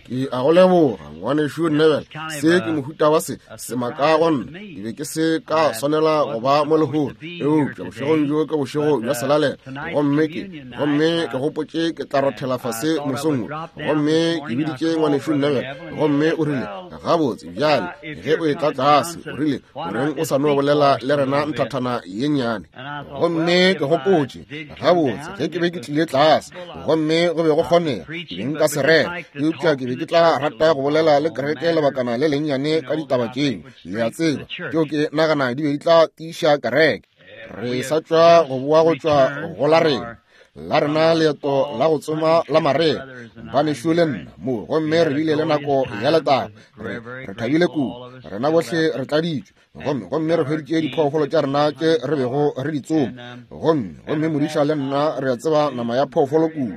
Ke a go leboga, ngwanešu Neville. Se ke mohuta wa se semaka go nna. Ke be ke se ka swanela go ba mo lehono, eupša bošegong bjo ke bošego bja selalela, gomme ke, gomme ke gopotše ke tla rothela fase mosong wo. Gomme ke biditše ngwanešu Neville, gomme o rile, Gabotse, bjale, ge o etla tlase, o rile, o reng o sa no bolela le rena nthathana ye nnyane? Gomme ke gopotše, gabotse, ge ke be ke tlile tlase, gomme go be go kgonega, ke be nka se rera, eupša ke be ke tla rata go bolela le kereke lebakana le lennyane ka ditaba tšeo, le a tseba, tšeo ke nagana di be di tla tiiša kereke. Re sa tšwa go boa go tšwa go la rena, la rena leeto la go tsoma la marega, banešu le nna mo, gomme re bile le nako ya letago, re, re thabile kudu, rena bohle re tladitšwe, gomme gomme re hweditše diphoofolo tša rena tše re bego re di tsoma, gomme gomme modiša le nna re a tseba nama ya phoofolo kudu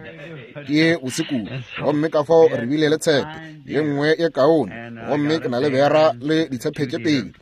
ke bose kudu, gomme ka fao re bile le tshepe ye nngwe ye kaone, gomme ke na le bera le ditshephe tše pedi,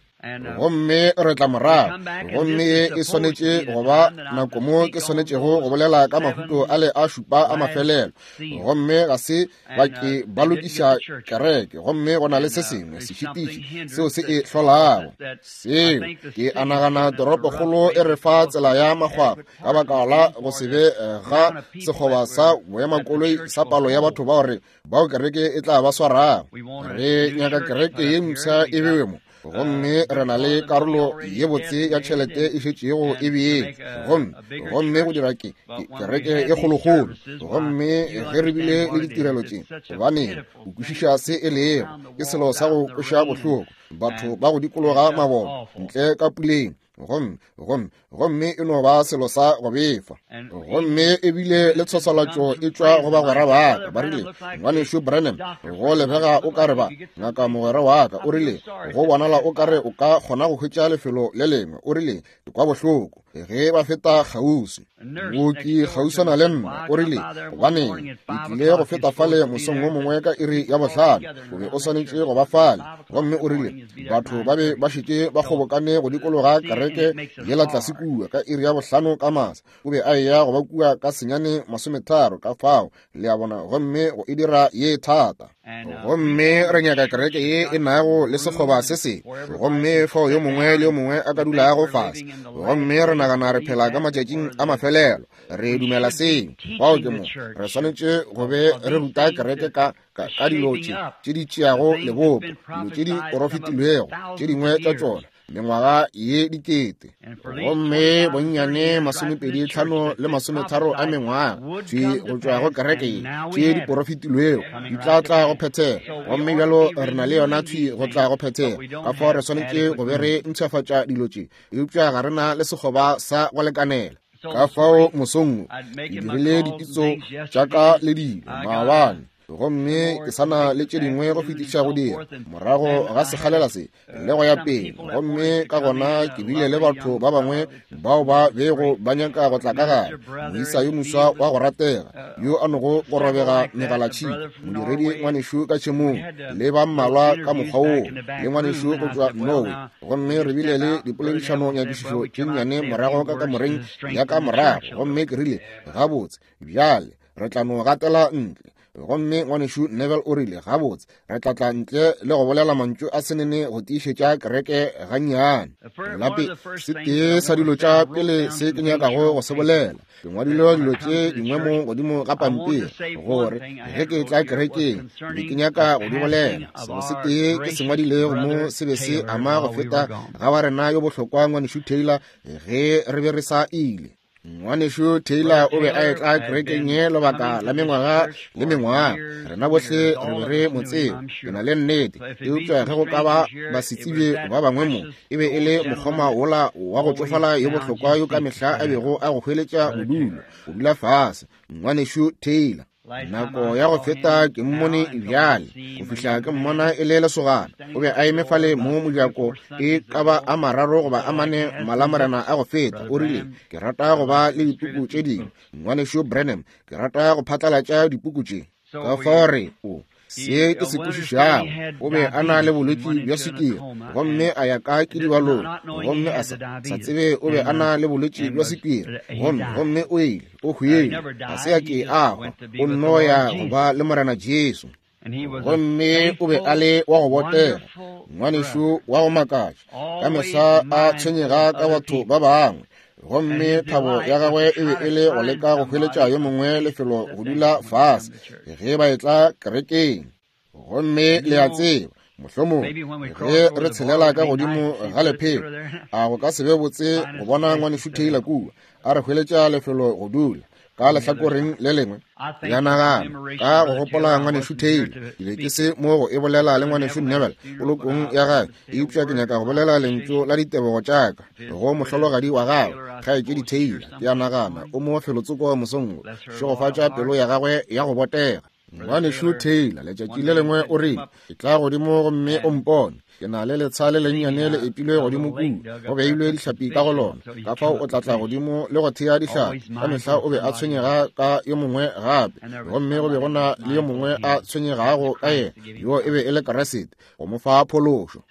gomme re tla morago, gomme ye e swanetše go ba nako mo ke swanetšego go bolela ka mahuto a le a šupa a mafelelo, gomme ga se ba ke ba lokiša kereke, gomme go na le se sengwe sešitiši seo se e hlolago. Seo ke a nagana toropokgolo e re fa tsela ya makgwakgwa ka baka la go se be ga sekgoba sa boemakoloi sa palo ya batho bao re bao kereke e tla ba swarago. Re nyaka kereke ye mpsha e bewe mo, gomme re na le karolo ye botse ya tšhelete e šetšego e beetšwe, gomme, gomme go dira ke, ke kereke e kgolokgolo. Gomme ge re bile le ditirelo tše, gobaneng, o kwešiša se e lego, ke selo sa go kweša bohloko, batho ba go dikologa mabone ntle ka puleng, gomme, gomme, gomme e no ba selo sa go befa. Gomme ebile le tshoswalatšo e tšwa go bagwera ba ka, ba rile, Ngwanešu Branham, go lebega o ka re ba, ngaka mogwera wa ka, o rile, go bonala o ka re o ka kgona go hwetša lefelo le lengwe. O rile, Ke kwa bohloko ge ba feta kgauswi. Mooki kgauswana le nna, o rile, Gobaneng, ke tlile go feta fale mosong wo mongwe ka iri ya bohlano, o be o swanetše go ba fale. Gomme o rile, Batho ba be ba šetše ba kgobokane go dikologa kereke yela tlase kua ka iri ya bohlano ka masa. O be a eya go ba kua ka senyane masometharo, ka fao, le a bona, gomme go e dira ye thata. Gomme re nyaka kereke ye e nago le sekgoba se sengwe, gomme fao yo mongwe le yo mongwe a ka dulago fase. Gomme re nagana re phela ka matšatšing a mafelelo, re dumela seo. Fao ke mo re swanetše go be re ruta kereke ka, ka, ka dilo tše tše di tšeago lebopo, dilo tše di porofetilwego, tše dingwe tša tšona mengwaga ye dikete, gomme bonnyane masomepedi tlhano le masometharo a mengwaga tše go tšwa go kereke ye tše di porofetilwego di tla tla go phethega. Gomme bjalo re na le yona thwi go tla go phethega, ka fao re swanetše go be re mpshafatša dilo tše, eupša ga re na le sekgoba sa go lekanela. Ka fao mosong wo ke dirile dipitso tša ka le dilo maabane, gomme ke sa na le tše dingwe go fetiša go dira morago ga sekgalela se le go ya pele. Gomme ka gona ke bile le batho ba bangwe bao ba bego ba nyaka go tla ka gare, moisa yo moswa wa go ratega yo a nogo go robega megalatšhika, modiredi ngwanešu ka tšhemong, le ba mmalwa ka mokgwa woo, le ngwanešu go tšwa Norway. Gomme re bile le dipoledišano nyakišišo tše nnyane morago ka kamoreng ya ka morago, gomme ke rile, Gabotse, bjale re tla no gatela ntle. Gomme ngwanešu Neville o rile, Gabotse, re tla tla ntle le go bolela mantšu a senene go tiišetša kereke gannyane. Lape, se tee sa dilo tša pele se ke nyakago go se bolela, ke ngwadile dilo tše dingwe mo godimo ga pampiri, gore ge ke tla kerekeng be ke nyaka go di bolela. Selo se tee ke se ngwadilego mo se be se ama go feta ga wa rena yo bohlokwa ngwanešu Taylor ge re be re sa ile. Ngwanešu Taylor o be a etla kerekeng ye lebaka la mengwaga le mengwaga. Rena bohle re be re mo tseba, ke na le nnete. Eupša ge go ka ba basetsebje ba bangwe mo, e be e le mokgoma wola wa go tšofala yo bohlokwa yo ka mehla a bego a go hweletša bodulo, go dula fase. Ngwanešu Taylor. Nako ya go feta ke mmone bjale, go fihla ke mmona e le lesogana. O be a eme fale mo mojako e ka ba a mararo goba a mane malamorena a go feta. O rile, Ke rata go ba le dipuku tše dingwe, Ngwanešu Branham. Ke rata go phatlalatša dipuku tše. Ka fao re o se ke se kwešišago, o be a na le bolwetši bja swikiri, gomme a ya ka kidibalong, gomme a sa tsebe o be a na le bolwetši bja swikiri, gomme, gomme o ile, o hwile, ga se a ke a hwa, o nno ya go ba le Morena Jesu. Gomme o be a le wa go botega, ngwanešu wa go makatša, ka mehla a tshwenyega ka batho ba bangwe. Gomme thabo ya gagwe e be e le go leka go hweletša yo mongwe lefelo go dula fase ge ba etla kerekeng. Gomme le a tseba, mohlomong ge re tshelela ka godimo ga lephelo, a go ka se be botse go bona ngwanešu Taylor kua a re hweletša lefelo go dula ka lehlakoreng le lengwe. Ya nagana ka go gopola ngwanešu Taylor, ke be ke se mo go e bolela le ngwanešu Neville polokong ya gagwe, eupša ke nyaka go bolela lentšu la ditebogo tša ka go mohlologadi wa gagwe, kgaetšedi Taylor. Ke a nagana o mo felotsoko mosong wo. Šegofatša pelo ya gagwe ya go botega. Ngwanešu Taylor letšatši le lengwe o rile, ke tla godimo gomme o mpone, ke na le letsha le lennyane le epilwe godimo kua, go beilwe dihlapi ka go lona, ka fao o tla tla godimo le go thea dihlapi. Ka mehla o be a tshwenyega ka yo mongwe gape, gomme go be go na le yo mongwe a tshwenyegago ka yena, yo e be e le Kriste, go mo fa phološo.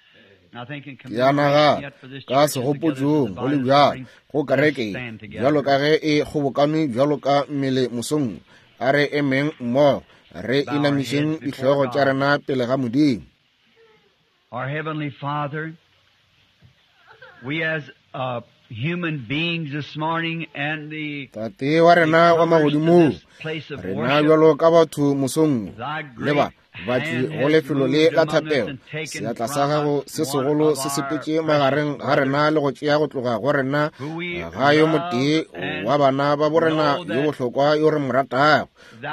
Ke a nagana ka segopotšong go le bjalo go kereke bjalo ka ge e kgobokane bjalo ka mmele mosong, a re emeng mmogo re inamišeng dihlogo tša rena pele ga Modimo. Our Heavenly Father, we as human beings this morning and the Tate wa rena wa magodimong, rena bjalo ka batho mosong le ba batli go lefelo le la thapelo, seatla sa gago se segolo se sepetše magareng ga rena le go tšea go tloga go rena ga yo motee wa bana ba borena yo bohlokwa yo re mo ratago,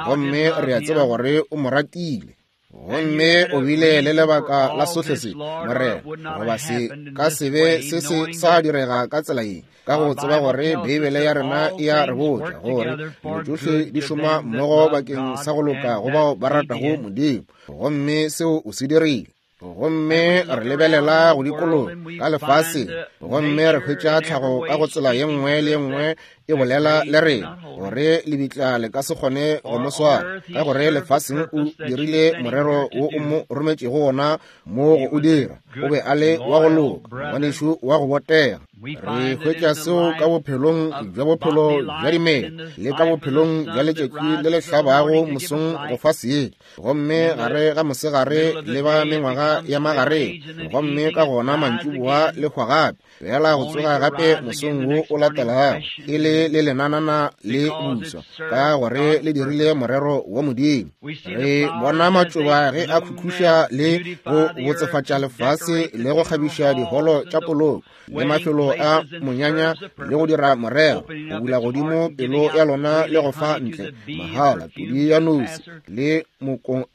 gomme re a tseba gore o mo ratile. Gomme o bile le lebaka la sohle se, Morena, goba se ka se be se se sa direga ka tsela ye, ka go tseba gore Beibele ya rena e a re botša gore dilo tšohle di šoma mmogo bakeng sa go loka go bao ba ratago Modimo, gomme seo o se dirile. Gomme re lebelela go dikologa ka lefaseng, gomme re hwetša tlhago ka go tsela ye nngwe le ye nngwe e bolela le rena gore lebitla le ka se kgone go mo swara, ka gore lefaseng o dirile morero wo o mo rometšego wona mo go o dira. O be a le wa go loka, ngwanešu wa go botega. Re hwetša seo ka bophelong bja bophelo bja dimela le ka bophelong bja letšatši le le hlabago mosong go fa seetša, gomme gare ga mosegare le ba mengwaga ya magareng, gomme ka gona mantšiboa le hwa gape, fela go tsoga gape mosong wo o latelago e le le lenanana le buswa, ka gore le dirile morero wa Modimo. Re bona matšoba ge a khukhuša le go botsefatša lefase le go kgabiša diholo tša poloko le mafelo a monyanya le go dira morero, go bula godimo pelo ya lona le go fa ntle mahala pudi ya nosi le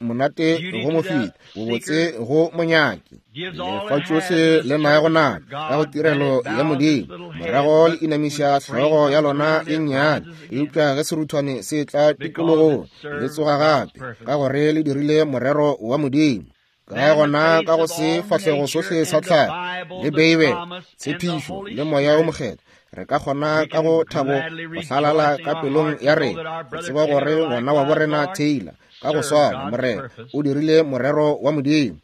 monate go mofeti, bobotse go monyaki. Lefa tšohle le nago nako ka go tirelo ya Modimo, morago le inamiša hlogo ya lona ye nnyane, eupša ge seruthwane se tla tikologong le tsoga gape, ka gore le dirile morero wa Modimo. Ka gona ka go se fahlego sohle sa tlhago le Beibele, tshepišo le Moya o Mokgethwa, re ka kgona ka go thabo go hlalala ka pelong ya rena, go tseba gore ngwana wa borena Taylor ka go swana, Morena, o dirile morero wa Modimo.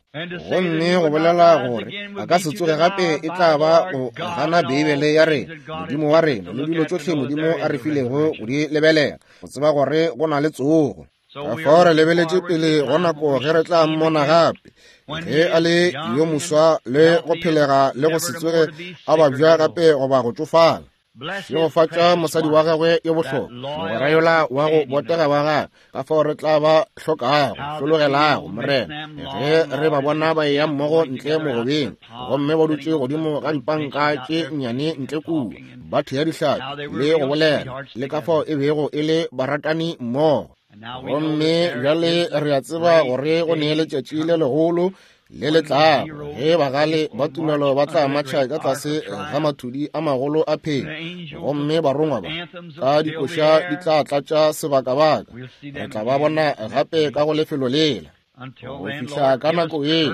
Gomme go bolela gore a ka se tsoge gape e tla ba go gana Beibele ya rena, Modimo wa rena, le dilo tšohle Modimo a re filego go di lebelela, go tseba gore go na le tsogo. Ka fao re lebeletše pele go nako ge re tla mmona gape, ge a le yo moswa le go phelega le go se tsoge a babja gape goba go tšofala. Šegofatša mosadi wa gagwe yo bohlokwa, mogwera yola wa go botega wa gagwe, ka fao re tla ba hlokago, hlologelago, Morena, ge re ba bona ba eya mmogo ntle mogobeng, gomme ba dutše godimo ga dipanka tše nnyane ntle kua, ba thea dihlapi le go bolela, le ka fao e bego e le baratani mmogo. Gomme bjale re a tseba gore go ne letšatši le legolo le le tlago ge bagale ba tumelo ba tla matšha ka tlase ga mathudi a magolo a phenyo, gomme barongwa ba ka dikoša di tla tlatša sebakabaka. Re tla ba bona gape ka go lefelo lela. Go fihla ka nako yeo,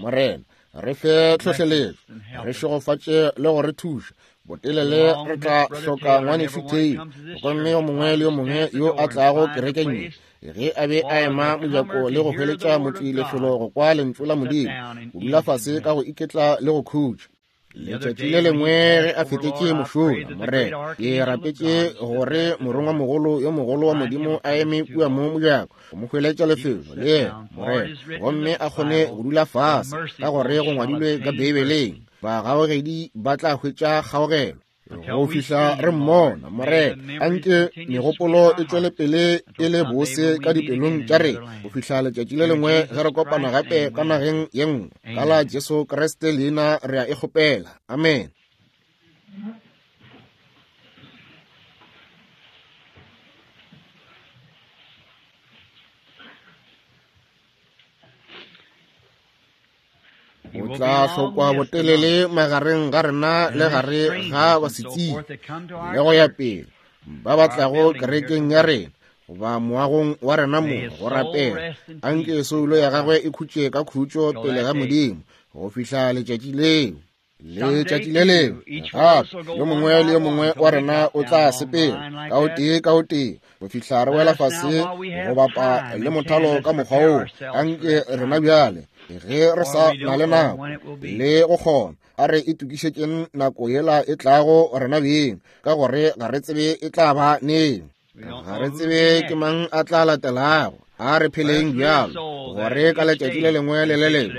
Morena, re fe tlhohleletšo, re šegofatše le go re thuša. Botelele re tla hloka ngwanešu Taylor, gomme yo mongwe le yo mongwe yo a tlago kerekeng ye, ge a be a ema mojako le go hweletša motli lefelo go kwa lentšu la Modimo, go dula fase ka go iketla le go khutša. Letšatši le lengwe ge a fetetše mošola, Morena, ke rapetše gore morongwamogolo yo mogolo wa Modimo a eme kua mo mojako go mo hweletša lefelo le yena, Morena, gomme a kgone go dula fase, ka gore go ngwadilwe ka Beibeleng, bagaogedi ba tla hwetša kgaogelo. Go fihla re mmona, Morena, anke megopolo e tšwele pele e le bose ka dipelong tša rena go fihla letšatši le lengwe ge re kopana gape ka nageng ye nngwe. Ka la Jesu Kriste leina re a e kgopela. Amen. O tla hlokwa botelele magareng ga rena le gare ga basetsing le go ya pele ba ba tlago kerekeng ya rena goba moagong wa rena mo go rapela. Anke soulo ya gagwe e khutše ka khutšo pele ga Modimo go fihla letšatši leo. Letšatši le lengwe gape yo mongwe le yo mongwe wa rena o tla sepela ka o tee ka o tee go fihla re wela fase go bapa le mothalo ka mokgwa woo. Anke rena bjale ge re sa na le nako le go kgona, a re itokišetšeng nako yela e tlago rena beng, ka gore ga re tsebe e tla ba neng. Ga re tsebe ke mang a tla latelago. A re pheleng bjalo gore ka letšatši le lengwe le le lengwe,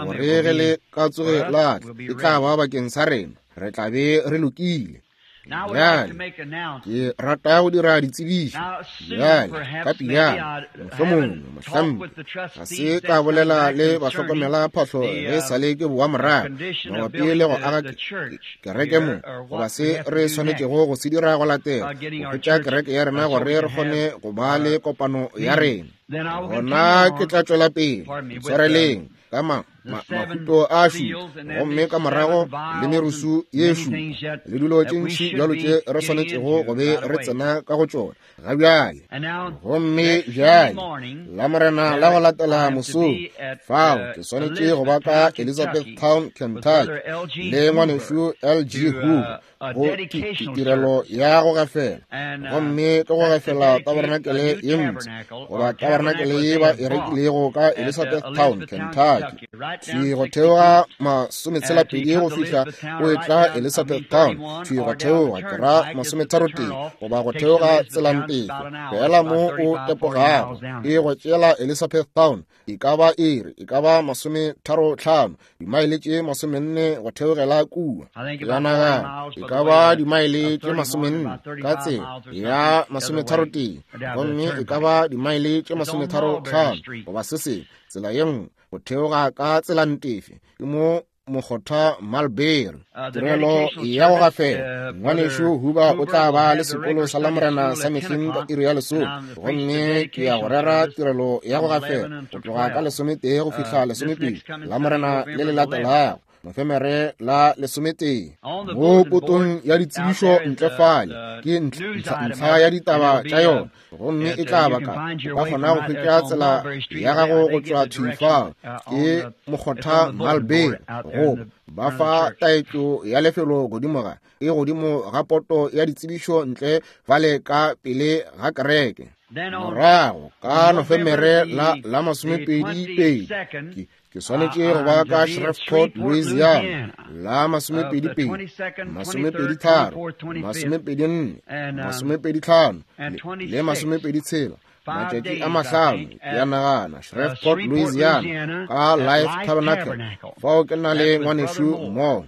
gore ge le ka tsoge la tla, e tla ba bakeng sa rena, re tla be re lokile. Bjale ke rata go dira ditsebišo bjale ka pejana, mohlomongwe mohlampe ga se ka bolela le bahlokomela phahlo ge sa le ke boa morago mabapi le go aga kereke mo, goba se re swanetšego go se dira go latela go hwetša kereke ya rena gore re kgone go ba le kopano ya rena. Gona ke tla tšwela pele tshwareleng ka mahuto a šupa, gomme ka morago le merusu ye šupa le dilo tše ntši bjalo tše re swanetšego go be re tsena ka go tšona ga bjale. Gomme bjale la Morena la go latela mosong fao ke swanetše go ba ka Elizabethtown, Kentucky le ngwanešu L.G. Hoover go tirelo ya go gafela, gomme ke go gafela tabernacle ye mpsha goba tabernacle ye ba e rekilego ka Elizabethtown, Kentucky. Thwi go theoga 62 go fihla o etla Elizabethtown, thwi go theoga ke ra 33 goba go theoga tselantefo fela mo o tepogago e go tšeela Elizabethtown e ka ba iri e ka ba 35 dimaele tše 40 go theogela kua. Ke a nagana e ka ba dimaele tše 40 ka tsela ya 33, gomme e ka ba dimaele tše 35 goba se sengwe tsela ye nngwe go theoga ka tselantefe ke mo mokgotha Mulberry. Tirelo ya go gafela ngwanešu Huber o tla ba le sekolo sa Lamorena sa mehleng ka iri ya lesome, gomme ke ya go rera tirelo ya go gafela go tloga ka 11 go fihla 12 Lamorena le le latelago, Nofemere la 11. Mo potong ya ditsebišo ntle fale ke ntlha ya ditaba tša yona, gomme e tla ba ka o ka kgona go hwetša tsela ya gago go tšwa thwi fao ke mokgotha Mulberry, go ba fa taetšo ya lefelo godimo ga e godimo ga poto ya ditsebišo ntle fale ka pele ga kereke. Morago ka Nofemere la 22 ke swanetše go ba ka Shreveport, Louisiana la 22, 23, 24, 25 le 26, matšatši a mahlano ke a nagana, Shreveport, Louisiana ka Life Tabernacle. Fao ke na le ngwanešu mo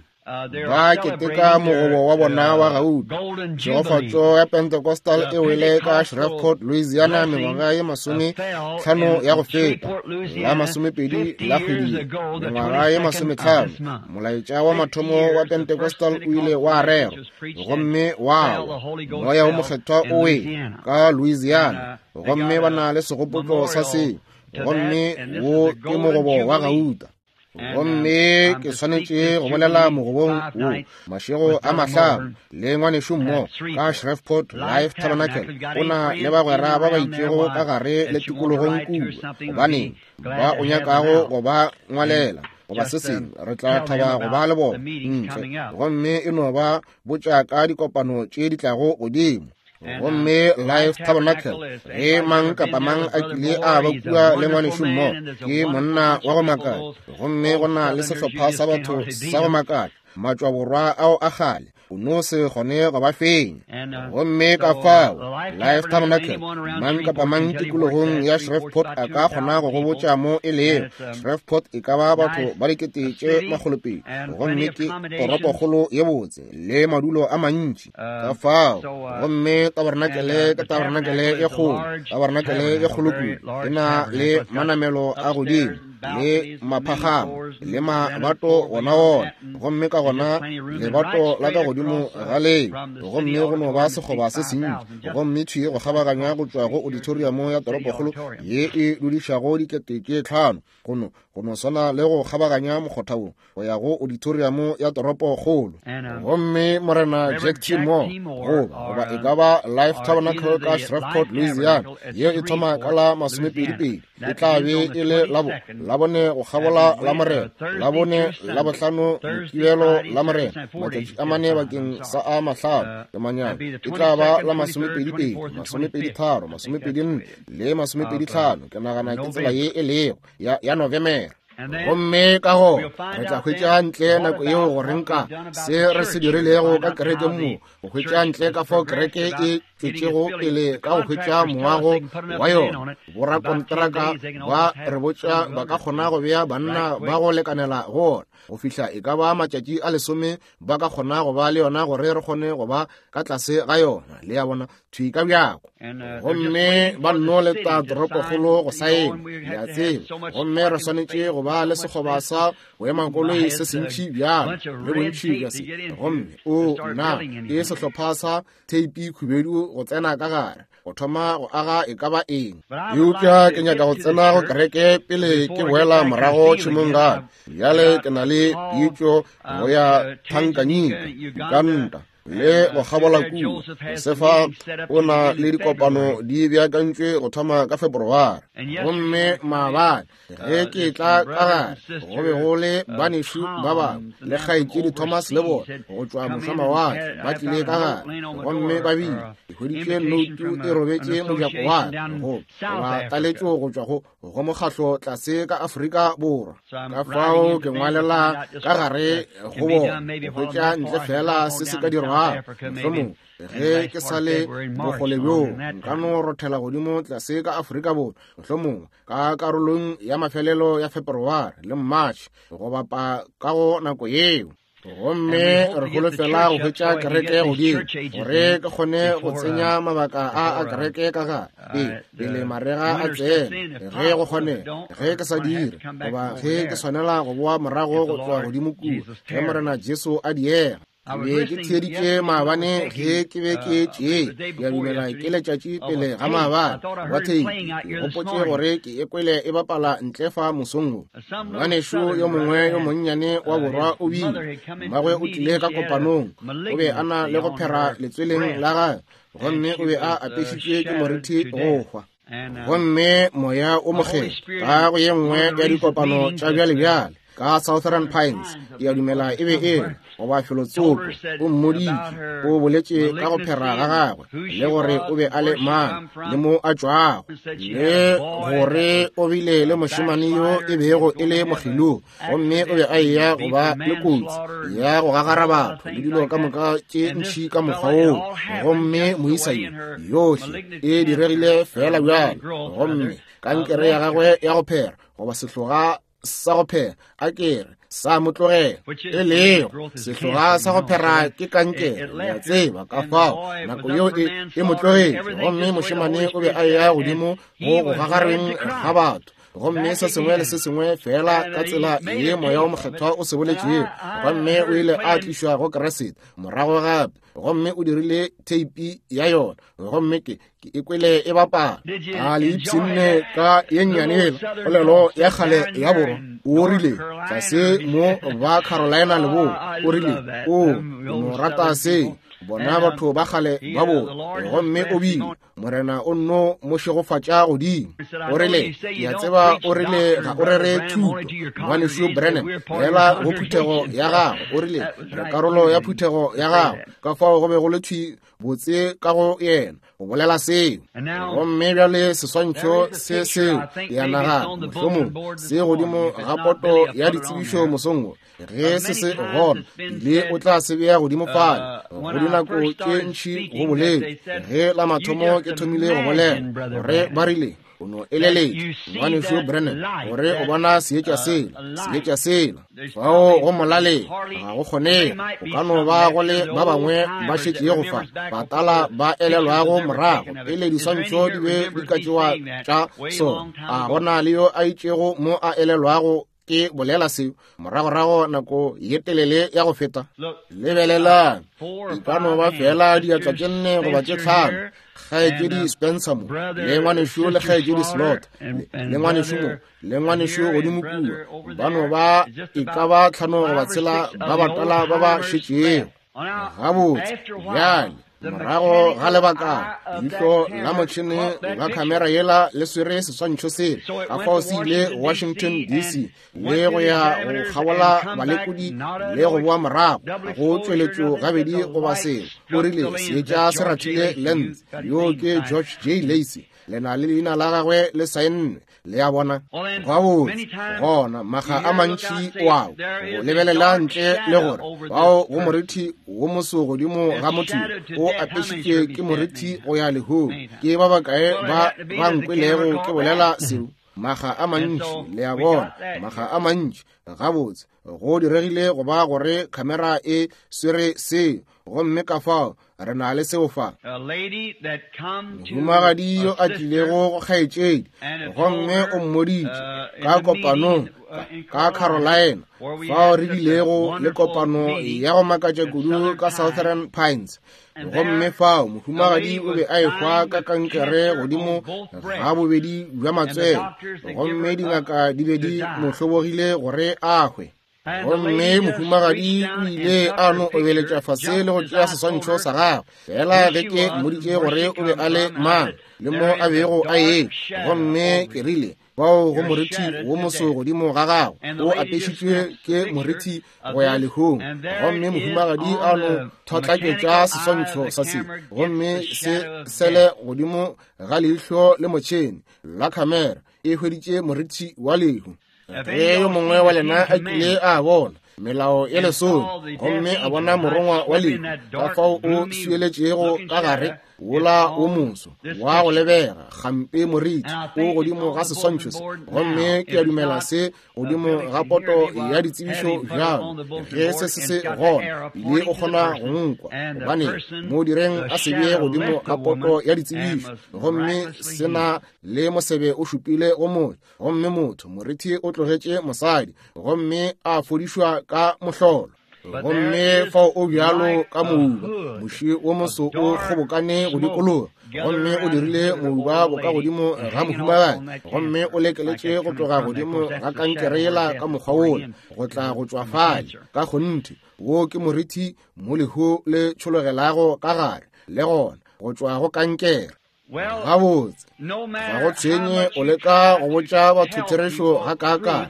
ba keteka mogobo wa bona wa gauta. Tšhegofatšo ya Pentecostal e wele ka Shreveport, Louisiana mengwaga ye 50 ya go feta, la 20 la kgwedi, mengwaga ye 50. Molaetša wa mathomo wa Pentecostal o ile wa rerwa gomme wa wa moya o mokgethwa o wele ka Louisiana, gomme ba na le segopotšo sa seo, gomme wo ke mogobo wa gauta. Gomme ke swanetše go bolela mogobong wo mašego a mahlano le ngwanešu mo ka Shreveport Life Tabernacle. O na le bagwera ba ba itšego ka gare le tikologong kua, gobaneng ba o nyakago go ba ngwalela goba se sengwe, re tla thaba go ba le bona ntle, gomme e no ba botša ka dikopano tše di tlago godimo. Gomme Life Tabernacle, ge mang kapa mang a kile a ba kua le ngwanešu mo, ke monna wa go makatša, gomme go na le sehlopha sa batho sa go makatša. Matšwaborwa ao a kgale, o no se kgone go ba fenya. Gomme ka fao Life Tabernacle, mang kapa mang tikologong ya Shreveport a ka kgona go go botša mo e lego. Shreveport e ka ba batho ba 200,000, gomme ke toropokgolo ye botse le madulo a mantši. Ka fao, gomme tabernakele ke tabernakele e kgolo, tabernakele e kgolo kudu, e na le manamelo a godimo le maphagamo le mabato gona ona, gomme ka gona lebato la ka godimo ga leo, gomme go no ba sekgoba se sentši, gomme thwi go kgabaganya go tšwa go auditorium ya toropokgolo ye e dudišago 5,000, go no swana le go kgabaganya mokgotha wo go ya go auditorium ya toropokgolo. Gomme Morena Jack T. Moore, goba e ka ba Life Tabernacle ka Shreveport, Louisiana, ye e thoma ka la 22, e tla be e le Labone go kgabola la Morena, Labone, Labohlano, Mokibelo la Morena, matšatši a mane bakeng sa a mahlano ke manyana, e tla ba la 22, 23, 24 le 25, ke nagana ke tsela ye e lego ya November. Gomme ka go re tla hwetša ntle nako yeo gore nka se re se dirilego ka kereke mo, go hwetša ntle ka fao kereke e tšwetšego pele ka go hwetša moago wa yona. Borakontraka ba re botša ba ka kgona go bea banna ba go lekanela go ona go fihla e ka ba matšatši a 10 ba ka kgona go ba le yona gore re kgone go ba ka tlase ga yona, le ya bona, thwi ka bjako. Gomme ba nno leta toropokgolo go saena, le a tseba, gomme re swanetše go ba le sekgoba sa boemakoloi se sentši bjalo le bontši bja se. Gomme o nna ke sehlopha sa theipi khubedu go tsena ka gare go thoma go aga e ka ba eng. Eupša ke nyaka go tsena go kereke pele ke boela morago tšhemong gape. Bjale ke na le pitšo go ya Tanganyika, Uganda le go kgabola kua. Josefa o na le dikopano di beakantšwe go thoma ka February. Gomme maabane ge ke tla ka gare go be go le banešu ba bangwe le kgaetšedi Thomas le bona go tšwa mošwamawatle ba tlile ka gare, gomme ba bile ke hweditše noutu e robetše mojako wa ka goba taletšo go tšwa go mokgahlo tlase ka Afrika Borwa. Ka fao ke ngwalela ka gare go bona go hwetša ntle fela se se ka dirwago. Mohlomongwe ge ke sa le bokgole bjoo nka no rothela godimo tlase ka Afrika Borwa, mohlomongwe ka karolong ya mafelelo ya February le March go bapa ka go nako yeo. Gomme re holofela go hwetša kereke godimo gore ke kgone go tsenya mabaka a a kereke ka gare pele marega a tsene, ge go kgone, ge ke sa dire, goba ge ke swanela go boa morago go tloga godimo kua, ge Morena Jesu a diega. Ke be ke theeditše maabane ge ke be ke tšee, ke a dumela ke letšatši pele ga maabane, wa theipi, ke gopotše gore ke e kwele e bapala ntle fa mosong wo. Ngwanešu yo mongwe yo monnyane wa borwa o bile, mmagwe o tlile ka kopanong, o be a na le go phera letsweleng la gagwe, gomme o be a apešitšwe ke morithi go hwa. Gomme moya o mokgethwa ka go ye nngwe ya dikopano tša bjale-bjale ka Southern Pines, ke a dumela e be e le goba felotsoko, o mmoditše, o boletše ka go phera ga gagwe le gore o be a le mang le mo a tšwago, le gore o bile le mošemane yo e bego e le mokgelo, gomme o be a eya go ba le kotsi ya go gagara batho le dilo ka moka tše ntši ka mokgwa woo. Gomme moisa yo yohle e diregile fela bjalo, gomme kankere ya gagwe ya go phera goba sehloga sa go phera a kere sa mo tlogela, e lego sehloga sa go phera ke kankere, le a tseba. Ka fao nako yeo e mo tlogetše, gomme mošemane o be a eya godimo go go gagareng ga batho, gomme se sengwe le se sengwe fela ka tsela ye moya o mokgethwa o se boletšego. Gomme o ile a tlišwa go Kriste morago gape, gomme o dirile theipi ya yona, gomme ke e kwele e bapala. A le ipshinne ka ye nnyane yela polelo ya kgale ya borwa? O rile tlase mo ba Carolina leboa, o rile o no rata se bona batho ba kgale ba borwa. Gomme o bile Morena o nno mo šegofatša godimo. O rile, ke a tseba, o rile ga o rere thuto, ngwanešu Branham, fela go phuthego ya gago. O rile re karolo ya phuthego ya gago. Ka fao fao go be go le thwi botse ka go yena go bolela seo. Gomme bjale seswantšho se seo ke a nagana mohlomong se godimo ga poto ya ditsebišo mosong wo, ge se se gona bile o tla se bea godimo fale. Go dinako tše ntši go boletše ge la mathomo ke thomile go bolela gore ba rile o no eleletša ngwanešu Branham gore o bona seetša sela, seetša sela fao go molaleng ga go kgonege. Go ka no ba go le ba bangwe ba šetšego fa batala ba elelwago morago pele diswantšho di be di ka tšewa tša sona. A gona le yo a itšego mo a elelwago ke bolela seo moragorago nako ye telele ya go feta? Lebelelang, e ka no ba fela diatla tše 4 goba tše 5. Kgaetšedi Spencer mo, le ngwanešu le kgaetšedi Slot, le ngwanešu mo, le ngwanešu godimo kua, ba no ba e ka ba 5 goba 6 ba batala ba ba šetšego. Gabotse, bjale morago ga lebaka leihlo la motšhene la khamera yela le swere seswantšho sela, ka fao se ile Washington DC le go ya go kgabola balekodi le go boa morago go tšweletšo gabedi goba selo. O rile seetša se rathile lens. Yo ke George J. Lacey, le na le leina la gagwe le saennwe. Le a bona? Gabotse, gona makga a mantši o a go lebelela ntle le gore bao go morithi wo moso godimo ga motho o apešitšwe ke morithi go ya lehung. Ke ba bakae ba ba nkwelego ke bolela seo? Makga a mantši, le a bona, makga a mantši. Gabotse, go diregile go ba gore khamera e swere seo, gomme ka fao re na le seo fa. Mohumagadi yo a tlilego go kgaetšedi, gomme o mmoditše ka kopanong ka Carolina, fao re bilego le kopano ya go makatša kudu ka Southern Pines. Gomme fao mohumagadi o be a ehwa ka kankere godimo ga bobedi bja matswele, gomme dingaka di be di mo hlobogile gore a hwe. Gomme mohumagadi o ile a no obeletša fase le go tšea seswantšho sa gagwe, fela ge ke mmoditše gore o be a le mang le mo a bego a ye. Gomme ke rile, bao go morithi wo moso godimo ga gago o apešitšwe ke morithi go ya lehung. Gomme mohumagadi a no thotlaketša seswantšho sa se, gomme se sele godimo ga leihlo le motšhene la khamera e hweditše morithi wa lehu. Ge yo mongwe wa lena a kile a bona melao ya lesome gomme a bona morongwa wa lehu ka fao o swieletšego ka gare wola wo moso wa go lebega gampe morithi o godimo ga seswantšho se, gomme ke a dumela se godimo ga poto ya ditsebišo bjalo ge se se se gona le o kgona go nkwa, gobane mo direng a se bee godimo ga poto ya ditsebišo, gomme se na le mosebe o šupile go motho, gomme motho morithi o tlogetše mosadi gomme a fodišwa ka mohlolo. Gomme fao o bjalo ka mouba, moši wo moso o kgobokane go dikologa, gomme o dirile mouba boka godimo ga mohumagadi, gomme o lekeletše go tloga godimo ga kankere yela ka mokgwa wola go tla go tšwa fale. Ka kgonthe, wo ke morithi mo lehu le tšhologelago ka gare, le gona go tšwa go kankere. Gabotse, ga go tshwenye o leka go botša batho therešo ga kaakang,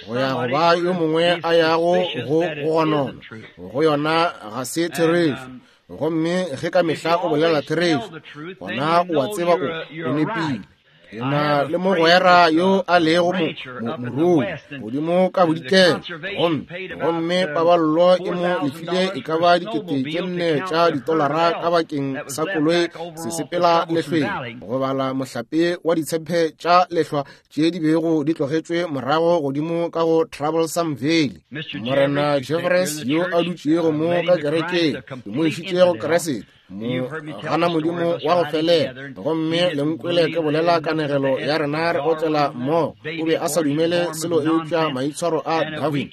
go ya go ba yo mongwe a yago go gonona go yona ga se therešo. Gomme ge ka mehla o bolela therešo, gona o a tseba o nepile. Ke na le mogwera yo a lego morui godimo ka bodikela, gomme paballo e mo lefile e ka ba 4,000 tša ditolara ka bakeng sa koloi se sepela lehlweng go bala mohlape wa ditshephe tša lehlwa tše di bego di tlogetšwe morago godimo ka go Troublesome Valley. Morena Jeffres yo a dutšego mo ka kerekeng, ke mo išitše go Keresete, mo gana modimo wa go felela. Gomme le nkwele ke bolela kanegelo ya rena re otlela mo, o be a sa dumele selo eupša maitshwaro a Darwin.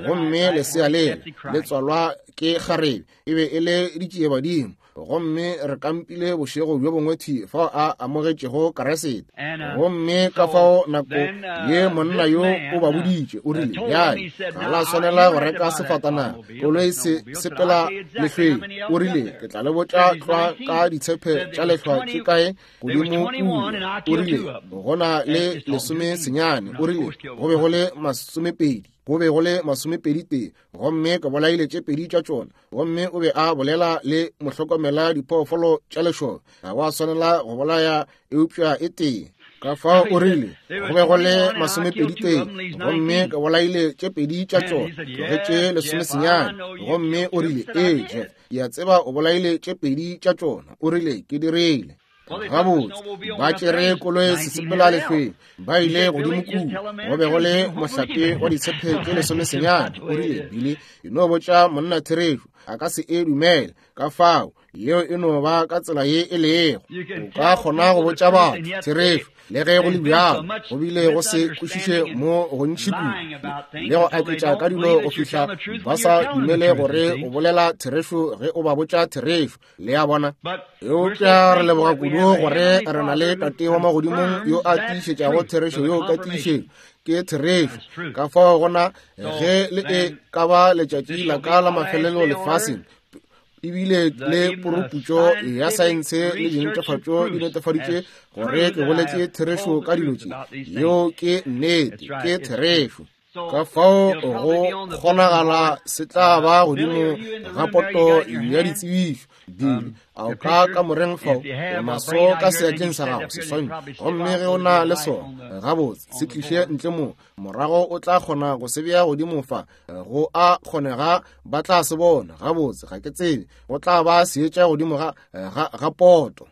Gomme lesea lela le tswalwa ke kgarebe, e be e le ditšiebadimo. Gomme re kampile bošego bjo bongwe thi fao a amogetšego Keresete. Gomme ka fao nako ye monna yo o ba boditše, o rile, bjale ga la swanela go reka sefatanaga, koloi se sepela lehlweng. O rile, ke tla le botša tlwa ka ditshephe tša lehlwa tše kae godimo kua. O rile, go na le 19, o rile, go be go le 20. Go be go le 21, gomme ke bolaile tše 2 tša tšona. Gomme o be a bolela le mohlokomela diphoofolo tša lešoba. Ga wa swanela go bolaya eupša e tee. Ka fao o rile, go be go le 21, gomme ke bolaile tše 2 tša tšona, tlogetše 19. Gomme o rile, ee, Jeff, ke a tseba o bolaile tše 2 tša tšona. O rile, ke dirile. Gabotse, ba tšere koloi sesepela lehlweng, ba ile godimo kua, go be go le mohlape wa ditshepe tše 19. O rile, Billy, e no botša monna therešo, a ka se e dumele. Ka fao, yeo e no ba ka tsela ye e lego. O ka kgona go botša batho therešo, le ge go le bjalo, go bile go se kwešiše mo gontši kudu le go aketša ka dilo go fihla ba sa dumele gore o bolela therešo ge o ba botša therešo. Le a bona? Eupša re leboga kudu gore re na le Tate wa magodimong yo a tiišetšago therešo yo ka tiišetšo ke therešo. Ka fao gona ge le e ka ba letšatši la ka la mafelelo lefaseng, ebile le poroputšo ya saense le dintefatšo di netefaditše gore ke boletše therešo ka dilo tše. Yeo ke nnete, ke therešo. Ka fao go kgonagala se tla ba godimo ga poto ya ditsebišo. Billy, a o ka kamoreng fao o naso ka seatleng sa gago seswantšho, gomme ge o na le sona, gabotse se tliše ntle mo, morago o tla kgona go se bea godimo fa. Go a kgonega ba tla se bona. Gabotse, ga ke tsebe, go tla ba seetša godimo ga poto.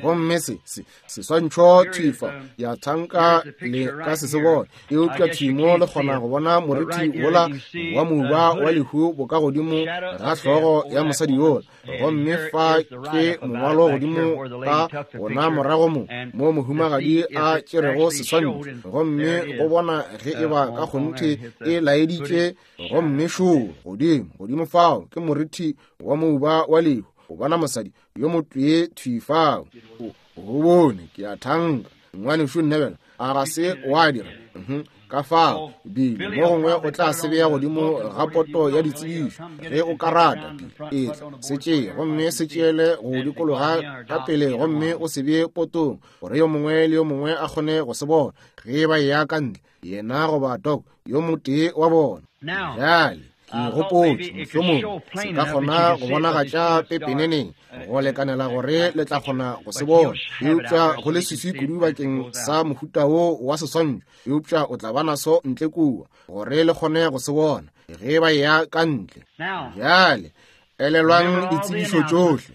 Gomme se seswantšho thwi fa ya thanka le ka se se bone, eupša thwi mo le kgona go bona morithi wola wa moba wa lehu boka godimo ga hlogo ya mosadi yola. Gomme fa ke mongwalo godimo ka gona morago mo, mo mohumagadi a tšerego seswantšho, gomme go bona ge e ba ka kgonthe e laeditše. Gomme šo godimo, godimo fao ke morithi wa moba wa lehu, o bona mosadi yo motee thwi fao. O bone, ke a thanka, ngwanešu Neville, a ga se wa dira? Ka fao, Billy, mo gongwe o tla se bea godimo ga poto ya ditsebišo, ge o ka rata. Billy, etla, se tšee, gomme se tšeele go dikologa ka pele, gomme o se bee potong, gore yo mongwe le yo mongwe a kgone go se bona, ge ba eya ka ntle, yena goba Doc, yo motee wa bona. Bjale, ke gopotše, mohlomongwe se ka kgona go bonagatša pepeneneng go lekanela gore le tla kgona go se bona, eupša go le swiswi kudu bakeng sa mohuta wo wa seswantšho, eupša o tla ba naso ntle kua gore le kgone go se bona ge ba eya ka ntle. Bjale, elelwang ditsebišo tšohle.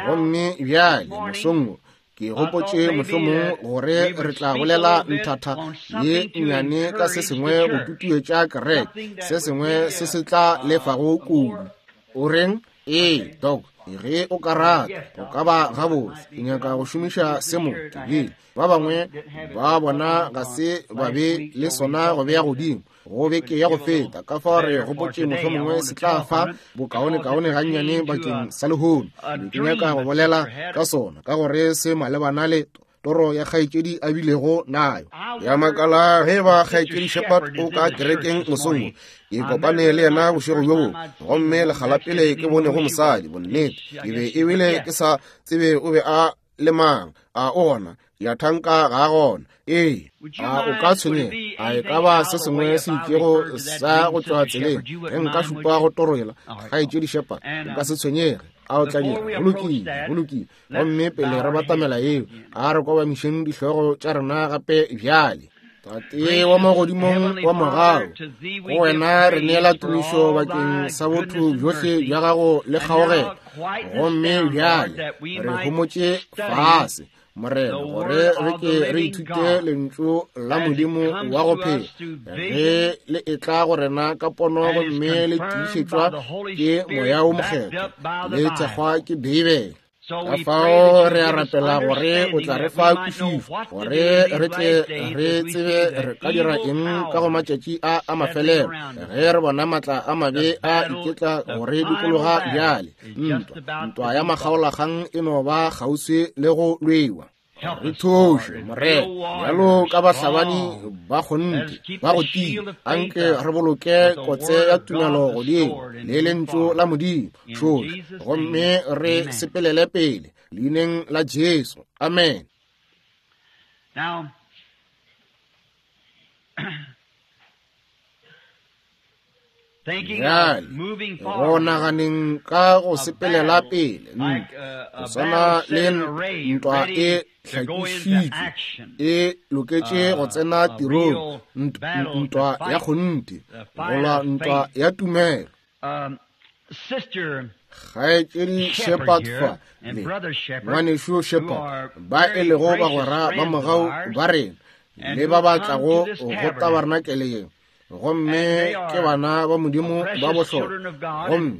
Gomme bjale, mosong wo, ke gopotše mohlomong gore re tla bolela nthatha ye nnyane ka se sengwe go tutuetša kereke, se sengwe se se tla lefago kudu. O reng? Ee, Doc, ge o ka rata, o ka ba gabotse. Ke nyaka go šomiša se mo, ke bile. Ba bangwe ba bona ga se ba be le sona go bea godimo go beke ya go feta, ka fao re gopotše mohlomongwe se tla fa bokaonekaone gannyane bakeng sa lehono. Ke nyaka go bolela ka sona ka gore se malebana le toro ya kgaetšedi a bilego nayo. Ya makala ge ba kgaetšedi Shepherd o ka kerekeng mosong wo. Ke kopane le yena bošego bjo bongwe, gomme lekga la pele ke bonego mosadi, bonnete, ke be ebile ke sa tsebe o be a le mang. A o gona? Ya thanka ga a gona. Ee, a o ka tshwenyega? A e ka ba se sengwe se itšego sa go tšwa tseleng ge nka šupa go toro yela, kgaetšedi Shepherd? O ka se tshwenyege. A o tla dira? Go lokile, go lokile. Gomme pele re batamela yeo, a re kobamišeng dihlogo tša rena gape bjale. Tate wa magodimong wa mogau, go wena re neela tumišo bakeng sa botho bjohle bja gago le kgaogelo. Gomme bjale re homotše fase, Morena, gore re ke re ithute lentšu la Modimo wa go phela, ge le etla go rena ka pono gomme le tiišetšwa ke Moya wo Mokgethwa, le thekgwa ke Beibele. Ka fao re a rapela gore o tla re fa kwešišo, gore re tle re tsebe re ka dira eng ka go matšatši a a mafelelo, ge re bona matla a mabe a iketla gore dikologa bjale. Ntwa, ntwa ya makgaolakgang e no ba kgauswi le go lwewa. Re thuše, Morena, bjalo ka bahlabani ba kgonthe ba go tia, anke re boloke kotse ya tumelo godimo le lentšu la Modimo tšohle, gomme re sepelele pele leineng la Jesu. Amen. Now, Bjale, go naganeng ka go sepelela pele, go swana le ntwa e hlakišitšwe, e loketše go tsena tirong, ntwa ya kgonthe, go lwa ntwa ya tumelo. Kgaetšedi Shepherd fa le Ngwanešu Shepherd, ba e lego bagwera ba mogau ba rena, le ba ba tlago go tabarnakele ye, gomme ke bana ba Modimo ba bohlokwa.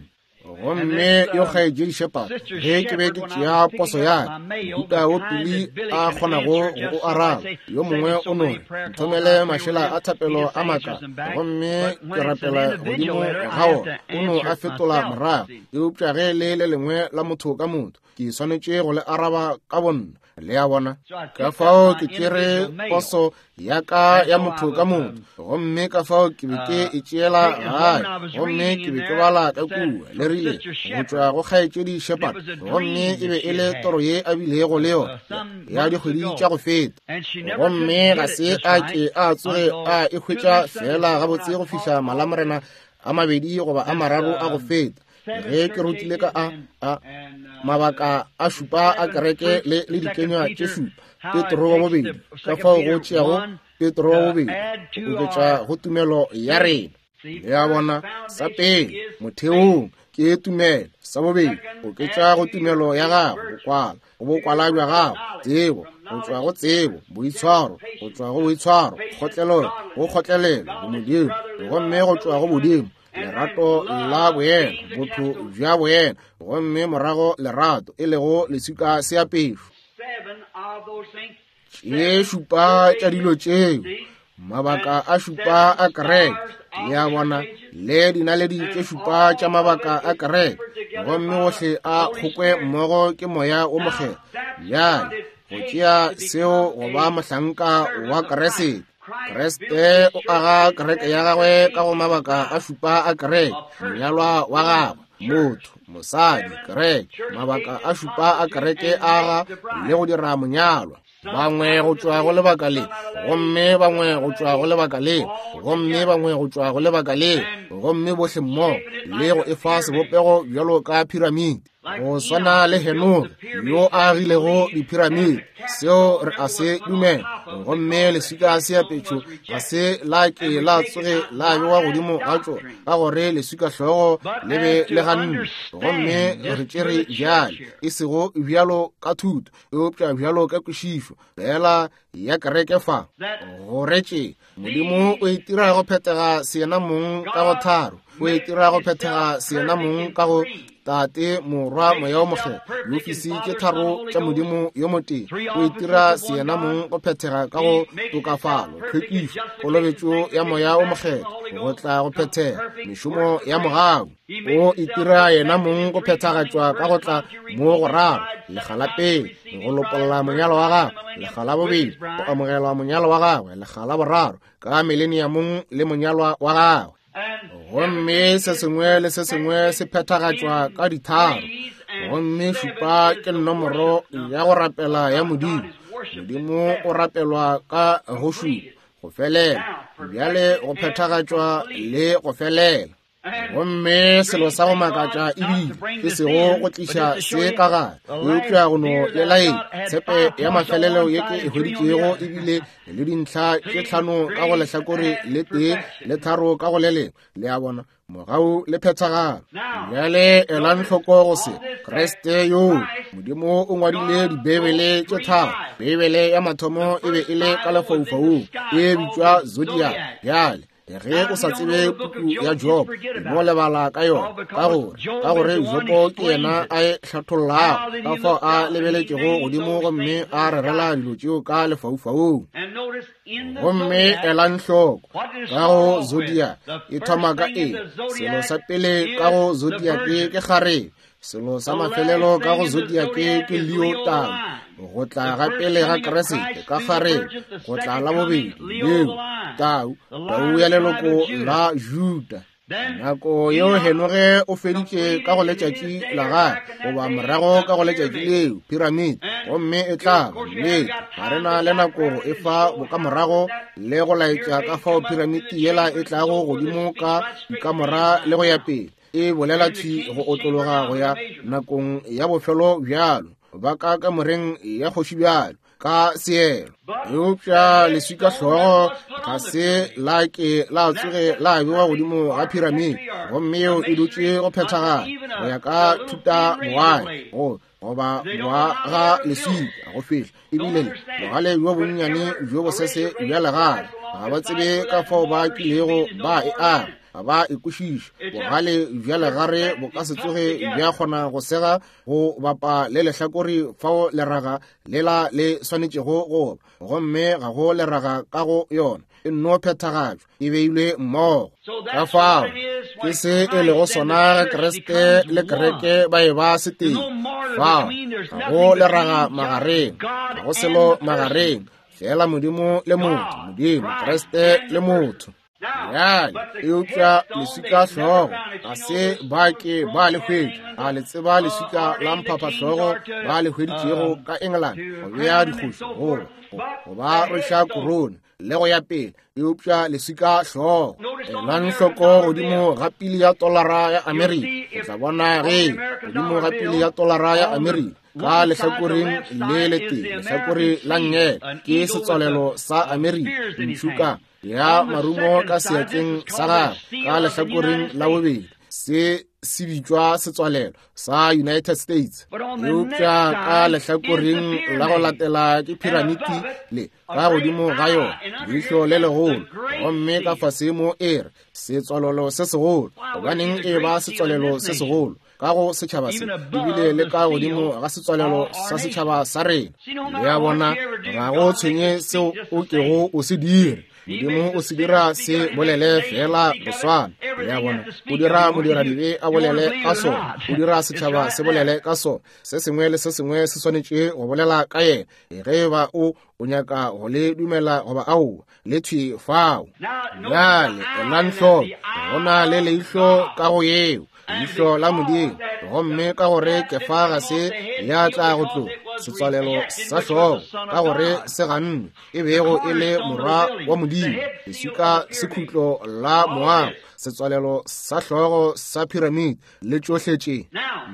Gomme yo kgaetšedi Shepherd, ge ke be ke tšea poso ya ka, mohuta wo Pili a kgonago go o araba, yo mongwe o no re, nthomele mašela a thapelo a maka, gomme ke rapela godimo ga ona, o no a fetola morago. Eupša ge le le lengwe la motho ka motho, ke swanetše go le araba ka bonna. Le a bona? Ka fao ke tšere poso ya ka ya motho ka motho, gomme ka fao ke be ke e tšeela gae, gomme ke be ke bala ka kua, le rile, go tšwa go kgaetšedi Shepherd, gomme e be e le toro ye a bilego le yona ya dikgwedi tša go feta, gomme ga se a ke a tsoge a e hwetša feela gabotse go fihla malamorena a mabedi goba a mararo a go feta, ge ke rutile ka a mabaka a šupa a kereke le dikenywa tše šupa, Petro wa bobedi, ka fao go tšeago Petro wa bobedi go oketša go tumelo ya rena. Le a bona, sa pele motheong ke tumelo, sa bobedi oketša go tumelo ya gago bokwala, go bokwala bja gago tsebo, go tšwa go tsebo boitshwaro, go tšwa go boitshwaro kgotlelelo, go kgotlelelo bomodimo, gomme go tšwa go bodimo lerato la boena, botho bja boena, gomme morago lerato, e lego leswika seapešo. Tše šupa tša dilo tšeo, mabaka a šupa a kereke, le a bona, le dinaledi tše šupa tša mabaka a kereke, gomme ohle a kgokwe mmogo ke Moya wo Mokgethwa. Bjale, go tšea seo go ba mohlanka wa Kriste. Kriste o aga kereke ya gagwe ka go mabaka a šupa a kereke, monyalwa wa gagwe, motho, mosadi, kereke, mabaka a šupa a kereke aga le go dira monyalwa. Bangwe go tšwa go lebaka le, gomme bangwe go tšwa go lebaka le, gomme bangwe go tšwa go lebaka le, gomme bohle mmogo, le go efa sebopego bjalo ka piramidi, go swana le Henoge yo a agilego diphiramidi. Seo re a se dumela. Gomme leswika seapetšo ga se la ke la tsoge la bewa godimo ga tšona, ka gore leswika hlogo le be le ganne. Gomme re tšere bjale, e sego bjalo ka thuto, eupša bjalo ka kwešišo fela ya kereke fa, gore tše Modimo o itira go phethega seyena mong ka go tharo, o itira go phethega seyena mong ka go Tate, Morwa, Moya wo Mokgethwa, diofisi tše tharo tša Modimo yo motee. O itira seyena mong go phethega ka go tokafalo, tlhwekišo, kolobetšo ya Moya wo Mokgethwa, go tla go phethega mešomo ya mogau. O itira yena mong go phethagatšwa ka go tla mo go raro, lekga la pele go lopolla monyalo wa gagwe, lekga la bobedi go amogelwa monyalo wa gagwe, lekga la boraro ka mileniamong le monyalwa wa gagwe. Gomme se sengwe le se sengwe se phethagatšwa ka ditharo, gomme šupa ke nomoro ya go rapela ya Modimo. Modimo o rapelwa ka go šupa, go felela, bjale go phethagatšwa le go felela. Gomme selo sa go makatša ebile e sego go tliša se ka gare, eupša go no le laetša tshepe ya mafelelo ye ke e hweditšego ebile le dintlha tše tlhano ka go lehlakore le tee le tharo ka go le lengwe. Le a bona, mogau le phethagalo. Bjale elang hloko go se Kriste yo Modimo o ngwadile Dibeibele tše tharo. Beibele ya mathomo e be e le ka lefaufaung, e bitšwa Zodiac. Bjale ge o sa tsebe puku ya Job, no lebala ka yona, ka gore Jobo ke yena a e hlathollago, ka fao a lebeletšego godimo gomme a rerela dilo tšeo ka lefaufaung. Gomme elang hloko ka go Zodiac e thoma ka eng? Selo sa pele ka go Zodiac ke kgarebe, selo sa mafelelo ka go Zodiac ke Leo tau, go tla ga pele ga Kriste ka kgarebe, go tla la bobedi Leo tau, tau ya leloko la Juda. Nako yeo Henoge o feditše ka go letšatši la gagwe, goba morago ka go letšatši leo, piramidi, gomme e tla ba nnete. Ga re na le nako go e fa bokamorago le go laetša ka fao piramidi yela e tlago godimo ka dikamora le go ya pele. E bolela thwi go otlologa go ya nakong ya bofelo bjalo, ba ka kamoreng ya kgoši bjalo, ka seelo. Eupša leswika hlogo ga se la ke la tsoge la bewa godimo ga piramidi, gomme yeo e dutše go phethagala go ya ka thuta boae go goba boa ga leswika go fihla ebile le bogale bjo bonnyane bjo bosese bja legale. Ga ba tsebe ka fao ba kilego ba e aga, ga ba e kwešiše. Bogale bja legare bo ka se tsoge bja kgona go sega go bapa le lehlakore fao leraga lela le swanetšego go ba, gomme ga go leraga ka go yona, e nno phethagatšwa, e beilwe mmogo. Ka fao ke se e lego sona ge Kriste le kereke ba e ba setee. Fao ga go leraga magareng, ga go selo magareng, fela Modimo le motho, Modimo, Kriste le motho. Bjale, eupša leswika hlogo ga se ba ke ba le hwetša. A le tseba leswika la mphaphahlogo ba le hweditšego ka England go bea dikgoši goba go ba rweša korone le go ya pele? Eupša leswika hlogo, elang hloko godimo ga pili ya tolara ya Amerika, o tla bona ge godimo ga pili ya tolara ya Amerika ka lehlakoreng le letee, lehlakore la nngele ke setswalelo sa Amerika, ntšhuka ya marumo ka seatleng sa gagwe, ka lehlakoreng la bobedi se se bitšwa setswalelo sa United States. Eupša ka lehlakoreng la go latela ke piramiti le ka godimo ga yona leihlo le legolo, gomme ka fase mo e re setswalelo se segolo. Gobaneng e ba setswalelo se segolo ka go setšhaba se, ebile le ka godimo ga setswalelo sa setšhaba sa rena? Le a bona, ga go tshwenye seo o kego o se dire, Modimo o se dira se bolele fela go swana. Le a bona, o dira modiradibe a bolele ka sona, o dira setšhaba se bolele ka sona, se sengwe le se sengwe se swanetše go bolela ka yena. Ge ba o o nyaka go le dumela goba aowa, le thwi fao. Bjale elang hloko, go na le leihlo ka go yeo, leihlo la Modimo, gomme ka gore kefa ga se ya tla go tloga setswalelo sa hlogo, ka gore se gannwe, e bego e le morwa wa Modimo, leswika sekhutlo la moago, setswalelo sa hlogo sa piramidi le tšohle tše.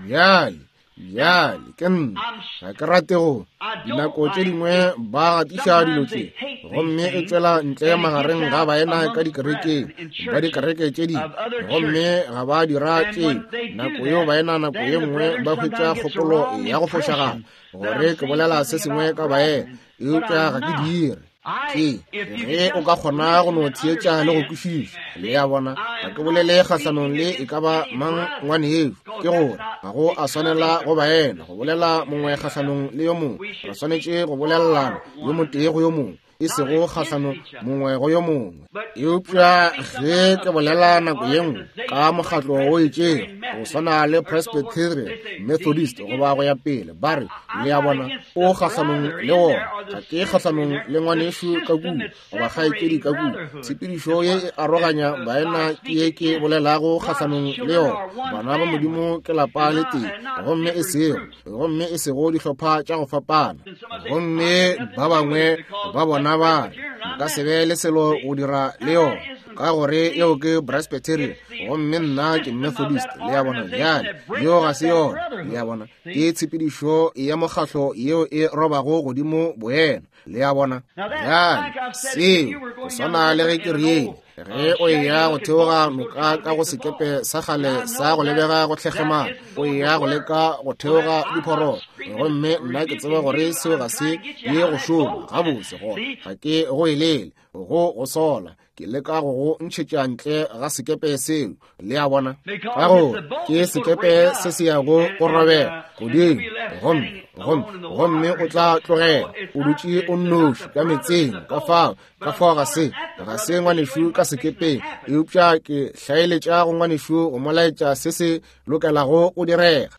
Bjale Bjale ke nna ga ke rate go dinako tše dingwe ba gatiša dilo tše, gomme e tšwela ntle magareng ga baena ka dikerekeng ba dikereke tše dingwe, gomme ga ba dira tše nako yeo baena nako ye nngwe ba hwetša kgopolo ya go fošagala gore ke bolela se sengwe ka baena, eupša ga ke dire. Ke ge o ka kgona go no theetša le go kwešiša. Le a bona, ga ke bolele kgahlanong le e ka ba mang ngwanešu, ke gore ga go a swanela go baena go bolela mongwe kgahlanong le yo mongwe. Re swanetše go bolelelana yo motee go yo mongwe, e sego kgahlanong mongwe go yo mongwe. Eupša ge ke bolela nako ye nngwe ka mokgatlo o itšego, go swana le Presbyterian, Methodist goba go ya pele, ba re, le a bona, o kgahlanong le wona. Ga ke kgahlanong le ngwanešu ka kua goba kgaetšedi ka kua. Tshepedišo ye e aroganya baena ke ye ke bolelago kgahlanong le yona. Bana ba Modimo ke lapa le tee, gomme e sego, gomme e sego dihlopha tša go fapana. Gomme ba bangwe ba bona ba re, nka se be le selo go dira le yona, ka gore yeo ke Presbyterian gomme nna ke Methodist. Le a bona? Bjale yeo ga se yona. Le a bona, ke tshepedišo ya mokgahlo yeo e robago godimo boena. Le a bona? Bjale seo go swana le ge ke riele, ge o eya go theoga noka ka go sekepe sa kgale sa go lebega go tlhekgemana, o eya go leka go theoga diphororo, gomme nna ke tseba gore seo ga se ye go šoma gabotse, gona ga ke go elele go go sola, ke leka go go ntšhetša ntle ga sekepe seo. Le a bona, ka gore ke sekepe se se yago go robela godimo, gomme gomme gomme o tla tlogela o dutše o nnoši ka metseng. Ka fao, ka fao ga se, ga se ngwanešu ka sekepeng, eupša ke hlaeletša go ngwanešu go mo laetša se se lokelago go direga.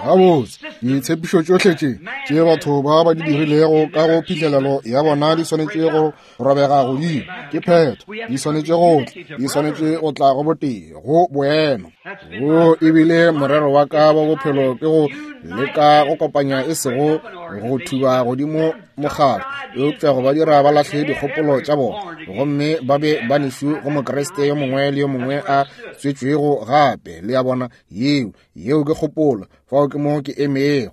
Gabotse, ditshepišo tšohle tše tše batho ba ba di dirilego ka go phihlelelo ya bona di swanetše go robega godimo. Ke phetho. Di swanetše go tla, di swanetše go tla go botee, go boemo. Wo ebile morero wa ka wa bophelo ke go leka go kopanya e sego go thuba godimo mokgatlo, eupša go ba dira ba lahle dikgopolo tša bona gomme ba be ba nešu go Mokriste yo mongwe le yo mongwe a tswetšwego gape. Le a bona, yeo, yeo ke kgopolo. Fao ke mo ke emego.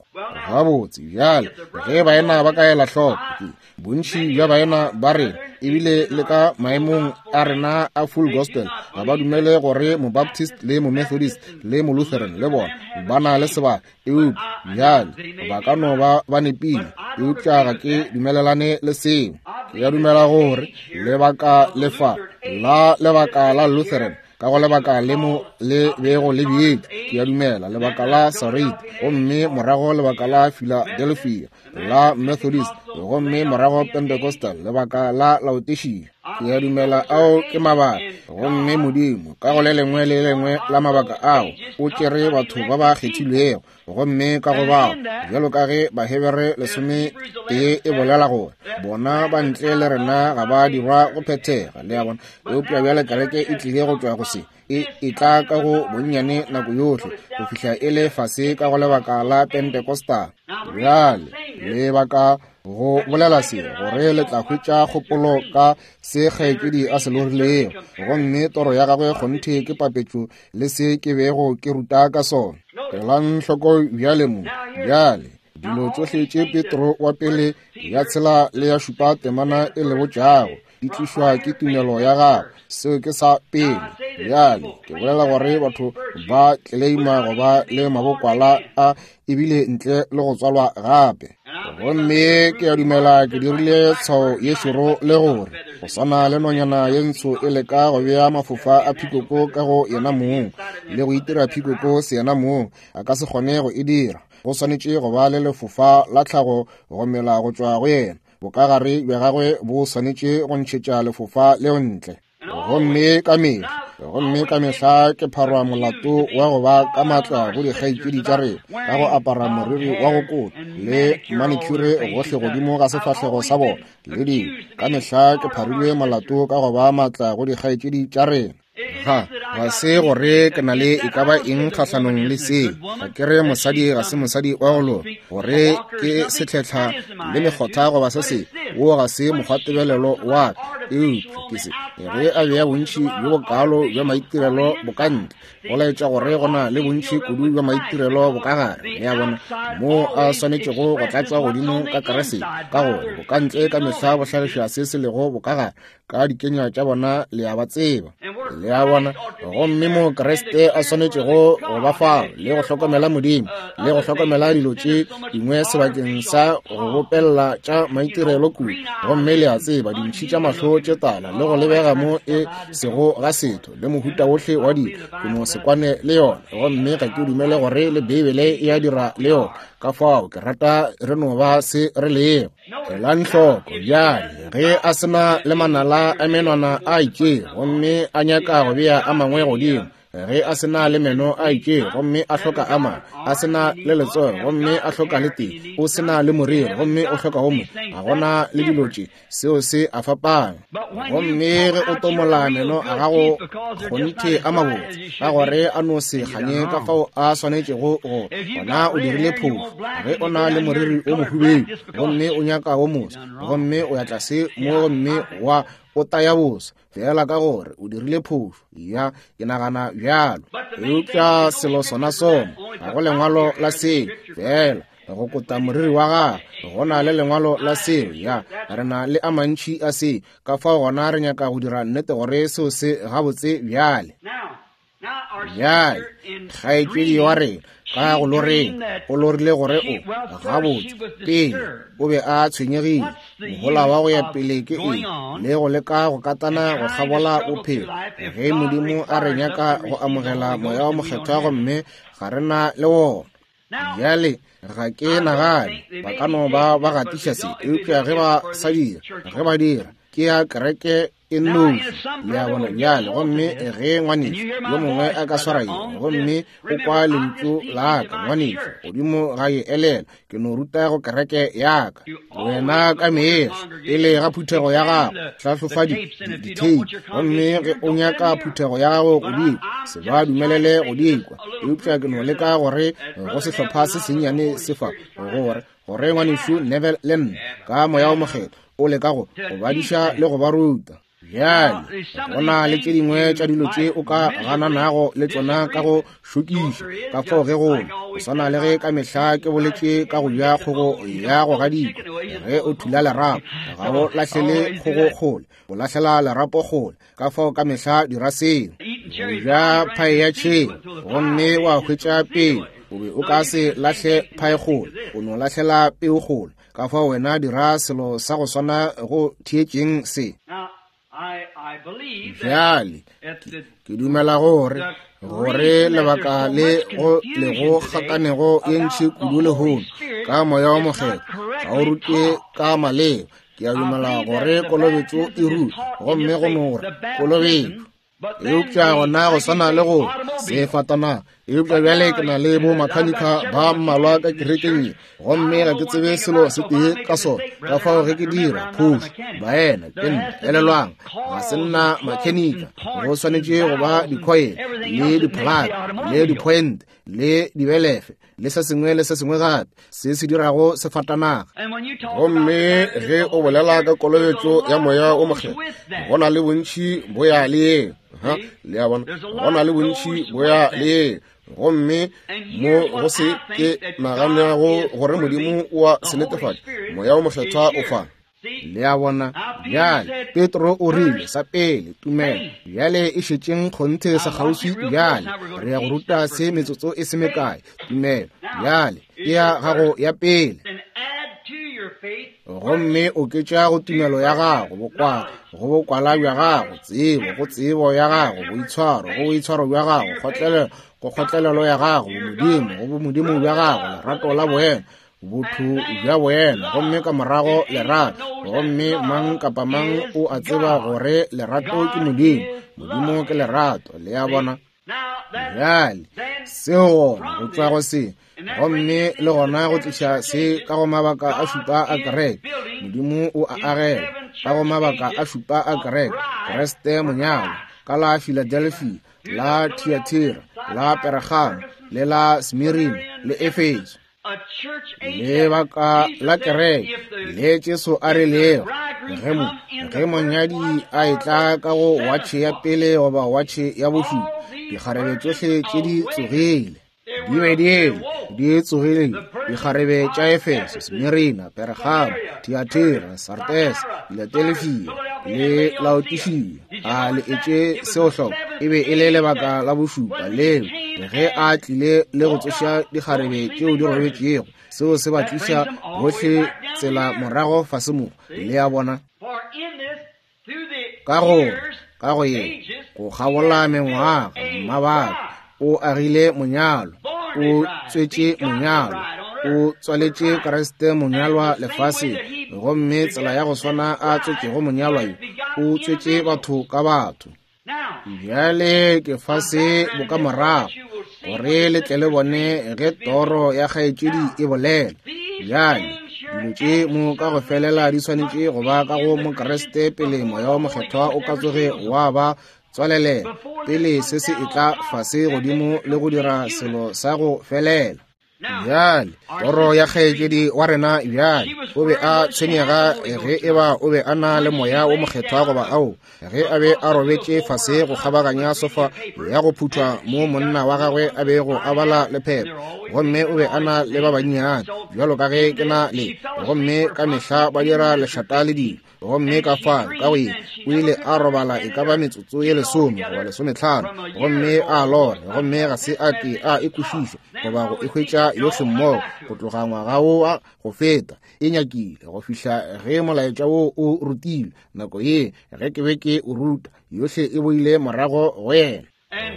Gabotse, bjale, ge baena ba ka ela hloko, ke bontši bja baena ba rena, ebile le ka maemong a rena a full gospel, ga ba dumele gore Mobaptist le Momethodist le Molutheran le bona ba na le sebaka. Eupša bjale ba ka no ba ba nepile, eupša ga ke dumelelane le seo. Ke a dumela gore lebaka le fa la lebaka la Lutheran ka go lebaka le mo le bego le beetšwe, ke a dumela lebaka la Sarit, gomme morago lebaka la Philadelphia, la Methodist, gomme morago Pentecostal, lebaka la Laodikia. Ke a dumela ao ke mabaka. Gomme Modimo ka go le lengwe le lengwe la mabaka ao o tšere batho ba ba kgethilwego, gomme ka go bao, bjalo ka ge Bahebere 11 e bolela gore bona ba ntle le rena ga ba dirwa go phethega. Le a bona? Eupša bjale kereke e tlile go tšwa go se, e etla ka go bonnyane nako yohle go fihla e le fase ka go lebaka la Pentecostal. Bjale lebaka go bolela se gore le tla hwetša kgopolo ka se kgaetšedi a se lorilego, gomme toro ya gagwe kgonthe ke papetšo le se ke bego ke ruta ka sona. Elang hloko bjale mo, bjale dilo tšohle tše Petro wa pele ya 6 le ya 7 temana e le botšago di tlišwa ke tumelo ya gago. Seo ke sa pele. Bjale ke bolela gore batho ba tleleima go ba le mabokwala a ebile ntle le go tswalwa gape. Gomme ke a dumela ke dirile tshwao ye šoro le gore go swana le nonyana ye ntsho e leka go bea mafofa a phikoko ka go yena mong le go itira phikoko se yena mong, a ka se kgone go e dira. Go swanetše go ba le lefofa la tlhago go mela go tšwa go yena. Bokagare bja gagwe bo swanetše go ntšhetša lefofa leo ntle. Gomme ka mehla, gomme ka mehla ke pharwa molato wa go ba ka matla go dikgaetšedi tša rena ka go apara moriri wa go kota le manicure gohle godimo ga sefahlego sa bona le dilo. Ka mehla ke pharilwe molato ka go ba matla go dikgaetšedi tša rena. Ga, ga se gore ke na le e ka ba eng kgahlanong le seo. Ga ke re mosadi ga se mosadi wa go loka, gore ke setlhetlha le mekgotha goba se sengwe. Wo ga se mokgwatebelelo wa ka. Eupša ke se, ge a bea bontši bjo bokaalo bja maitirelo bokantle, go laetša gore go na le bontši kudu bja maitirelo bokagare. Le a bona, moo a swanetšego go tlatšwa godimo ka Kriste, ka gore bokantle ka mehla bo hlagiša se se lego bokagare. Ka dikenya tša bona le a ba tseba. Le a bona? Gomme mo Kriste a swanetšego go ba fao le go hlokomela Modimo le go hlokomela dilo tše dingwe sebakeng sa go bopella tša maitirelo kudu. Gomme le a tseba dintšhi tša mahlo tše tala le go lebega mo e sego ga setho le mohuta wohle wa dilo, ke no se kwane le yona. Gomme ga ke dumele gore le Beibele e a dira le yona. Ka fao ke rata re no ba se re lego. Elang hloko bjale, ge a se na le manala a menwana a itšego gomme a nyaka go bea a mangwe godimo, ge a se na le meno a itšego gomme a hloka a mangwe, a se na le letsogo gomme a hloka le tee, o se na le moriri gomme o hloka o mongwe, ga gona le dilo tše, seo se a fapana. Gomme ge o tomola meno a gago kgonthe a mabotse, ka gore a no se kganye ka fao a swanetšego go, gona o dirile phošo. Ge o na le moriri o mohubedu gomme o nyaka wo moso, gomme o ya tlase mo gomme wa o taya boso, feela ka gore o dirile phošo. Ya, ke nagana bjalo. Eupša selo sona sona, ga go lengwalo la seo, feela go kota moriri wa gagwe. Go na le lengwalo la seo. Ya, re na le a mantši a seo. Ka fao gona re nyaka go dira nnete gore seo se gabotse bjale. Bjale, kgaetšedi wa rena ka go loreng, o lorile gore o gabotse pele o be a tshwenyegile. Mohola wa go ya pele ke eng le go leka go katana go kgabola bophelo, ge Modimo a re nyaka go amogela Moya wa Mokgethwa gomme ga re na le wona? Bjale, ga ke nagane ba ka no ba ba gatiša se, eupša ge ba sa dira, ge ba dira, ke ya kereke e nnoši. Le a bona? Bjale, gomme ge ngwanešu yo mongwe a ka swara ye, gomme o kwa lentšu la ka, ngwanešu, godimo ga ye, elelwa, ke no ruta go kereke ya ka. Wena ka mehla, pele ga phuthego ya gago, hlahlofa ditheipi, gomme ge o nyaka phuthego ya gago go di kwa, se ba dumelele go di kwa. Eupša ke no leka gore go sehlopha se sennyane se fa, gore, gore ngwanešu Neville le nna, ka Moya wo Mokgethwa, o leka go go badiša le go ba ruta. Bjale, go na le tše dingwe tša dilo tše o ka gananago le tšona ka go šokiša, ka fao ge go go swana le ge ka mehla ke boletše ka go ja kgogo ya go gadikwa. Ge o thula lerapo, ga o lahlele kgogo kgole, o lahlela lerapo kgole. Ka fao ka mehla dira seo. Go ja phae ya tšhele, gomme wa hwetša peu, o be o ka se lahle phae kgole, o no lahlela peu kgole. Ka fao wena dira selo sa go swana go theetšeng se. Bjale, ke dumela gore gore lebaka le go le go kgakanego ye ntši kudu lehono ka Moya wo Mokgethwa ga o rutwe ka maleba. Ke a dumela gore kolobetšo e rutwa, gomme go no gore kolobetšo. Eupša gona go swana le go sefatanaga. Eupša bjale ke na le bo makhanikha ba mmalwa ka kerekeng ye, gomme ga ke tsebe selo se tee ka sona. Ka fao ge ke dira phošo, baena, ke nna, elelwang, ga se nna makhanikha. Go swanetše go ba dikhoele le dipholaka le dipointe le dibelefe le se sengwe le se sengwe gape se se dirago sefatanaga. Gomme ge o bolela ka kolobetšo ya Moya wo Mokgethwa, go na le bontši bo ya le yeo. Ha, le a bona, go na le bontši bo ya le yeo. Gomme mo go se ke naganago gore Modimo o a se netefatša, Moya wo Mokgethwa o fa. Le a bona? Bjale, Petro o rile, sa pele, tumelo. Bjale e šetšeng kgonthe sekgauswi bjale. Re ya go ruta se metsotso e se mekae. Tumelo. Bjale, ke ya gago ya pele. Gomme oketša go tumelo ya gago bokwala, go bokwala bja gago tsebo, go tsebo ya gago boitshwaro, go boitshwaro bja gago kgotlelelo, go kgotlelelo ya gago bomodimo, go bomodimo bja gago lerato la boena, botho bja boena, gomme ka morago lerato. Gomme mang kapa mang o a tseba gore lerato ke Modimo. Modimo ke lerato. Le a bona? Bjale, seo gona go tšwa go se, gomme le gona go tliša se ka go mabaka a šupa a kereke. Modimo o a agela ka go mabaka a šupa a kereke. Kriste monyalwa ka la Philadelphia, la Thyatira, la Pergamo, le la Smirna, le Efeso. Lebaka la kereke le Jesu a rilego, ge mo, ge monyadi a etla ka go watšhe ya pele goba watšhe ya bošupa, dikgarebe tšohle tše di tsogile, di be di eme, di tsogile, dikgarebe tša Efeso, Smirna, Pergamo, Thyatira, Sardes, Filadelfia le Laodikia. A le etše seo hloko? E be e le lebaka la bošupa leo ge a tlile le go tsoša dikgarebe tšeo di robetšego, seo se ba tliša bohle tsela morago fase mo. Le a bona? Ka go, ka go ye, go kgabola mengwaga, mabaka, o agile monyalo, o tswetše monyalo, o tswaletše Kriste monyalwa lefaseng, gomme tsela ya go swana a tswetšego monyalwa yo, o tswetše batho ka batho. Bjale ke fa se bokamorago, gore le tle le bone ge toro ya kgaetšedi e bolela. Bjale, dilo tše mo ka go felela di swanetše go ba ka go Mokriste pele Moya wo Mokgethwa o ka tsoge wa ba tswalelela, pele se se etla fase godimo le go dira selo sa go felela. Bjale, toro ya kgaetšedi wa rena bjale, o be a tshwenyega ge e ba o be a na le Moya wo Mokgethwa goba ao, ge a be a robetše fase go kgabaganya sofa ya go phuthwa mo monna wa gagwe a bego a bala lephepha, gomme o be a na le ba bannyane bjalo ka ge ke na le, gomme ka mehla ba dira lešata le dilo. Gomme ka fao, ka go ye, o ile a robala e ka ba metsotso ye 10 goba 15, gomme a lora, gomme ga se a ke a e kwešiša goba go e hwetša yohle mmogo go tloga ngwaga wo wa go feta. E nyakile go fihla ge molaetša wo o rutilwe, nako ye ge ke be ke o ruta, yohle e boile morago go yena.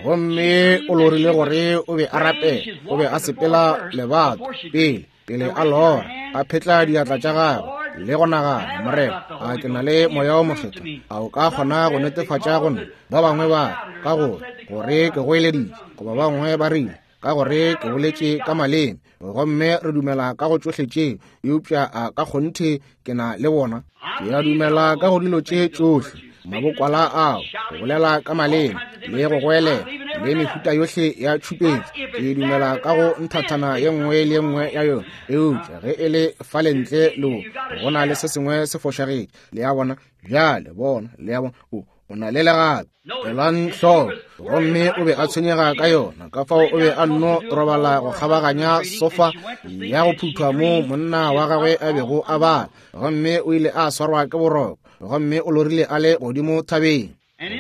Gomme o lorile gore o be a rapela, o be a sepela lebato pele, pele a lora, a phetla diatla tša gagwe. le go nagana, Morena, a ke na le Moya wo Mokgethwa? A o ka kgona go netefatša go nna? Ba bangwe ba ka go gore ke goeleditše, goba ba bangwe ba rile ka gore ke boletše ka maleme, gomme re dumela ka go tšohle tše, eupša a ka kgonthe ke na le bona? Ke a dumela ka go dilo tše tšohle, mabokwala ao, go bolela ka maleme, le go goelela, le mehuta yohle ya tšhupetšo. Ke dumela ka go nthathana ye nngwe le ye nngwe ya yona, eupša ge e le fale ntle le go na le se sengwe se fošagetše. Le a bona? Bjale bona, le a bona, o na le legato. Elang hloko, gomme o be a tshwenyega ka yona, ka fao o be a nno robala go kgabaganya sofa ya go phuthwa moo monna wa gagwe a bego a bala, gomme o ile a swarwa ke boroko, gomme o lorile a le godimo thabeng.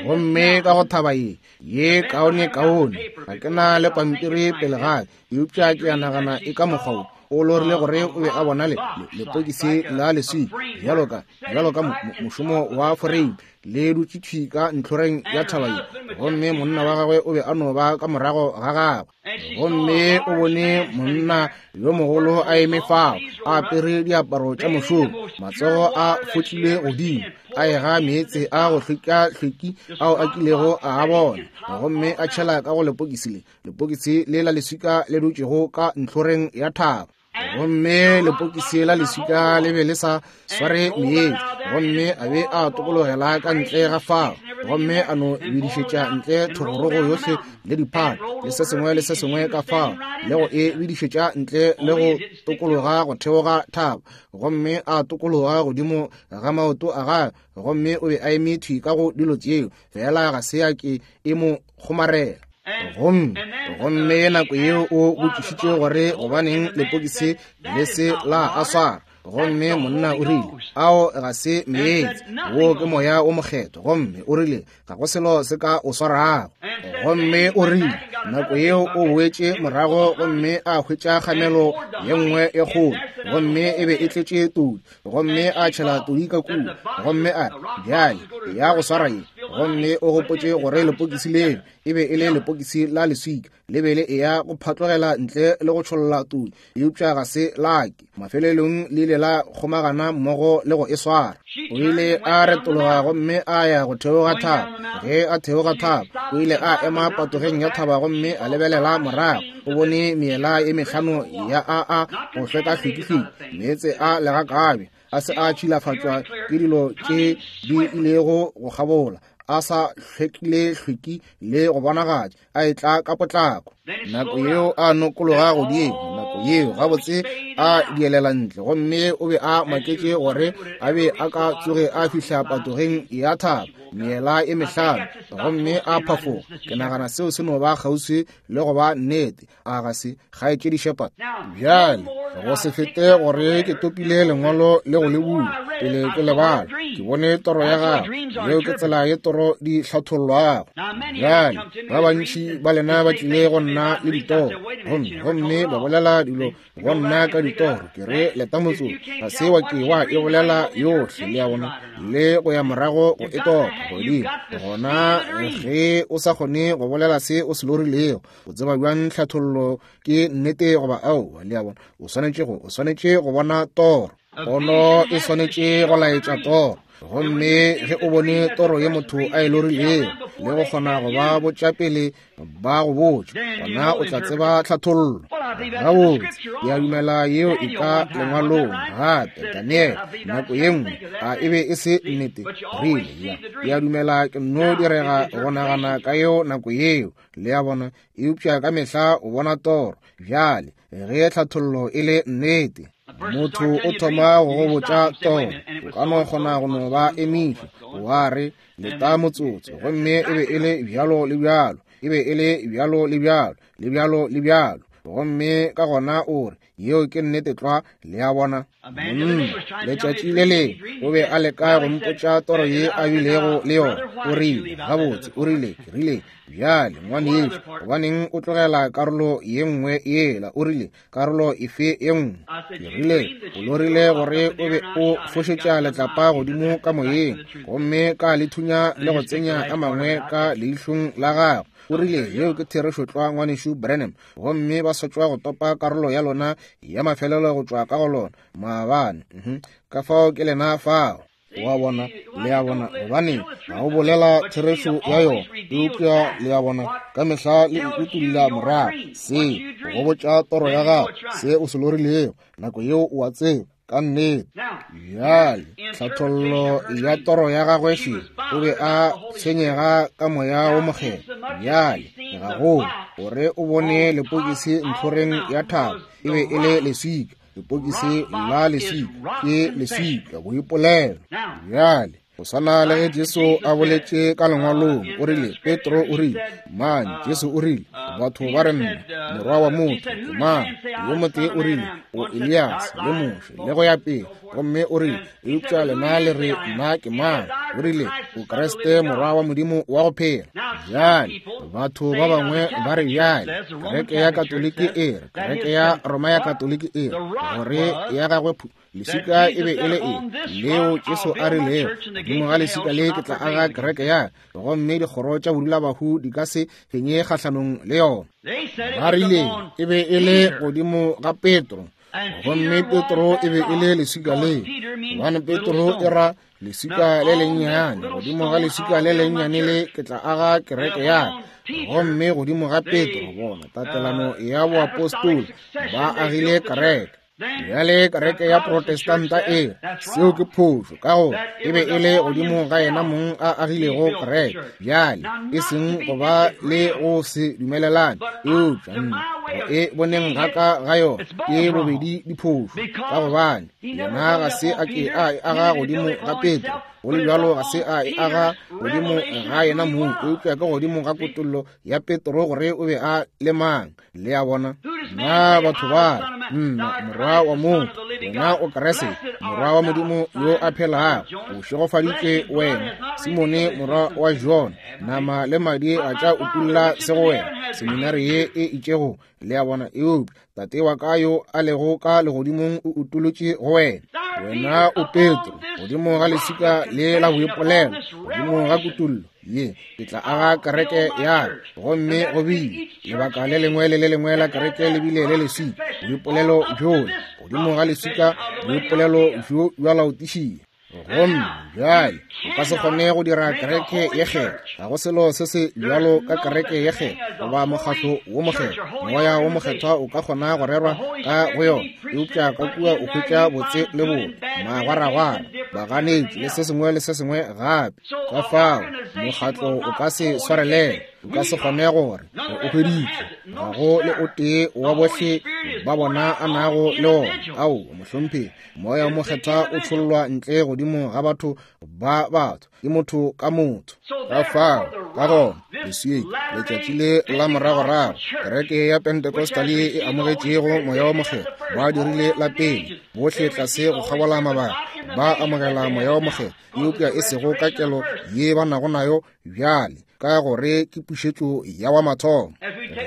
Gomme ka go thaba ye ye kaone kaone, ga ke na le pampiri pele ga ka, eupša ke a nagana e ka mokgwa wo. O lorile gore o be a bona lepokisi la leswika bjalo ka mošomo wa foreime le dutše thwi ka ntlhoreng ya thaba ye, gomme monna wa gagwe o be a no ba ka morago ga gagwe. Gomme o bone monna yo mogolo a eme fao, a apere diaparo tša mošomo, matsogo a fotlile godimo, a ega meetse a go hlweka-hlweki ao a kilego a a bona, gomme a tšhela ka go lepokisi le, lepokisi le la leswika le dutšego ka ntlhoreng ya thaba. Gomme lepokisi la leswika le be le sa sware meetse, gomme a be a tokologela ka ntle ga fao, gomme a no bidišetša ntle thogorogo yohle le diphata le se sengwe le se sengwe ka fao, le go e bidišetša ntle le go tokologa go theoga thaba, gomme a tokologa godimo ga maoto a gagwe, gomme o be a eme thwi ka go dilo tšeo, fela ga se ya ke e mo kgomarela. Gomme nako yeo o botšišitše gore gobaneng lepokisi le se la a swara, gomme monna o rile, ao ga se meetse, wo ke Moya wo Mokgethwa. Gomme o rile, ga go selo se ka o swarago. Gomme o rile, nako yeo o boetše morago gomme a hwetša kgamelo ye nngwe e kgolo, gomme e be e tletše todi, gomme a tšhela todi ka kua, gomme a re, bjale ya go swara ye. Gomme o gopotše gore lepokisi leo e be e le lepokisi la leswika, le be le eya go phatlogela ntle le go tšholla todi, eupša ga se lake. Mafelelong le ile la kgomagana mmogo le go e swara. O ile a retologa gomme a ya go theoga thaba. Ge a theoga thaba, o ile a ema patogeng ya thaba gomme a lebelela morago. O bone meela e mehlano ya a go hlweka-hlwekihlweki, meetse a legakabe a se a tšhilafatšwa ke dilo tše di ilego go kgabola, a sa hlwekile hlweki le go bonagatša, a etla ka potlako. Nako yeo a nokologa godimo, nako yeo gabotse a dielela ntle, gomme o be a maketše gore a be a ka tsoge a fihla patogeng ya thaba, meela e mehlano, gomme a phafoga. Ke nagana seo se no ba kgauswi le go ba nnete, a ga se, kgaetšedi Shepherd? Bjale, go se fete gore ke topile lengwalo le go le bula pele ke le bala, ke bone toro ya gago. Yeo ke tsela ye toro di hlathollwago. Bjale, ba bantši ba lena ba tlile go nna le ditoro, gomme ba bolela dilo go nna ka ditoro. Ke re, leta motsotso, ga se wa ke wa e bolela yohle, le a bona, le go ya morago go e topa godimo. Gona ge o sa kgone go bolela se o se lorilego, o tseba bjang tlhathollo ke nnete goba aowa? Le a bona, o swanetše go bona toro. Pono e swanetše go laetša toro. Gomme ge o bone toro ye motho a e lorilego le go kgona go ba botša pele ba go botša, gona o tla tseba tlhathollo. Gabotse, ke a dumela yeo e ka lengwalong gape. Daniel, nako ye nngwe, a e be e se nnete? Rile, ya, ke a dumela ke nno direga go nagana ka yeo nako yeo, le a bona, eupša ka mehla o bona toro. Bjale, ge tlhathollo e le nnete, motho o thoma go go botša toro, o ka no kgona go no ba emiša, wa re, leta motsotso, gomme e be e le bjalo le bjalo, e be e le bjalo le bjalo, le bjalo le bjalo, gomme ka gona o re, yeo ke nnete tlwa, le a bona. Monna, letšatši le lengwe o be a leka go mpotša toro ye a bilego le yona. O rile, gabotse, o rile, ke rile, bjale, ngwanešu, gobaneng o tlogela karolo ye nngwe yela? O rile, karolo efe ye nngwe? Ke rile, o lorile gore o be o fošetša letlapa godimo ka moyeng, gomme ka le thunya le go tsenya a mangwe ka leihlong la gago. O rile, yeo ke therešo tlwa, ngwanešu Branham. Gomme ba sa tšwa go topa karolo ya lona ya mafelelo go tšwa ka go lona maabane. Ka fao ke lena fao. Wa bona, le a bona, gobane ga o bolela therešo ya yona, eupša le a bona, ka mehla le utulla morago se go botša toro ya gago, se o se lorilego, nako yeo o a tseba ka nnete. Bjale tlhathollo ya toro ya gagwe še, o be a tshwenyega ka Moya wo Mokgethwa. Bjale gagolo gore o bone lepokisi ntlhoreng ya thaba, e be e le leswika. Lepokisi la leswika ke leswika boipolelo. Bjale go swana le ge Jesu a boletše ka lengwalong, o rile, Petro o rile, mang? Jesu o rile, batho ba re nna morwa wa motho ke mang? Yo motee o rile, o Elias le Moshe le go ya pele. Gomme o rile, eupša lena le re nna ke mang? O rile, o Kriste morwa wa Modimo wa go phela. Bjale batho ba bangwe ba re, bjale kereke ya Katoliki e re, kereke ya Roma ya Katoliki e re, gore ya gagwe leswika e be e le eng leo Jesu a rilego, godimo ga leswika le ke tla aga kereke ya ka, gomme dikgoro tša bodulabahu di ka se fenye kgahlanong le yona. Ba rile e be e le godimo ga Petro, gomme Petro e be e le leswika le, gobane Petro e ra leswika le lennyane. Godimo ga leswika le lennyane le ke tla aga kereke ya ka, gomme godimo ga Petro, bona tatelano ya boapostoli, ba agile kereke. Bjale kereke ya Protestanta e seo ke phošo, ka gore e be e le godimo ga yena mong a agilego kereke. Bjale e seng go ba le go se dumelelane, eupša nna go e boneng ga ka ga yona ke bobedi diphošo, ka gobane yena ga se a ke a e aga godimo ga Petro, go le bjalo ga se a e aga godimo ga yena mong, eupša ke godimo ga kutollo ya Petro gore o be a le mang. Le a bona? Na batho ba re, nna morwa wa motho, wena o Kriste, morwa wa Modimo yo a phelago, o šegofaditšwe wena, Simone morwa wa Jona, nama le madi ga tša utulla se go wena, seminari ye e itšego. Le a bona? Eupša Tate wa ka yo a lego ka legodimong o utolotše go wena. Wena o Petro, godimo ga leswika le la boipolelo, godimo ga kutollo ye ke tla aga kereke ya ka. Gomme go bile lebaka le lengwe le le lengwe la kereke le bile le leswika, boipolelo bjola godimo ga leswika, boipolelo bjo bja Laodišia. Gomme bjale o ka se kgone go dira kereke ye kgethwa. Ga go selo se se bjalo ka kereke ye kgethwa goba mokgatlo wo mokgethwa. Moya wo mokgethwa o ka kgona go rerwa ka go yona, eupša ka kua o hwetša botse le bobe, magwaragwara, baganetši le se sengwe le se sengwe gape. Ka fao mokgatlo o ka se swarelele, o ka se kgone gore o hweditše. Ga go le o tee wa bohle ba bona a nago le ona. Ao, mohlomphegi, Moya wo Mokgethwa o tšhollwa ntle godimo ga batho ba batho, ke motho ka motho. Ka fao, ka gona, leswieng letšatši le la moragorago, kereke ya Pentecostal ye e amogetšego Moya wo Mokgethwa, ba dirile la pele, bohle tlase go kgabola mabaka, ba amogela Moya wo Mokgethwa, eupša e sego ka kelo ye ba nago nayo bjale, ka gore ke pušetšo ya wa mathomo.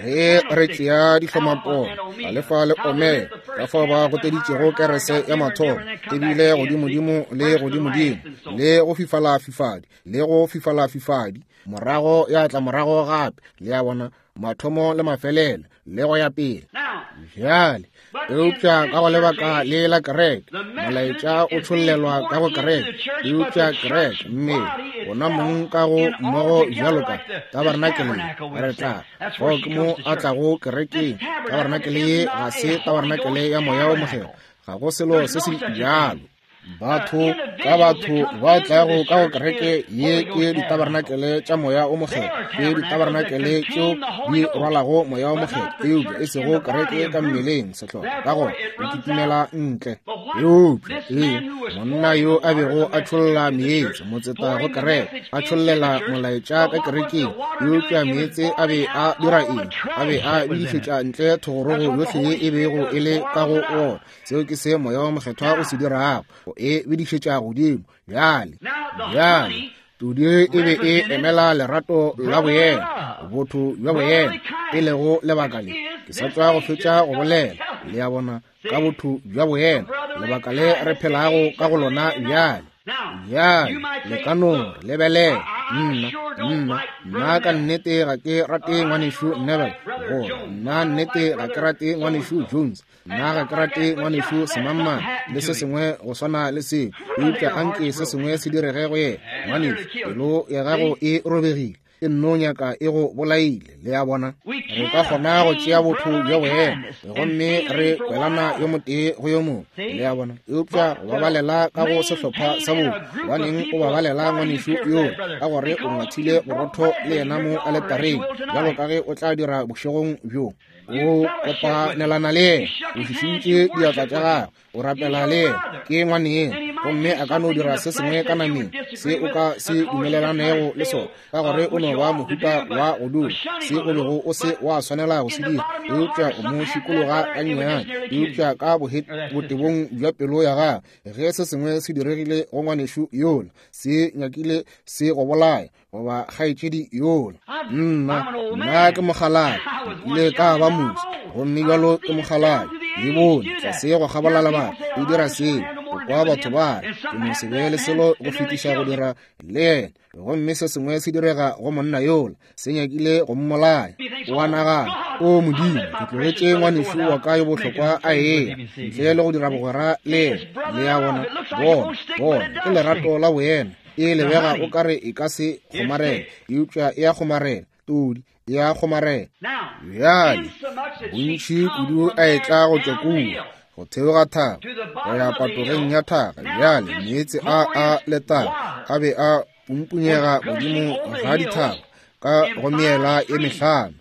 Ge re tšea dihlomapono, Alefa le Omega, ka fao ba goteditšego kerese ya mathomo, ebile godimodimo le godimodimo, le go fifalafifadi, le go fifalafifadi, morago ya tla morago gape, le a bona, mathomo le mafelelo, le go ya pele. Bjale, eupša ka go lebaka le la kereke, molaetša o tšhollelwa ka go kereke, eupša kereke, mmele, ona mong ka go mmogo bjalo ka tabarenakele ye, re tla, fao ke mo a tlago kerekeng. Tabarenakele ye ga se tabarenakele ya Moya wo Mokgethwa, ga go selo se se bjalo. Batho ka batho ba tlago ka go kereke ye ke ditabarenakele tša Moya o Mokgethwa, ke ditabarenakele tšeo di rwalago Moya o Mokgethwa, eupša e sego kereke ka mmeleng, sehlopha, ka gona o kitimela ntle. Eupša ee, monna yo a bego a tšholla meetse, motseta go kereke, a tšhollela molaetša ka kerekeng, eupša meetse a be a dira eng? A be a bidišetša ntle thogorogo yohle ye e bego e le ka go wona. Seo ke se Moya wo Mokgethwa o se dirago, o e bidišetša godimo. Bjale, bjale, todi e be e emela lerato la boyena, botho bja boyena, e lego lebaka le ke sa tšwa go fetša go bolela, le a bona, ka botho bja boyena, lebaka le re phelago ka go lona bjale. Bjale, le ka no re lebelela, nna, nna, nna ka nnete ga ke rate ngwanešu Neville. Gore nna nnete ga ke rate ngwanešu Jones, nna ga ke rate ngwanešu Semangmang, le se sengwe go swana le seo, eupša anke se sengwe se direge go yena. Ngwanešu, pelo ya gago e robegile, e nno nyaka e go bolaile. Le a bona? Re ka kgona go tšea botho bja boena gomme re kwelana yo motee go yo mongwe. Le a bona? Eupša go babalela ka go sehlopha sa botho, gobaneng o babalela ngwanešu yoo? Ka gore o ngwathile borotho le yena mo aletareng, bjalo ka ge o tla dira bošegong bjo. O kopanelana le yena, o šišintše diatla tša gagwe, o rapela le yena, ke ngwaneng, gomme a ka no dira se sengwe ka nameng se o ka se dumelelanego le sona, ka gore o no ba mohuta wa go dula se o bego o se wa swanela go se dira, eupša o mo šikologa gannyane. Eupša ka botebong bja pelo ya gagwe, ge se sengwe se diregile go ngwanešu yola, se nyakile se go bolaya, goba kgaetšedi yola. Nna ke mokgalabje, le ka ba musi, gomme bjalo ke mokgalabje. Le bone tlase go kgabola lebaka e dira seo, go kwa batho ba re ke no se be le selo go fetiša go dira le yena, gomme se sengwe se direga go monna yola, se nyakile go mmolaya. O a nagana, o Modimo, ke tlogetše ngwanešu wa ka yo bohlokwa a eya ntle le go dira bogwera le yena. Le a bona? Bona, ke lerato la boena. E lebega o kare e ka se kgomarela, eupša e a kgomarela. Todi e a kgomarela. Bjale bontši kudu a etla go tšwa kua go theoga thaba go ya patogeng ya thaba. Bjale meetse a a letala a be a pumpunyega godimo ga dithaba ka go meela e mehlano.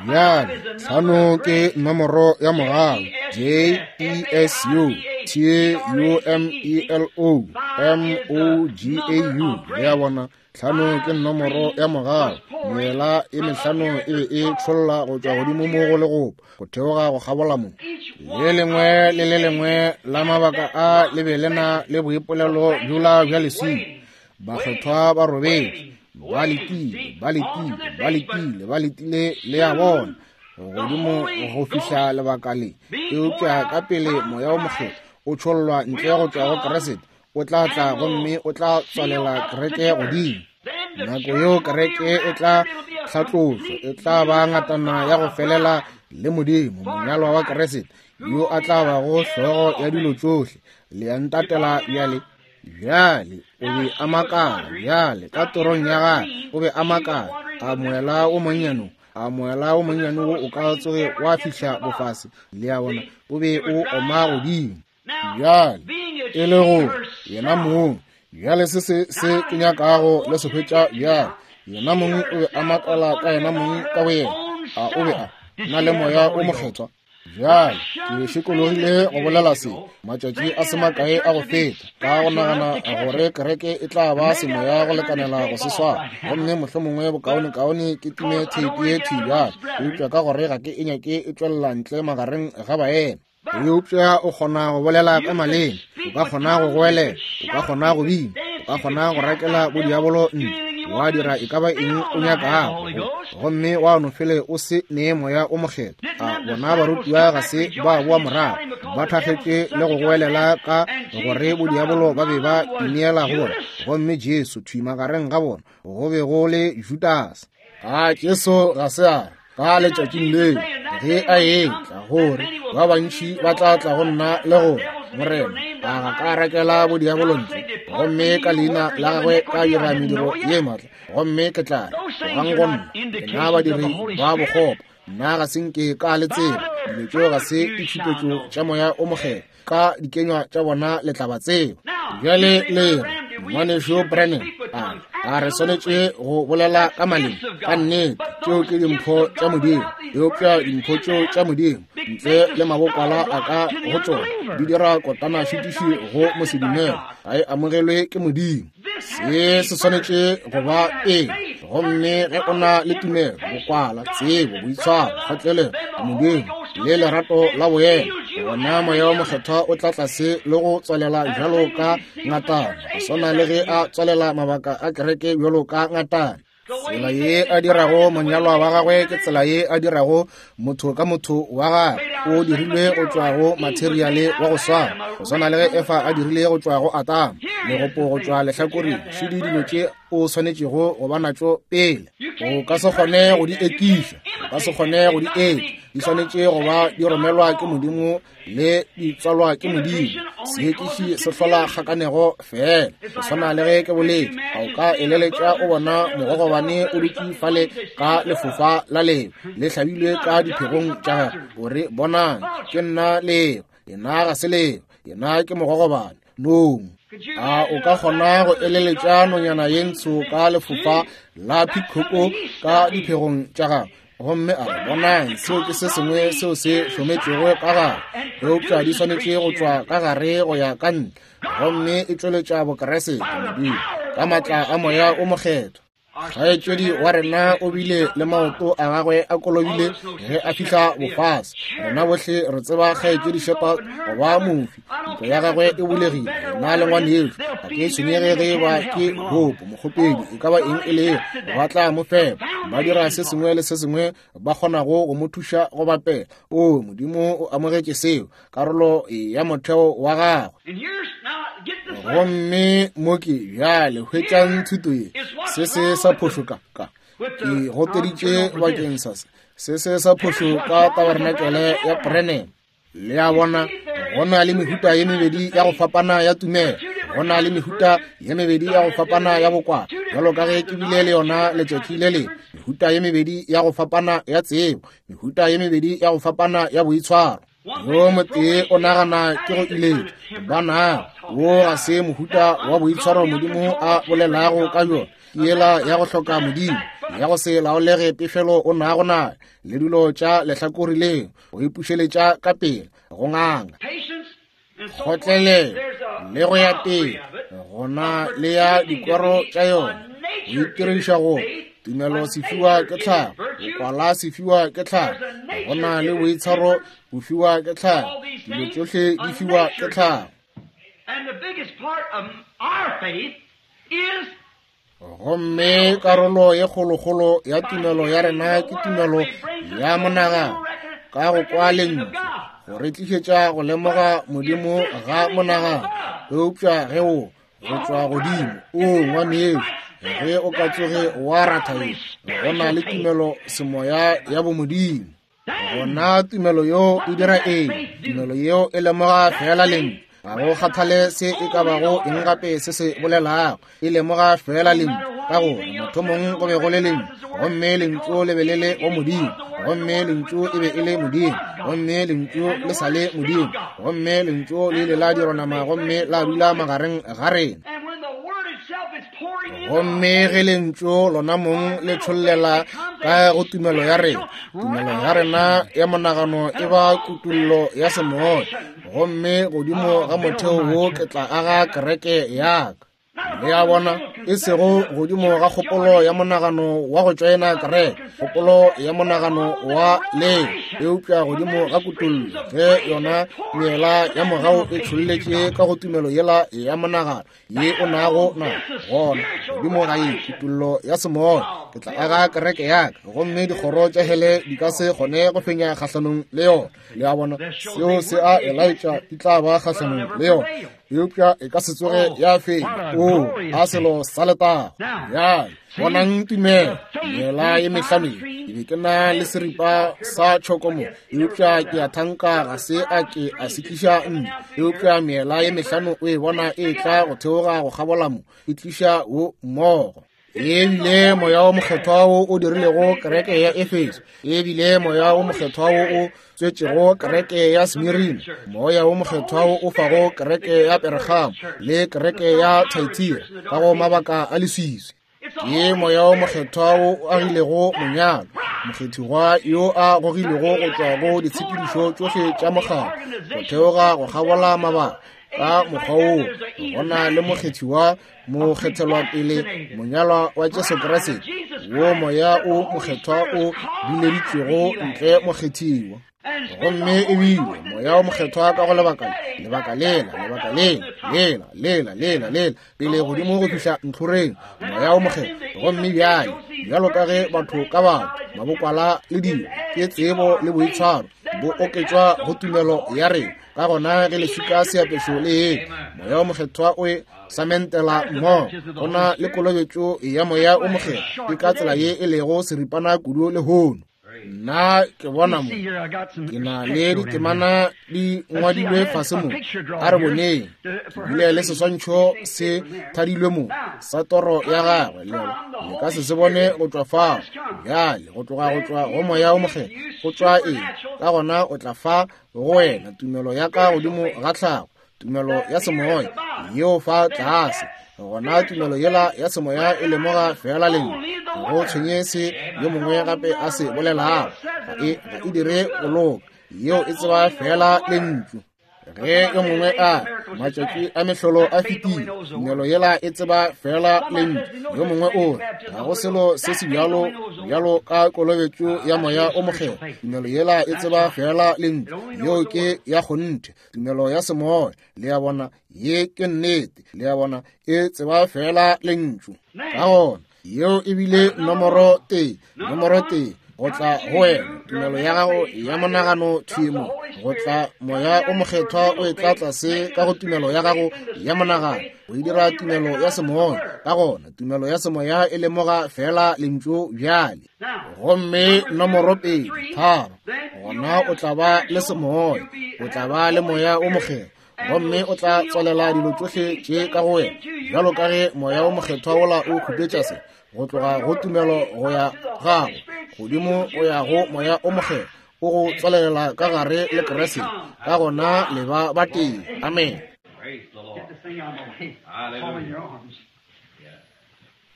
Bjale tlhano ke nomoro ya mogau, J E S U T U M E L O M O G A U. Le a bona? Tlhano ke nomoro ya mogau. Meela e mehlano e be e tšholla go tšwa godimo mo go legopo go theoga go kgabola mo. Le lengwe le le lengwe la mabaka a le be le na le boipolelo bjola bja leswika. Bakgethwa ba robetše, ba letile, ba letile, ba letile, ba letile, le a bona, godimo go fihla lebaka le. Eupša ka pele Moya wo Mokgethwa o tšhollwa ntle go tšwa go Kriste, o tla tla gomme o tla tswalela kereke godimo. Nako yeo kereke e tla hlatlošwa, e tla ba ngatana ya go felela le Modimo, monyalwa wa Kriste, yo a tla bago hlogo ya dilo tšohle. Le a ntatela bjale? Bjale o be a makala, bjale ka torong ya gagwe o be a makala, a moela o monnyane, a moela o monnyane wo o ka tsoge wa fihla bofase. Le a bona, o be o oma godimo. Bjale e le go yena mong, bjale se se se ke nyakago le se hwetša bjale, yena mong o be a makala ka yena mong ka boyena, a o be a na le Moya o Mokgethwa? Bjale ke šikologile go bolela se matšatši a se makae a go feta, ka go nagana gore kereke e tla ba semoya go lekanela go se swara, gomme mohlomongwe bokaonekaone ke time theipi ye thwi bjale, eupša ka gore ga ke e nyake e tšwelela ntle magareng ga baena. Eupša o kgona go bolela ka maleme, o ka kgona go goelela, o ka kgona go bina, o ka kgona go rakela bodiabolo ntle, wa dira e ka ba eng o nyakago, gomme wa no fele o se nee Moya o Mokgethwa. A bona barutiwa ga se ba boa morago, ba thakgetše le go goelela ka gore bodiabolo ba be ba ineela go bona, gomme Jesu thwi magareng ga bona go be go le Judase. A Jesu ga se a re ka letšatšing leo ge a etla gore ba bantši ba tla tla go nna le gore, Morena, a ga ka rakela bodiabolo ntle, gomme ka leina la gagwe ka dira mediro ye maatla, gomme ke tla re, tlogang go nna, lena badiri ba bokgopo, nna ga se nke ka le tseba. Dilo tšeo ga se ditšhupetšo tša Moya o Mokgethwa, ka dikenywa tša bona le tla ba tseba. Bjale le re, Ngwanešu Branham, a re swanetše go bolela ka maleme? Ka nnete, tšeo ke dimpho tša Modimo. Eupša dimpho tšeo tša Modimo, ntle le mabokwala a ka go tšona, di dira kotana šitiši go mosedumele, ga e amogelwe ke Modimo. Se se swanetše go ba pele. Gomme ge o na le tumelo, bokwala, tsebo, boitshwaro, kgotlelelo, Modimo, le lerato la boena, gona Moya wo Mokgethwa o tla tlase le go tswalela bjalo ka ngatana, go swana le ge a tswalela mabaka a kereke bjalo ka ngatana. Tsela ye a dirago monyalwa wa gagwe ke tsela ye a dirago motho ka motho wa gagwe. O dirilwe go tšwa go materiale wa go swana, go swana le ge Efa a dirile go tšwa go Adama, legopo go tšwa lehlakoreng. Šedi dilo tše o swanetšego go ba natšo pele. O ka se kgone go di ekiša. O ka se kgone go di etša. Di swanetše go ba di romelwa ke Modimo le di tswalwa ke Modimo. Seekiši se hlola kgakanego feela. Go swana le ge ke boletše, a o ka eleletša o bona mogogobane o dutše fale ka lefofa la leo le hlabilwe ka diphegong tša gagwe, o re, Bonang, ke nna leo. Yena ga se leo, yena ke mogogobane. Nong. A o ka kgona go eleletša nonyana ye ntsho ka lefofa la phikhoko ka diphegong tša gagwe, gomme a re, Bonang, seo ke se sengwe seo se hlometšwego ka gare, eupša di swanetše go tšwa ka gare go ya ka ntle, gomme e tšweletša Bokeresete, Modimo, ka maatla a Moya o Mokgethwa. Kgaetšedi wa rena o bile le maoto a gagwe a kolobile ge a fihla bofase. Rena bohle re tseba Kgaetšedi Shepherd go ba mofi. Ntlo ya gagwe e bulegile. Nna le ngwanešu ga ke tshwenyege ge ba ke hopo mokgopedi e ka ba eng e lego, ba tla mo fepa, ba dira se sengwe le se sengwe ba kgonago go mo thuša go bapela. O Modimo o amogetše seo, karolo ya motheo wa gagwe. Gomme mo ke bjale hwetšang thuto ye, se se sa phošo ka ka ke goteditše bakeng sa se, se se sa phošo ka tabarenakele ya Branham. Le a bona, go na le mehuta ye mebedi ya go fapana ya tumelo, go na le mehuta ye mebedi ya go fapana ya bokwala, bjalo ka ge ke bile le yona letšatši le lengwe, mehuta ye mebedi ya go fapana ya tsebo, mehuta ye mebedi ya go fapana ya boitshwaro. Yo motee o nagana ke go iletša, bana, wo ga se mohuta wa boitshwaro Modimo a bolelago ka bjona, ke yela ya go hloka Modimo, ya go se laolege pefelo o nago nayo, le dilo tša lehlakore leo, go ipušeletša ka pela, go nganga, kgotlelelo, le go ya pele, gona le ya dikwero tša yona, go itiriša go tumelo se fiwa ke tlhago, bokwala se fiwa ke tlhago, go na le boitshwaro bo fiwa ke tlhago, dilo tšohle di fiwa ke tlhago. Gomme karolo ye kgolokgolo ya tumelo ya rena ke tumelo ya monagano, ka go kwa lentšu, go re tlišetša go lemoga Modimo ga monagano. Eupša ge o go tšwa godimo, o ngwanešu, ge o ka tsoge wa ratha ye, go na le tumelo semoya ya bomodimo. Gona tumelo yeo e dira eng? Tumelo yeo e lemoga feela lentšu. Ga go kgathale se e ka bago eng gape se se bolelago, e lemoga feela lentšu. Ka gore mathomong go be go le lentšu, gomme lentšu le be le le go Modimo, gomme lentšu e be e le Modimo, gomme lentšu le sa le Modimo, gomme lentšu le ile la dirwa nama gomme la dula magareng ga rena. Gomme ge lentšu lona mong le tšhollela ka go tumelo ya rena, tumelo ya rena ya monagano e ba kutollo ya semoya, gomme godimo ga motheo wo ke tla aga kereke ya ka. Le a bona, e sego godimo ga kgopolo ya monagano wa go tšoena kereke, kgopolo ya monagano wa leo, eupša godimo ga kutollo, ge yona meela ya mogau e tšholletše ka go tumelo yela ya monagano ye o nago na gona godimo ga ye kutollo ya semoya, ke tla aga kereke ya ka, gomme dikgoro tša hele di ka se kgone go fenya kgahlanong le yona. Le a bona, seo se a e laetša, di tla ba kgahlanong le yona, eupša e ka se tsoge ya fenya. O a selo sa letago. Bjale bonang tumelo mela ye mehlano ye, ke be ke na le seripa sa tšhoko mo, eupša ke a thanka ga se a ke a se tliša nne, eupša meela ye mehlano o e bona e tla go theoga go kgabola mo, e tliša wo mmogo. E bile Moya wo Mokgethwa wo o dirilego kereke ya Efeso, e bile Moya wo Mokgethwa wo o tswetšego kereke ya Smirina, Moya wo Mokgethwa wo o fago kereke ya Peregamo le kereke ya Thyatira ka go mabaka a leswiswi. Ke Moya wo Mokgethwa wo o agilego monyalo, mokgethigwa yo a gogilwego go tšwa go ditshepedišo tšohle tša mokgatlo, go theoga go kgabola mabaka ka mokgwa woo go na le mokgethiwa, mokgethelwapele, monyalwa wa Jesu Kriste, wo Moya wo Mokgethwa o bileditšwego ntle mokgethiwa. Gomme e bile Moya wo Mokgethwa ka go lebaka le, lebaka lela, lebaka lela, lela, lela, lela, lela, pele godimo go fihla ntlhoreng, Moya wo Mokgethwa. Gomme bjale, bjalo ka ge batho ka batho, mabokwala le dilo, ke tsebo le boitshwaro, bo oketšwa go tumelo ya rena. Ka gona ge leswika seapešo le ye, Moya wo Mokgethwa o e samentela mmogo, go na le kolobetšo ya Moya wo Mokgethwa. Ke ka tsela ye e lego seripana kudu lehono. Nna ke bona mo ke na le ditemana di ngwadilwe fase mo. A re boneng, ke bile le seswantšho se thadilwe mo sa toro ya gagwe, le le ka se se bone go tšwa fao. Bjale go tloga go tšwa go Moya o Mokgethwa go tšwa eng? Ka gona o tla fa go wena tumelo ya ka godimo ga tlhago, tumelo ya semoya yeo fa tlase. Gona tumelo yela ya semoya e lemoga fela lentšu, ga go tshwenye se yo mongwe gape a se bolelago, ga e dire go loka, yeo e tseba fela lentšu. Ge yo mongwe a matšatši a mehlolo a fetile, tumelo yela e tseba fela lentšu. Yo mongwe o re ga go selo se se bjalo bjalo ka kolobetšo ya Moya o Mokgethwa, tumelo yela e tseba fela lentšu. Yeo ke ya kgonthe, tumelo ya semoya. Le a bona, ye ke nnete. Le a bona, e tseba fela lentšu. Ka gona yeo e bile nomoro tee, nomoro tee go tla go wena, tumelo ya gago ya monagano thwi mo, go tla Moya o Mokgethwa o etla tlase ka go tumelo ya gago ya monagano, o e dira tumelo ya semoya. Ka gona tumelo ya semoya e lemoga fela lentšu bjale. Gomme nomoro 2, 3, gona o tla ba le semoya, o tla ba le Moya o Mokgethwa, gomme o tla tswalela dilo tšohle tše ka go wena, bjalo ka ge Moya o Mokgethwa wola o khupetša se go tloga go tumelo go ya gago godimo go ya go Moya o Mokgethwa, o go tswalelela ka gare le Kriste. Ka gona le ba batee. Amen.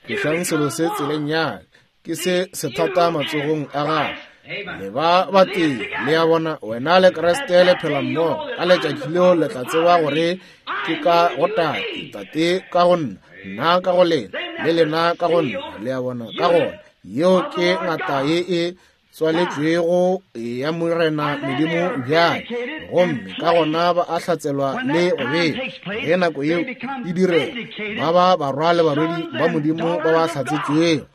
Tlošang selo se tseleng ya ke se sethata matsogong a gago. Le ba batee. Le a bona, wena le Kriste le phela mmogo. Ka letšatši leo le tla tseba gore ke ka go Tate, Tate ka go nna, nna ka go lena, le lena ka go nna. Le a bona, ka gona yeo ke ngata ye e tswaletšwego ya Morena Modimo bjale, gomme ka gona ba a hlatselwa le go bea. Ge nako yeo e direga, ba ba barwa le barwedi ba Modimo ba ba hlatsetšwego.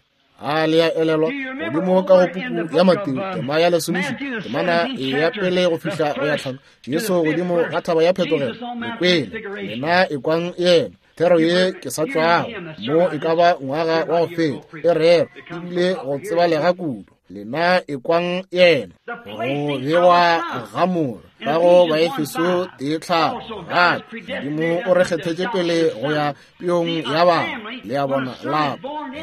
A le a elelwa godimo ka go puku ya Mateo tema ya 17, temana ya pele go fihla go ya 5, Jesu godimo ga thaba ya phetogelo, le kwele lena ekwang yena. Thero ye ke sa tšwago mo e ka ba ngwaga wa go feta e rero ebile go tsebalega kudu. Lena ekwang yena. Go bewa ga moro ka go Baefeso 1:5, gape Modimo o re kgethetše pele go ya peong ya bana. Le a bona, lapa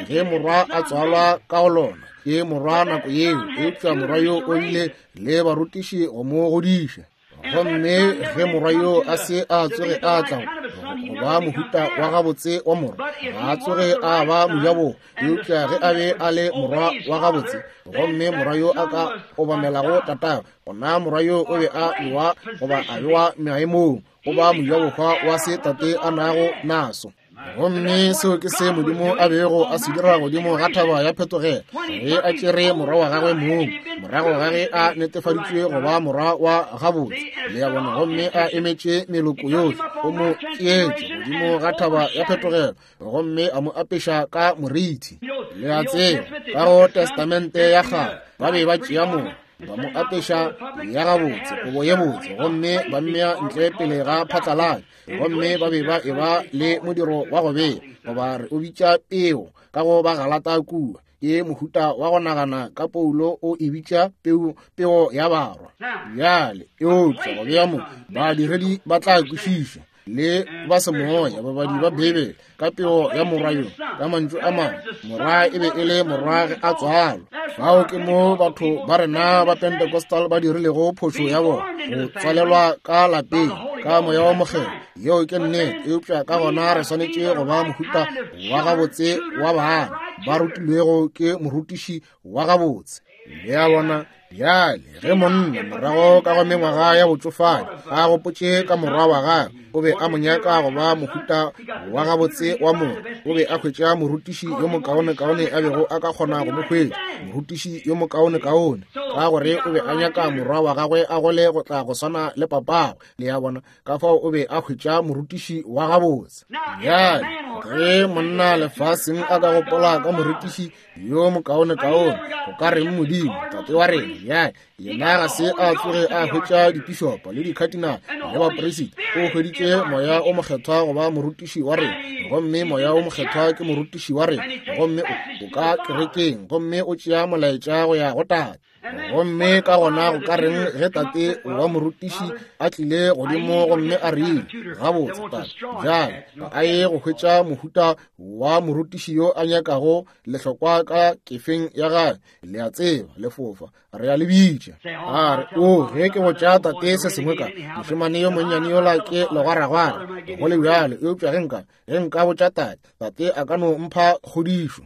ge morwa a tswalwa ka go lona ke morwa nako yeo, eupša morwa yo o bile le barutiši go mo godiša. Gomme ge morwa yo a se a tsoge a tla go ba mohuta wa gabotse wa morwa, ga a tsoge a ba mojabohwa. Eupša ge a be a le morwa wa gabotse, gomme morwa yo a ka obamelago tatagwe, gona morwa yo o be a bewa goba a bewa maemong go ba mojabohwa wa se tate a nago naso. Gomme seo ke se Modimo a bego a se dira godimo ga thaba ya phetogelo, ge a tšere morwa wa gagwe mong, morago ga ge a netefaditšwe go ba morwa wa gabotse, le a bona, gomme a emetše meloko yohle, o mo tšeetše godimo ga thaba ya phetogelo gomme a mo apeša ka moriti. Le a tseba, ka go Testamente ya Kgale ba be ba tšea morwa, ba mo apeša ya gabotse, kobo ye botse, gomme ba mmea ntle pele ga phatlalatša, gomme ba be ba eba le modiro wa go bea, goba re o bitša peo, ka go ba Galata kua. Ke mohuta wa go nagana ka Paulo o e bitša peo, peo ya barwa. Bjale, eupša go bea mo, badiredi ba tla kwešiša, le ba semoya, babadi ba Beibele, ka peo ya morwa yo. Ka mantšu a mangwe, morwa e be e le morwa ge a tswalwa. Fao ke mo batho ba rena ba Pentecostal ba dirilego phošo ya bona, go tswalelwa ka lapeng ka Moya wa Mokgethwa. Yeo ke nnete, eupša ka gona re swanetše go ba mohuta wa gabotse wa bana ba rutilwego ke morutiši wa gabotse. Le a bona? Bjale ge monna morago ka go mengwaga ya botšofadi a gopotše ka morwa wa gagwe, o be a mo nyaka go ba mohuta wa gabotse wa morwa, o be a hwetša morutiši yo mokaonekaone a bego a ka kgona go mo hwetša, morutiši yo mokaonekaone, ka gore o be a nyaka morwa wa gagwe a gole go tla go swana le papagwe. Le a bona? Ka fao o be a hwetša morutiši wa gabotse. Bjale ge monna lefaseng a ka gopola ka morutiši yo mokaonekaone, go ka reng Modimo Tate wa rena? Bjale yena ga se a tsoge a hwetša dipišopo le dikhatinale le baperisita, o hweditše Moya o Mokgethwa go ba morutiši wa rena, gomme Moya o Mokgethwa ke morutiši wa rena, gomme o ka kerekeng gomme o tšea molaetša go ya go Tate. Gomme ka gona go ka reng ge tate wa morutiši a tlile godimo gomme a rile, Gabotse, tate, bjale ga a ye go hwetša mohuta wa morutiši yo a nyakago lehlokwa ka kefeng ya gage, le a tseba, lefofa, re a le bitša. A re, O, ge ke botša tate se sengwe ka mošemane yo monnyane yola ke legwaragwara, go le bjalo, eupša ge nka, ge nka botša tate, tate a ka no mpha kgodišo.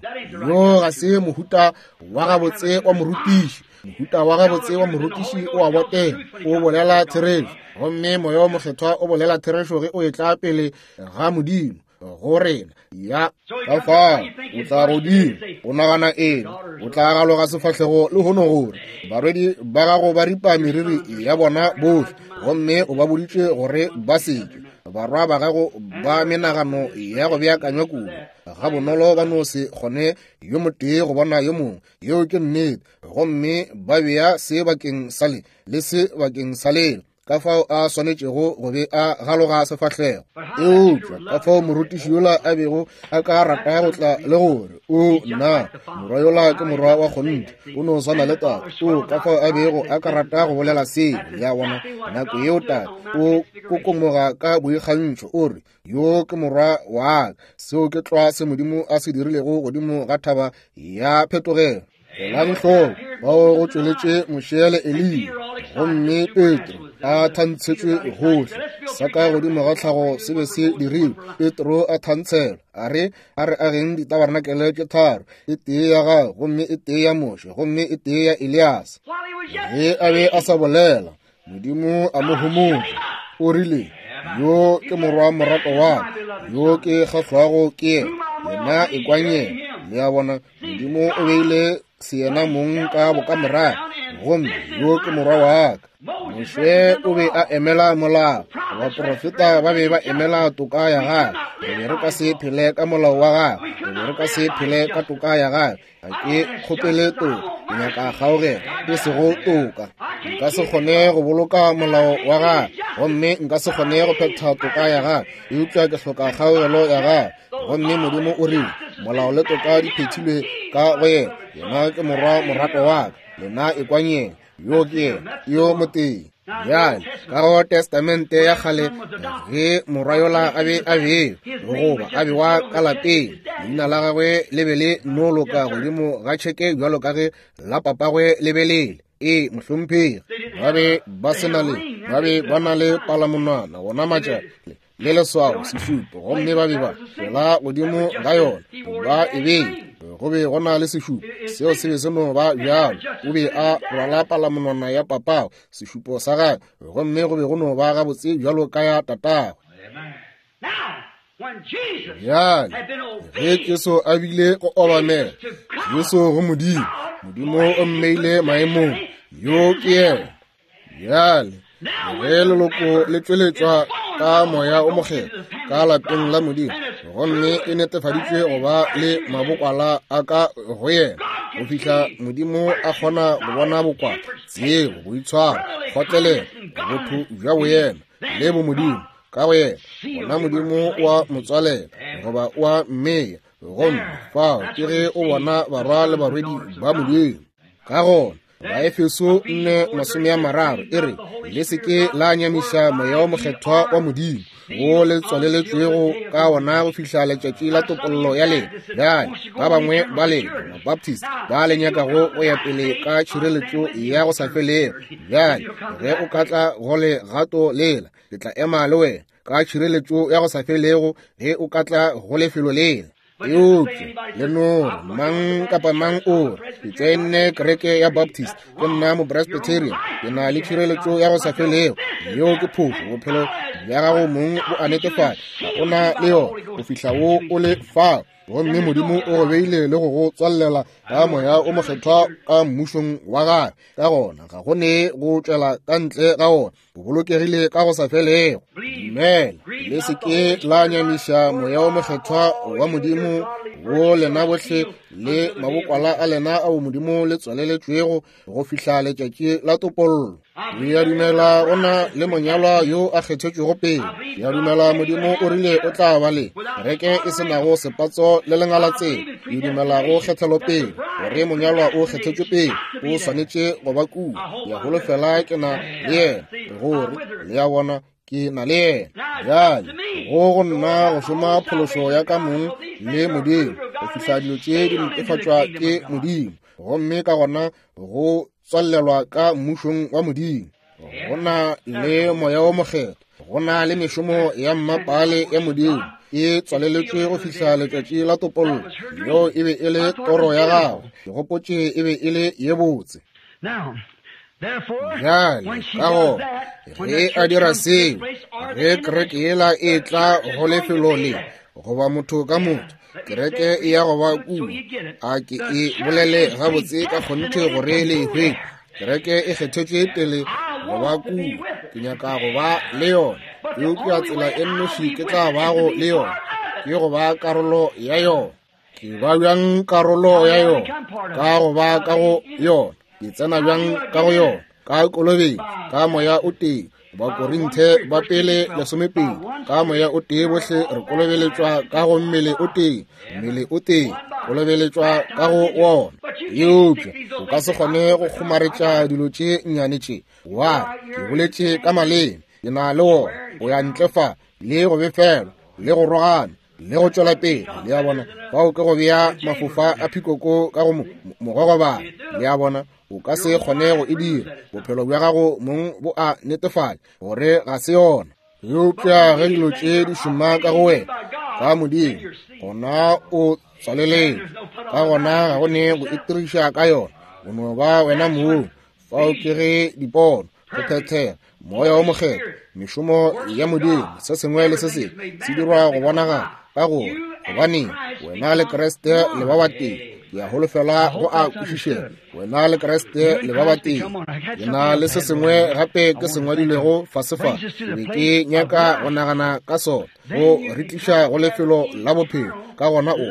Yo ga se mohuta wa gabotse wa morutiši. Mohuta wa gabotse wa morutiši o a botega, o bolela therešo, gomme Moya wo Mokgethwa o bolela therešo ge o etla pele ga Modimo go rena. Ya ka fao o tla godimo, o nagana eng? O tla galoga sefahlego lehono gore barwedi ba gago ba ripa meriri ya bona bohle, gomme o ba boditše gore ba seke. Barwa ba gago ba menagano ya go beakanywa kudu, gabonolo ba no se kgone yo motee go bona yo mongwe. Yeo ke nnete. Gomme ba bea se bakeng sa le, le se bakeng sa lela, ka fao a swanetšego go be a galoga sefahlego. Eupša ka fao morutiši yola a bego a ka rata go tla le gore, O, nna, morwa yola ke morwa wa kgonthe, o no swana le tate. O, ka fao a bego a ka rata go bolela seo, le a bona. Nako yeo tate o kokomoga ka boikgantšho, o re, Yo ke morwa wa ka. Seo ke tlwa se Modimo a se dirilego godimo ga thaba ya phetogelo. Elang hloko, bao go tšweletše Moshe le Eliya, gomme Petro a thantshetšwe gohle. Sa ka godimo ga tlhago se be se dirilwe. Petro a thantshelwa, a re, A re ageng ditabarenakele tše tharo, e tee ya gago, gomme e tee ya Moshe, gomme e tee ya Eliase. Ge a be a sa bolela, Modimo a mo homotša, o rile, Yo ke morwa morato wa ka, yo ke kgahlwago ke yena, lena ekwang yena. Le a bona, Modimo o beile seyena mong ka bokamorago, gomme yo ke morwa wa ka. Moshe o be a emela molao, baprofeta ba be ba emela toka ya gagwe. Re be re ka se phele ka molao wa gagwe, re be re ka se phele ka toka ya gagwe. Ga ke kgopele toka, ke nyaka kgaogelo, e sego toka. Nka se kgone go boloka molao wa gagwe, gomme nka se kgone go phetha toka ya gagwe, eupša ke hloka kgaogelo ya gagwe. Gomme Modimo o rile, Molao le toka di phethilwe ka go yena. Yena ke morwa morato wa ka, lena ekwang yena. Yo ke yena, yo motee. Bjale, ka go Testamente ya kgale, ge morwa yola a be a bewa goba a bewa ka lapeng, leina la gagwe le be le no loka godimo ga tšheke bjalo ka ge la papagwe le be le le. Ee, mohlomphegi, ba be ba se na le, ba be ba na le palamonwana wona matšatši le leswao sešupo, gomme ba be ba tšwela godimo ga yona ba e bee. Go be go na le sešupo, seo se be se no ba bjalo. O be a rwala palamonwana ya papago, sešupo sa gagwe, gomme go be go no ba gabotse bjalo ka ya tatagwe. Bjale ge Jesu a bile go obamela Jesu go Modimo, Modimo o mmeile maemong, yo ke yena. Bjale ge leloko le tšweletšwa ka Moya o Mokgethwa ka lapeng la Modimo, gomme e netefaditšwe go ba le mabokwala a ka go yena, go fihla Modimo a kgona go bona bokwala, tsebo, boitshwaro, kgotlelelo, botho bja boyena le bomodimo ka go yena, gona Modimo wa mo tswalela goba wa mmeya, gomme fao ke ge o bona barwa le barwedi ba Modimo. Ka gona Baefeso 4:30 e re, Le se ke la nyamiša Moya wo Mokgethwa wa Modimo, wo le tswaleletšwego ka wona go fihla letšatši la topollo ya lena. Bjale, ba bangwe ba lena Mabaptist ba le nyakago go ya pele ka tšhireletšo ya go sa felego, bjale ge o ka tla go legato lela, ke tla ema le wena ka tšhireletšo ya go sa felego ge o ka tla go lefelo lela. Eupša le no re, mang kapa mang o re, ke tšoenne kereke ya Baptist, ke nna Mopresbyterian, ke na le tšhireletšo ya go sa felego. Yeo ke phošo. Bophelo bja gago mong bo a netefatša ga o na le yona go fihla wo o le fao, gomme Modimo o go beile le go go tswalela ka Moya o Mokgethwa ka mmušong wa gagwe. Ka gona ga go ne go tšwela ka ntle ga wona, o bolokegile ka go sa felego. Dumela, le se ke la nyamiša Moya wo Mokgethwa wa Modimo Go lena bohle le mabokwala a lena ao Modimo le tswaleletšwego go fihla letšatši la topollo. Ke a dumela go na le monyalwa yo a kgethetšwego pele. Ke a dumela Modimo o rile o tla ba le kereke e se nago sepatso le lengalatsela. Ke dumela go kgethelo pele, gore monyalwa o kgethetšwe pele, o swanetše go ba kua. Ke a holofela ke na le yena, gore le a bona ke na le yena. Bjale go nna go šoma phološo ya ka mong le Modimo go fihla dilo tše di netefatšwa ke Modimo, gomme ka gona go tswalelwa ka mmušong wa Modimo. Go na le Moya wo Mokgethwa, go na le mešomo ya mmapale ya Modimo e tswaleletšwe go fihla letšatši la topollo. Yeo e be e le toro ya gago, ke gopotše e be e le ye botse. Bjale ka gona ge a dira seo, ge kereke yela e tla go lefelo le, goba motho ka motho, kereke e ya go ba kua. A ke e bolele gabotse ka kgonthe gore le e hwetše. Kereke e kgethetšwe pele go ba kua. Ke nyaka go ba le yona, eupša tsela e nnoši ke tla bago le yona ke go ba karolo ya yona. Ke ba bjang karolo ya yona? Ka go ba ka go yona. Ke tsena bjang ka go yona? Ka kolobetšo, ka Moya o tee. Bakorinthe ba pele 12, ka Moya o tee bohle re kolobeletšwa ka go mmele o tee, mmele o tee, kolobeletšwa ka go wona. Eupša o ka se kgone go kgomaretša dilo tše nnyane tše. Wa re, ke boletše ka maleme, ke na le wona. O ya ntle fa le go befelwa le go rogana le go tšwela pele. Le a bona, fao ke go bea mafofa a phikoko ka go mogogobana. Le a bona, o ka se kgone go e dira. Bophelo bja gago mong bo a netefatša gore ga se yona. Eupša ge dilo tše di šoma ka go wena ka Modimo, gona o tswaleletšwe. Ka gona ga go ne go itiriša ka yona, o no ba wena mong. Fao ke ge dipono, go phethega, Moya wo Mokgethwa, mešomo ya Modimo, se sengwe le se sengwe se dirwa go bonagala ka gore gobaneng wena le Kriste le ba batee. Ke a holofela go a kwešišega. Wena le Kriste le ba batee. Ke na le se sengwe gape ke se ngwadilego fase fa, ke be ke nyaka go nagana ka sona, go re tliša go lefelo la bophelo. Ka gona o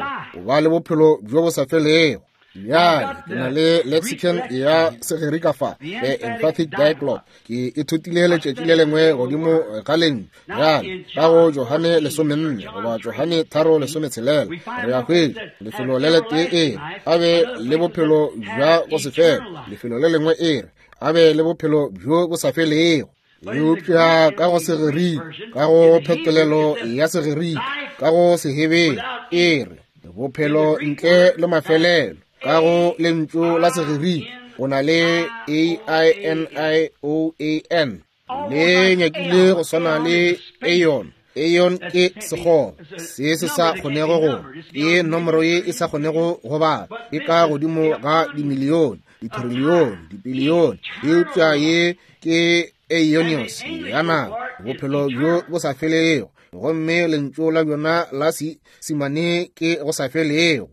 ba le bophelo bjo bo sa felego. Bjale ke na le lexicon ya Segerika fa, the emphatic diglot. Ke ithutile letšatši le lengwe godimo ga lentšu. Bjale ka go Johane 14 goba Johane 3:16 re a hwetša lefelo le letee e re a be le bophelo bja go se fele, lefelo le lengwe e re a be le bophelo bjo bo sa felego. Eupša ka go Segerika, ka go phetolelo ya Segerika, ka go Sehebere e re bophelo ntle le mafelelo. Ka go lentšu la Segerika o na le A-I-N-I-O-A-N, le nyakile go swana le aeon. Aeon ke sekgoba se se sa kgonego go, ke nomoro ye e sa kgonego go bala, e ka godimo ga dimilione, ditrilione, dibilione. Eupša ye ke aeonios ya nako, bophelo bjo bo sa felego, gomme lentšu la bjona la simane ke go sa felego.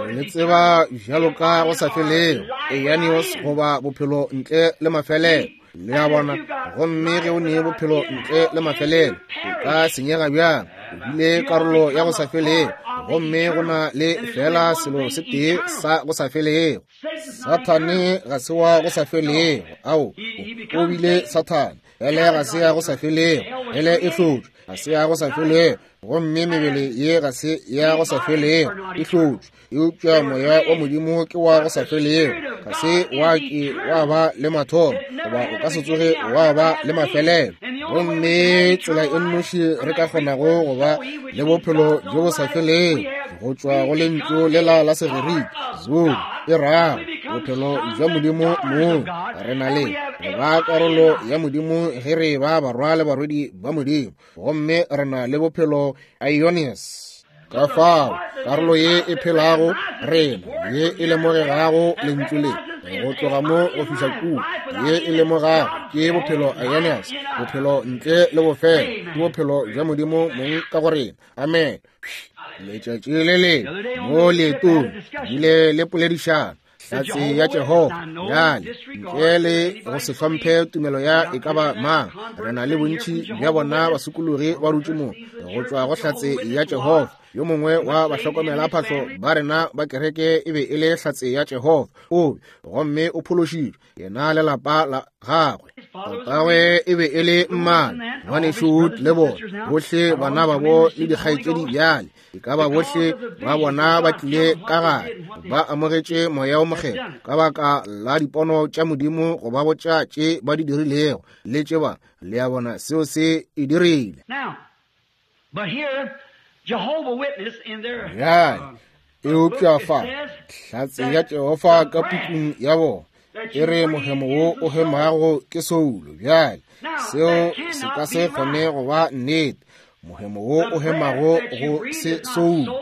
Re le tseba bjalo ka go sa felego, aeonios goba bophelo ntle le mafelelo. Le a bona? Gomme ge o ne bophelo ntle le mafelelo, o ka senyega bjang? O bile karolo ya go sa felego, gomme go na le fela selo se tee sa go sa felego. Sathane ga se wa go sa felego. Ao, o bile Sathane. Hele ga se ya go sa felego. Hele e hlotšwe, ga se ya go sa felego. Gomme mebele ye ga se ya go sa felego, e hlotšwe. Eupša Moya wa Modimo ke wa go sa felego, ga se wa ke wa ba le mathomo, goba o ka se tsoge wa ba le mafelelo. Gomme tsela e nnoši re ka kgonago go ba le bophelo bjo bo sa felego go tšwa go lentšu lela la Segerika zoe, e rago bophelo bja Modimo mong. Re na le go ba karolo ya Modimo ge re ba barwa le barwedi ba Modimo, gomme re na le bophelo aionios. Ka fao karolo ye e phelago rena, ye e lemogegago lentšu le go tloga mo go fihla kua, ye e lemogago ke bophelo aionios, bophelo ntle le bofelo, ke bophelo bja Modimo mong ka go rena. Amen. Letšatši le lengwe mo leetong bile le poledišano Hlatse ya Jehofa. Bjale, ntle le go se hlomphe tumelo ya e ka ba mang, re na le bontši bja bona basokologi ba dutše mo go tšwa go Hlatse ya Jehofa. Yo mongwe wa bahlokomelaphahlo ba rena ba kereke e be e le Hlatse ya Jehofa, o be, gomme o phološitšwe, yena le lapa la gagwe. Tatagwe e be e le mmane, Ngwanešu Wood le bona, bohle bana babo le dikgaetšedi bjale, e ka ba bohle ba bona ba tlile ka gare, ba amogetše Moya wo Mokgethwa ka baka la dipono tša Modimo go ba botša tše ba di dirilego le tše ba, le a bona, seo se e dirile. Bjale, eupša fa, Hlatse ya Jehofa ka pukung ya bona e re mohemo wo o hemago ke soulo. Bjale, seo se ka se kgone go ba nnete. Mohemo wo o hemago go se soulo.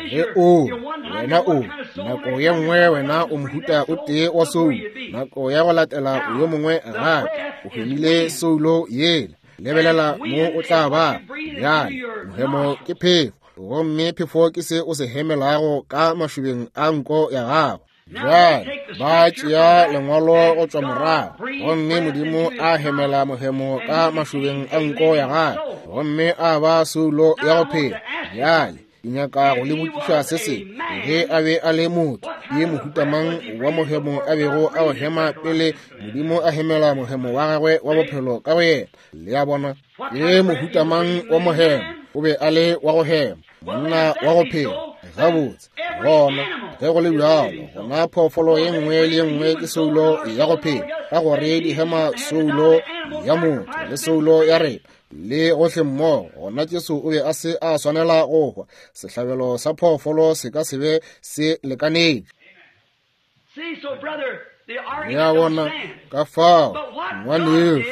Ge o, wena o, nako ye nngwe wena o mohuta o tee wa soulo, nako ya go latela o yo mongwe gape, o hemile soulo yela. Lebelela mo o tla ba. Bjale, mohemo ke phefo, gomme phefo ke se o se hemelago ka mašobeng a nko ya gago. Bjale, ba tšea lengwalo go tšwa morago, gomme Modimo a hemela mohemo ka mašobeng a nko ya gagwe, gomme a ba soulo ya go phela. Bjale, ke nyaka go le botšiša se sengwe. Ge a be a le motho, ke mohuta mang wa mohemo a bego a o hema pele Modimo a hemela mohemo wa gagwe wa bophelo ka go yena? Le a bona? Ke mohuta mang wa mohemo? O be a le wa go hema, monna wa go phela. Gabotse, gona, ge go le bjalo, gona phoofolo ye nngwe le ye nngwe ke soulo ya go phela, ka gore di hema soulo ya motho le soulo ya rena le gohle mmogo. Gona Jesu o be a se a swanela go hwa. Sehlabelo sa phoofolo se ka se be se lekanetše. Le a bona? Ka fao, ngwanešu,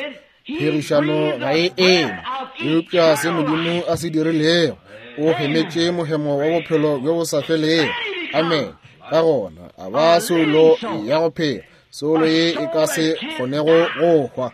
pherišano ga e eme. Eupša se Modimo a se dirilego, o hemetše mohemo wa bophelo bjo bo sa felego. Amen. Ka gona a ba soulo ya go phela, soulo ye e ka se kgonego go hwa.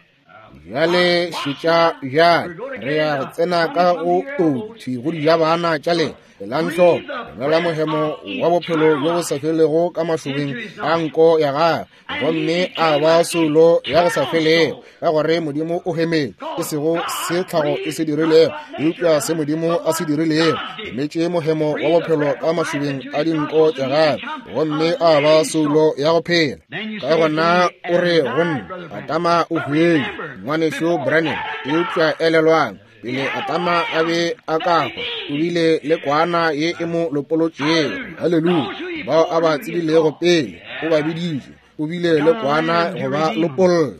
Bjale šetša bjale, re ya go tsena ka go touthi go dijabana tša lena. Elang hloko, romela mohemo wa bophelo bjo bo sa felego ka mašobeng a nko ya gagwe, gomme a ba soulo ya go sa felego, ka gore Modimo o hemetše, e sego se tlhago e se dirilego, eupša se Modimo a se dirilego. Hemetše mohemo wa bophelo ka mašobeng a dinko tša gagwe, gomme a ba soulo ya go phela. Ka gona o re go nna, Adama o hwile, ngwanešu Branham. Eupša elelwang, pele Adama a be a ka hwa, o bile le kwana ye e mo lopolotšego. Haleluya! Bao a ba tsebilego pele, o ba biditše. O bile le kwana go ba lopolla.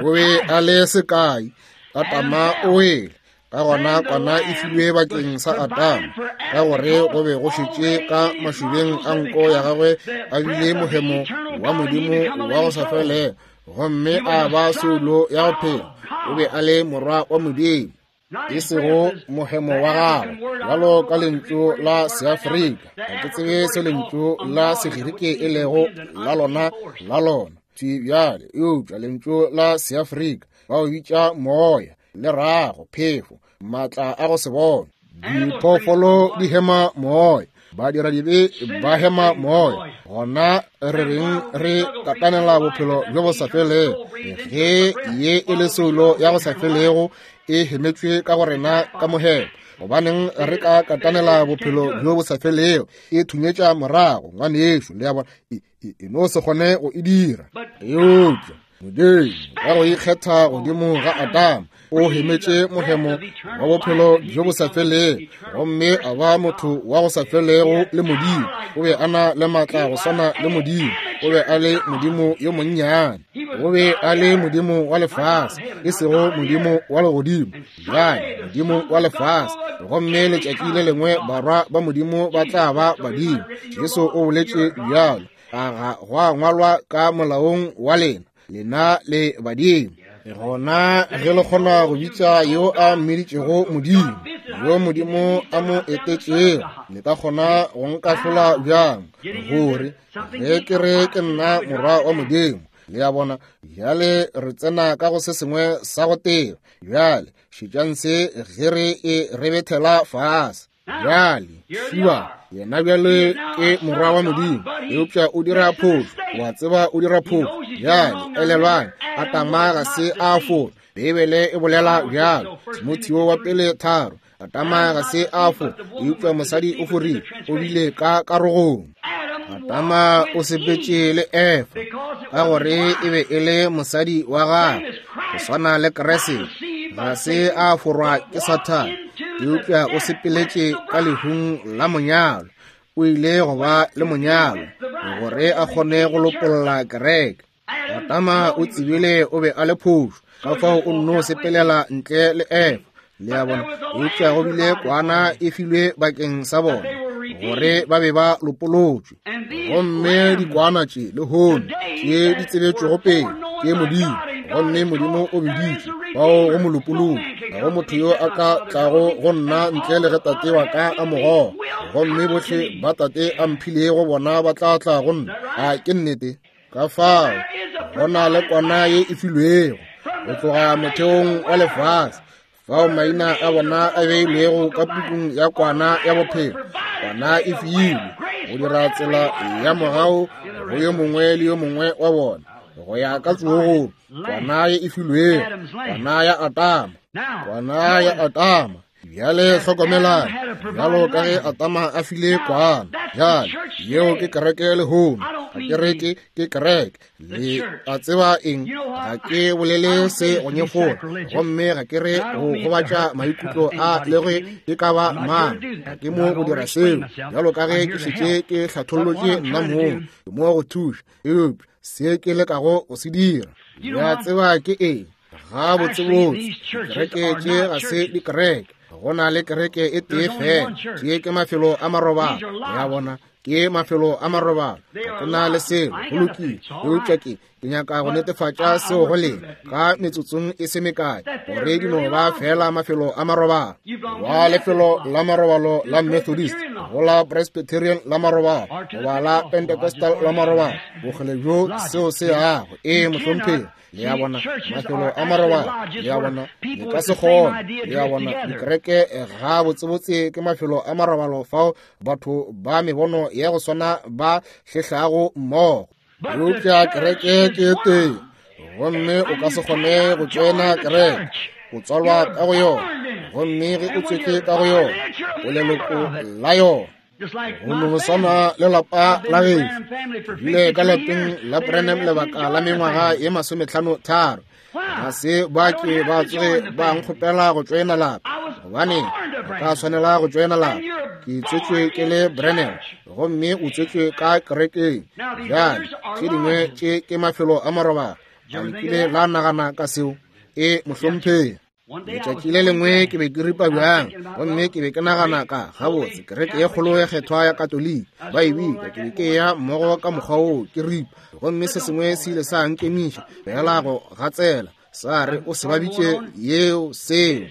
O be a le sekai. Adama o wele. Ka gona kwana e filwe bakeng sa Adama, ka gore go be go šetše ka mašobeng a nko ya gagwe a bile mohemo wa Modimo wa go sa felego, gomme a ba soulo ya go phela. O be a le morwa wa Modimo, e sego mohemo wa gagwe, bjalo ka lentšu la Seafrika. Ga ke tsebe se lentšu la Segerike e lego la lona la lona thwi bjale, eupša lentšu la Seafrika ba o bitša moya, le rago, phefo, maatla a go se bone. Diphoofolo di hema moya, badiradibe ba hema moya. Gona re reng re katanela bophelo bjo bo sa felego, ge ye e le soulo ya go sa felego e hemetšwe ka go rena ka mohemo? Gobaneng re ka katanela bophelo bjo bo sa felego e thunyetša morago, ngwanešu? Le a bona, e no se kgone go e dira. Eupša Modimo ka go ikgetha godimo ga Adama o hemetše mohemo wa bophelo bjo bo sa felego, gomme a ba motho wa go sa felego le Modimo. O be a na le maatla go swana le Modimo. O be a le Modimo yo monnyane. O be a le Modimo wa lefase, e sego Modimo wa legodimo. Bjale, Modimo wa lefase. Gomme letšatši le lengwe barwa ba Modimo ba tla ba badimo. Jesu o boletše bjalo. A ga gwa ngwalwa ka molaong wa lena, lena le badimo? Gona ge le kgona go bitša yo a mmiditšego Modimo, yo Modimo a mo etetšego, le ka kgona go nkahlola bjang gore ge ke re ke nna morwa wa Modimo? Le a bona? Bjale re tsena ka go se sengwe sa go teba. Bjale šetšang se ge re e rebethela fase. Bjale, šua, yena bjale ke morwa wa Modimo, eupša o dira phošo. O a tseba o dira phošo. Bjale, elelwang, Adama ga se a fora. Beibele e bolela bjalo. Timotheo wa pele 3. Adama ga se a fo, eupša mosadi o forile, o bile ka karogong. Adama o sepetše le Efa ka gore e be e le mosadi wa gagwe, go swana le Kriste. Ga se a forwa ke Sathane, eupša o sepeletše ka lehung la monyalo. O ile go ba le monyalo gore a kgone go lopolla kereke. Adama o tsebile o be a le phošo, ka fao o nno sepelela ntle le Efa. Le a bona? Eupša go bile kwana e filwe bakeng sa bona gore ba be ba lopolotšwe. Gomme dikwana tše lehono tše di tsebetšwego pele ke Modimo, gomme Modimo o biditše bao go mo lopolola. Ga go motho yo a ka tlago go nna ntle le ge Tate wa ka a mo goga, gomme bohle ba Tate a mphilego bona ba tla tla go nna. A ke nnete? Ka fao go na le kwana ye e filwego go tloga motheong wa lefase, fao maina a bona a beilwego ka pukung ya kwana ya bophelo. Kwana e filwe go dira tsela ya mogau go yo mongwe le yo mongwe wa bona go ya ka tsogong. Kwana ye e filwego, kwana ya Adama, kwana ya Adama. Bjale hlokomelang, bjalo ka ge Adama a file kwana. Bjale yeo ke kereke lehono. Ga kereke ke kereke. Le a tseba eng? Ga ke bolele se go nyefola, gomme ga ke re go gobatša maikutlo a le ge e ka ba mang. Ga ke mo go dira seo, bjalo ka ge ke šetše ke hlathollotše nna mong. Ke mo go thuša, eupša se ke lekago go se dira, le a tseba ke eng? Ga botsebotse dikereke tše ga se dikereke. Go na le kereke e tee fela. Tše ke mafelo a marobalo. Ya bona, ke mafelo a marobalo. Ga ke na le selo, go lokile. Eupša ke nyaka go netefatša seo go lena ka metsotsong e se mekae, gore di no ba fela mafelo a marobalo. Wa lefelo la marobalo la Methodist, go la Presbyterian la marobalo, goba la Pentecostal la marobalo, bokgole bjo seo se yago. Ee, mohlomphegi. Le a bona, mafelo a marobalo. Le a bona, le ka se kgone. Le a bona, dikereke ga botsebotse ke mafelo a marobalo fao batho ba mebono ya go swana ba hlehlago mmogo. Eupša kereke ke tee, gomme o ka se kgone go tšoena kereke. O tswalwa ka go yona, gomme ge o tswetše ka go yona, o leloko la yona. Go no swana le lapa la gešo. Bile ka lapeng la Branham lebaka la mengwaga ye 53. Ga se ba ke ba tsoge ba nkgopela go tšoena lapa, gobane ka swanela go tšoena lapa. Ke tswetšwe ke le Branham, gomme o tswetšwe ka kerekeng. Bjale tše dingwe tše ke mafelo a marobalo. A le kile la nagana ka seo? E, mohlomphegi. Letšatši le lengwe ke be ke ripa bjang, gomme ke be ke nagana ka gabotse kereke ye kgolo ya kgethwa ya Katoliki ba e bitša. Ke be ke ya mmogo ka mokgwa woo ke ripa, gomme se sengwe se ile sa nkemiša fela go gatsela, sa re o se ba bitše yeo seo.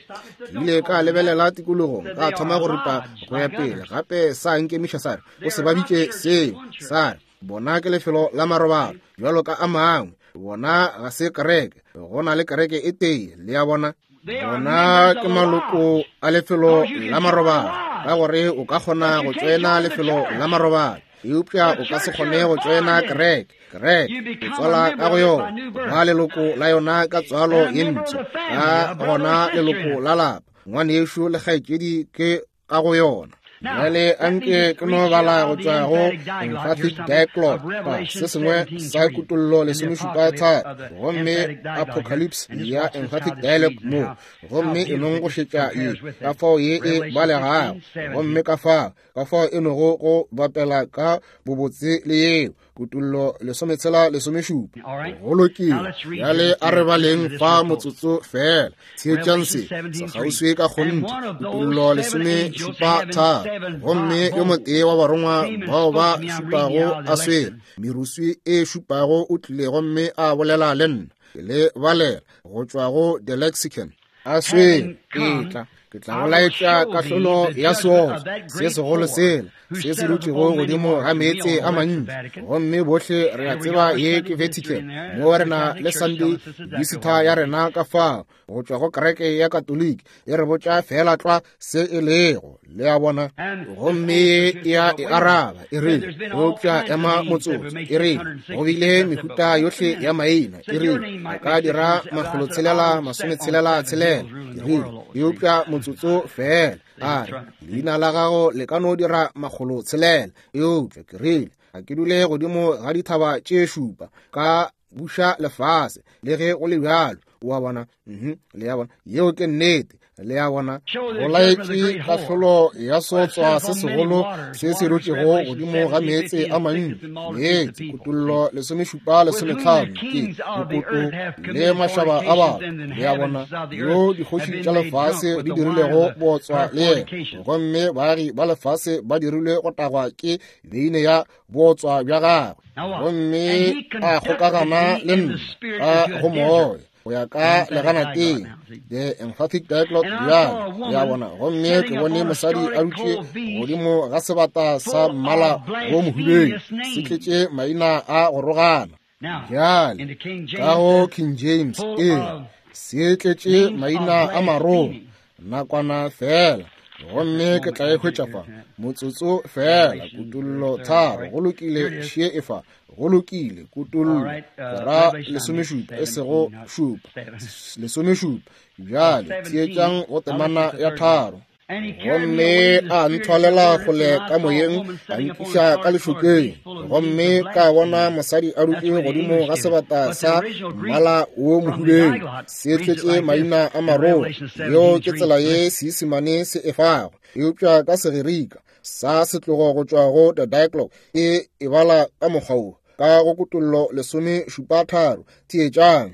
Ke ile ka lebelela tikologong, ka thoma go ripa go ya pele gape, sa nkemiša sa re o se ba bitše seo, sa re bona ke lefelo la marobalo bjalo ka a mangwe. Bona ga se kereke, go na le kereke e tee. Le a bona, bona ke maloko a lefelo la marobalo, ka gore o ka kgona go tšoena lefelo la marobalo, eupša o ka se kgone go tšoena kereke. Kereke o tswala ka go yona, ba leloko la yona ka tswalo ye mpsha, ka gona leloko la lapa, ngwanešu le kgaetšedi ke ka go yona. Bjale anke ke no bala go tšwa go Emphatic Diaglott, se sengwe sa Kutollo 17, gomme Apocalypse ya Emphatic Dialogue mo, gomme e nong go šetša ye, ka fao ye e balegago, gomme ka fao e nogo go bapela ka bobotse le yeo. Kutollo 16:17. Go lokile. Bjale a re baleng fa motsotso fela. Theetšang se sekgauswi ka kgonthe. Kutollo 17:3. Gomme yo motee wa barongwa bao ba šupago a swere meruswi e šupago o tlile gomme a bolela le nna. Ke le balela go tšwa go The Lexicon. A swere etla, ke tla go laetša kahlolo ya seotswa se segolo sela se se dutšego godimo ga meetse a mantši. Gomme bohle re a tseba ye ke Vatican, mo re na le Sunday Visitor ya rena ka fao go tšwa go kereke ya Katoliki, e re botša fela tlwa se e lego. Le a bona? Gomme ye e a e araba, e rile, eupša ema motsotso, e rile, go bile mehuta yohle ya maina, e rile, a ka dira 666, e rile, eupša motsotso. Motsotso feela. A re, leina la gago le ka no dira 600, eupša ke rile, ga ke dule godimo ga dithaba tše šupa, ka buša lefase, le ge go le bjalo. O a bona? Le a bona? Yeo ke nnete. Le a bona? Go laetše kahlolo ya sotswa se segolo se se rotšego godimo ga meetse a mantši. Meetse, Kutollo 17 15, ke mokoto le mašaba a batho. Le a bona? Yo dikgoši tša lefase di dirilego bootswa le yena, gomme baagi ba lefase ba dirilwe go tagwa ke beine ya bootswa bja gagwe. Gomme a kgokagana le nna ka go moya, go ya ka leganateng, the emphatic diglot bjale. Le a bona? Gomme ke bone mosadi a dutše godimo ga sebata sa mmala wo mohubedu, se tletše maina a go rogana. Bjale ka go King James e se tletše maina a marogo, nakwana fela, gomme ke tla e hwetša fa motsotso fela. Kutollo 3, go lokile, šie e fa. Go lokile, Kutollo ke ra 17, e sego 7, 17. Bjale theetšang go temana ya 3. Gomme a nthwalela kgole ka moyeng, a nkiša ka lešokeng, gomme ka bona mosadi a dutše godimo ga sebata sa mmala wo mohubedu, se tletše maina a marogo. Yeo ke tsela ye Seisemane se e fago, eupša ka Segerika sa setlogo go tšwa go the Diglot e e bala ka mokgwa wo, ka go Kutollo 17:3. Theetšang.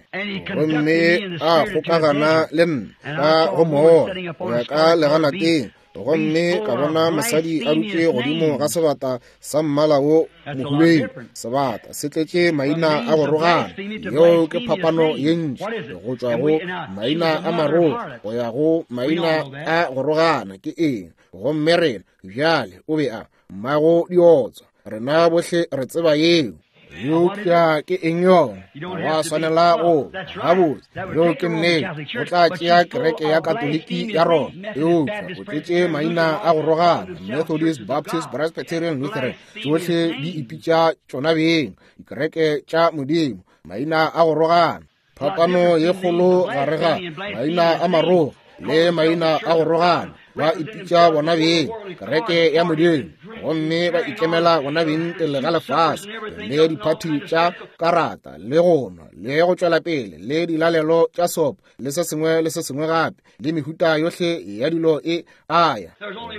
Gomme a kgokagana le nna ka go moya, go ya ka leganateng, gomme ka bona mosadi a dutše godimo ga sebata sa mmala wo mohubedu, sebata se tletše maina a go rogana. Yeo ke phapano ye ntši go tšwa go maina a marogo go ya go maina a go rogana. Ke eng? Gomme rena bjale o be a mmago diotswa, rena bohle re tseba yeo. Eupša ke eng yona? Wa swanela go gabotse. Yeo ke nnete. O tla tšea kereke ya Katoliki ya Roma, eupša o tletše maina a go rogana, Methodist, Baptist, Presbyterian, Lutheran, tšohle di ipitša tšona beng dikereke tša Modimo, maina a go rogana. Phapano ye kgolo gare ga maina a marogo le maina a go rogana. Ba ipitša bona beng kereke ya Modimo, gomme ba ikemela bona beng pele ga lefase, le diphathi tša karata, le go nwa, le go tšwela pele, le dilalelo tša sopo, le se sengwe le se sengwe gape, le mehuta yohle ya dilo e aya.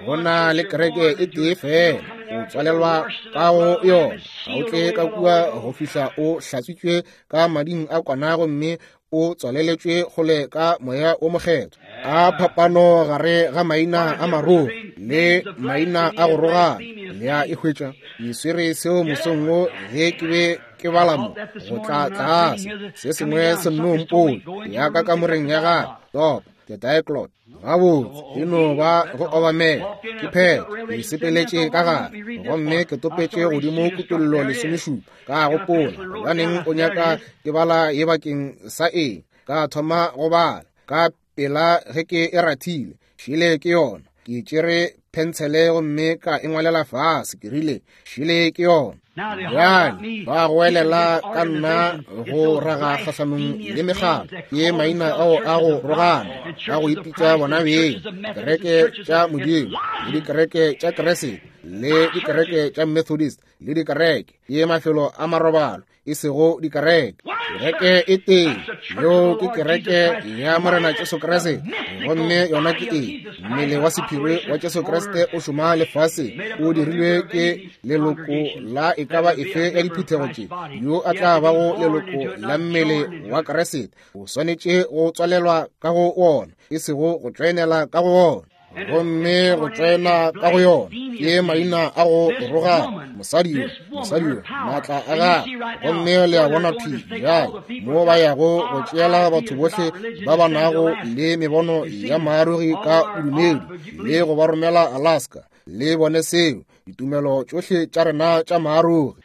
Go na le kereke e tee fela, o tswalelwa ka go yona, ga o tle ka kua go fihla o hlatswitšwe ka mading a kwana gomme o tswaleletšwe kgole ka moya o mokgethwa. A phapano gare ga maina a marogo le maina a go rogana. Le a e hwetša? Ke swere seo mosong wo ge ke be ke bala mo go tla tlase, se sengwe se nno mpone ya ka kamoreng ya gagwe, topa the diglot. Gabotse, e no ba go obamela. Ke phetho, ke sepeletše ka gare, gomme ke topetše godimo Kutollo 17. Ka gopola, gobaneng o nyaka ke bala ye bakeng sa eng? Ka thoma go bala ka pela ge ke e rathile. Šile ke yona. Ke tšere phentshele gomme ka e ngwalela fase. Ke rile, šile ke yona. Bjale ba goelela ka nna go raga kgahlanong le megala, ke maina ao a go rogana, a go ipitša bona beng dikereke tša Modimo, le dikereke tša Keresete, le dikereke tša Methodist, le dikereke, ke mafelo a marobalo, e sego dikereke. Kereke e tee, yeo ke kereke ya Morena Jesu Kriste, gomme yona ke eng? Mmele wa sephiri wa Jesu Kriste o šoma lefaseng, o dirilwe ke leloko la e ka ba efe ya diphuthego tše. Yo a tla bago leloko la mmele wa Kriste o swanetše go tswalelwa ka go wona, e sego go tšoenela ka go wona. Gomme go tsena ka go yona ke maina a go rogana, mosadi yo, mosadi yo, maatla a gagwe. Gomme le a bona thwi bjale mo ba yago go tšeela batho bohle ba ba nago le mebono ya maarogi ka bodumedi le go ba romela Alaska. Le bone seo. Ditumelo tšohle tša rena tša maarogi.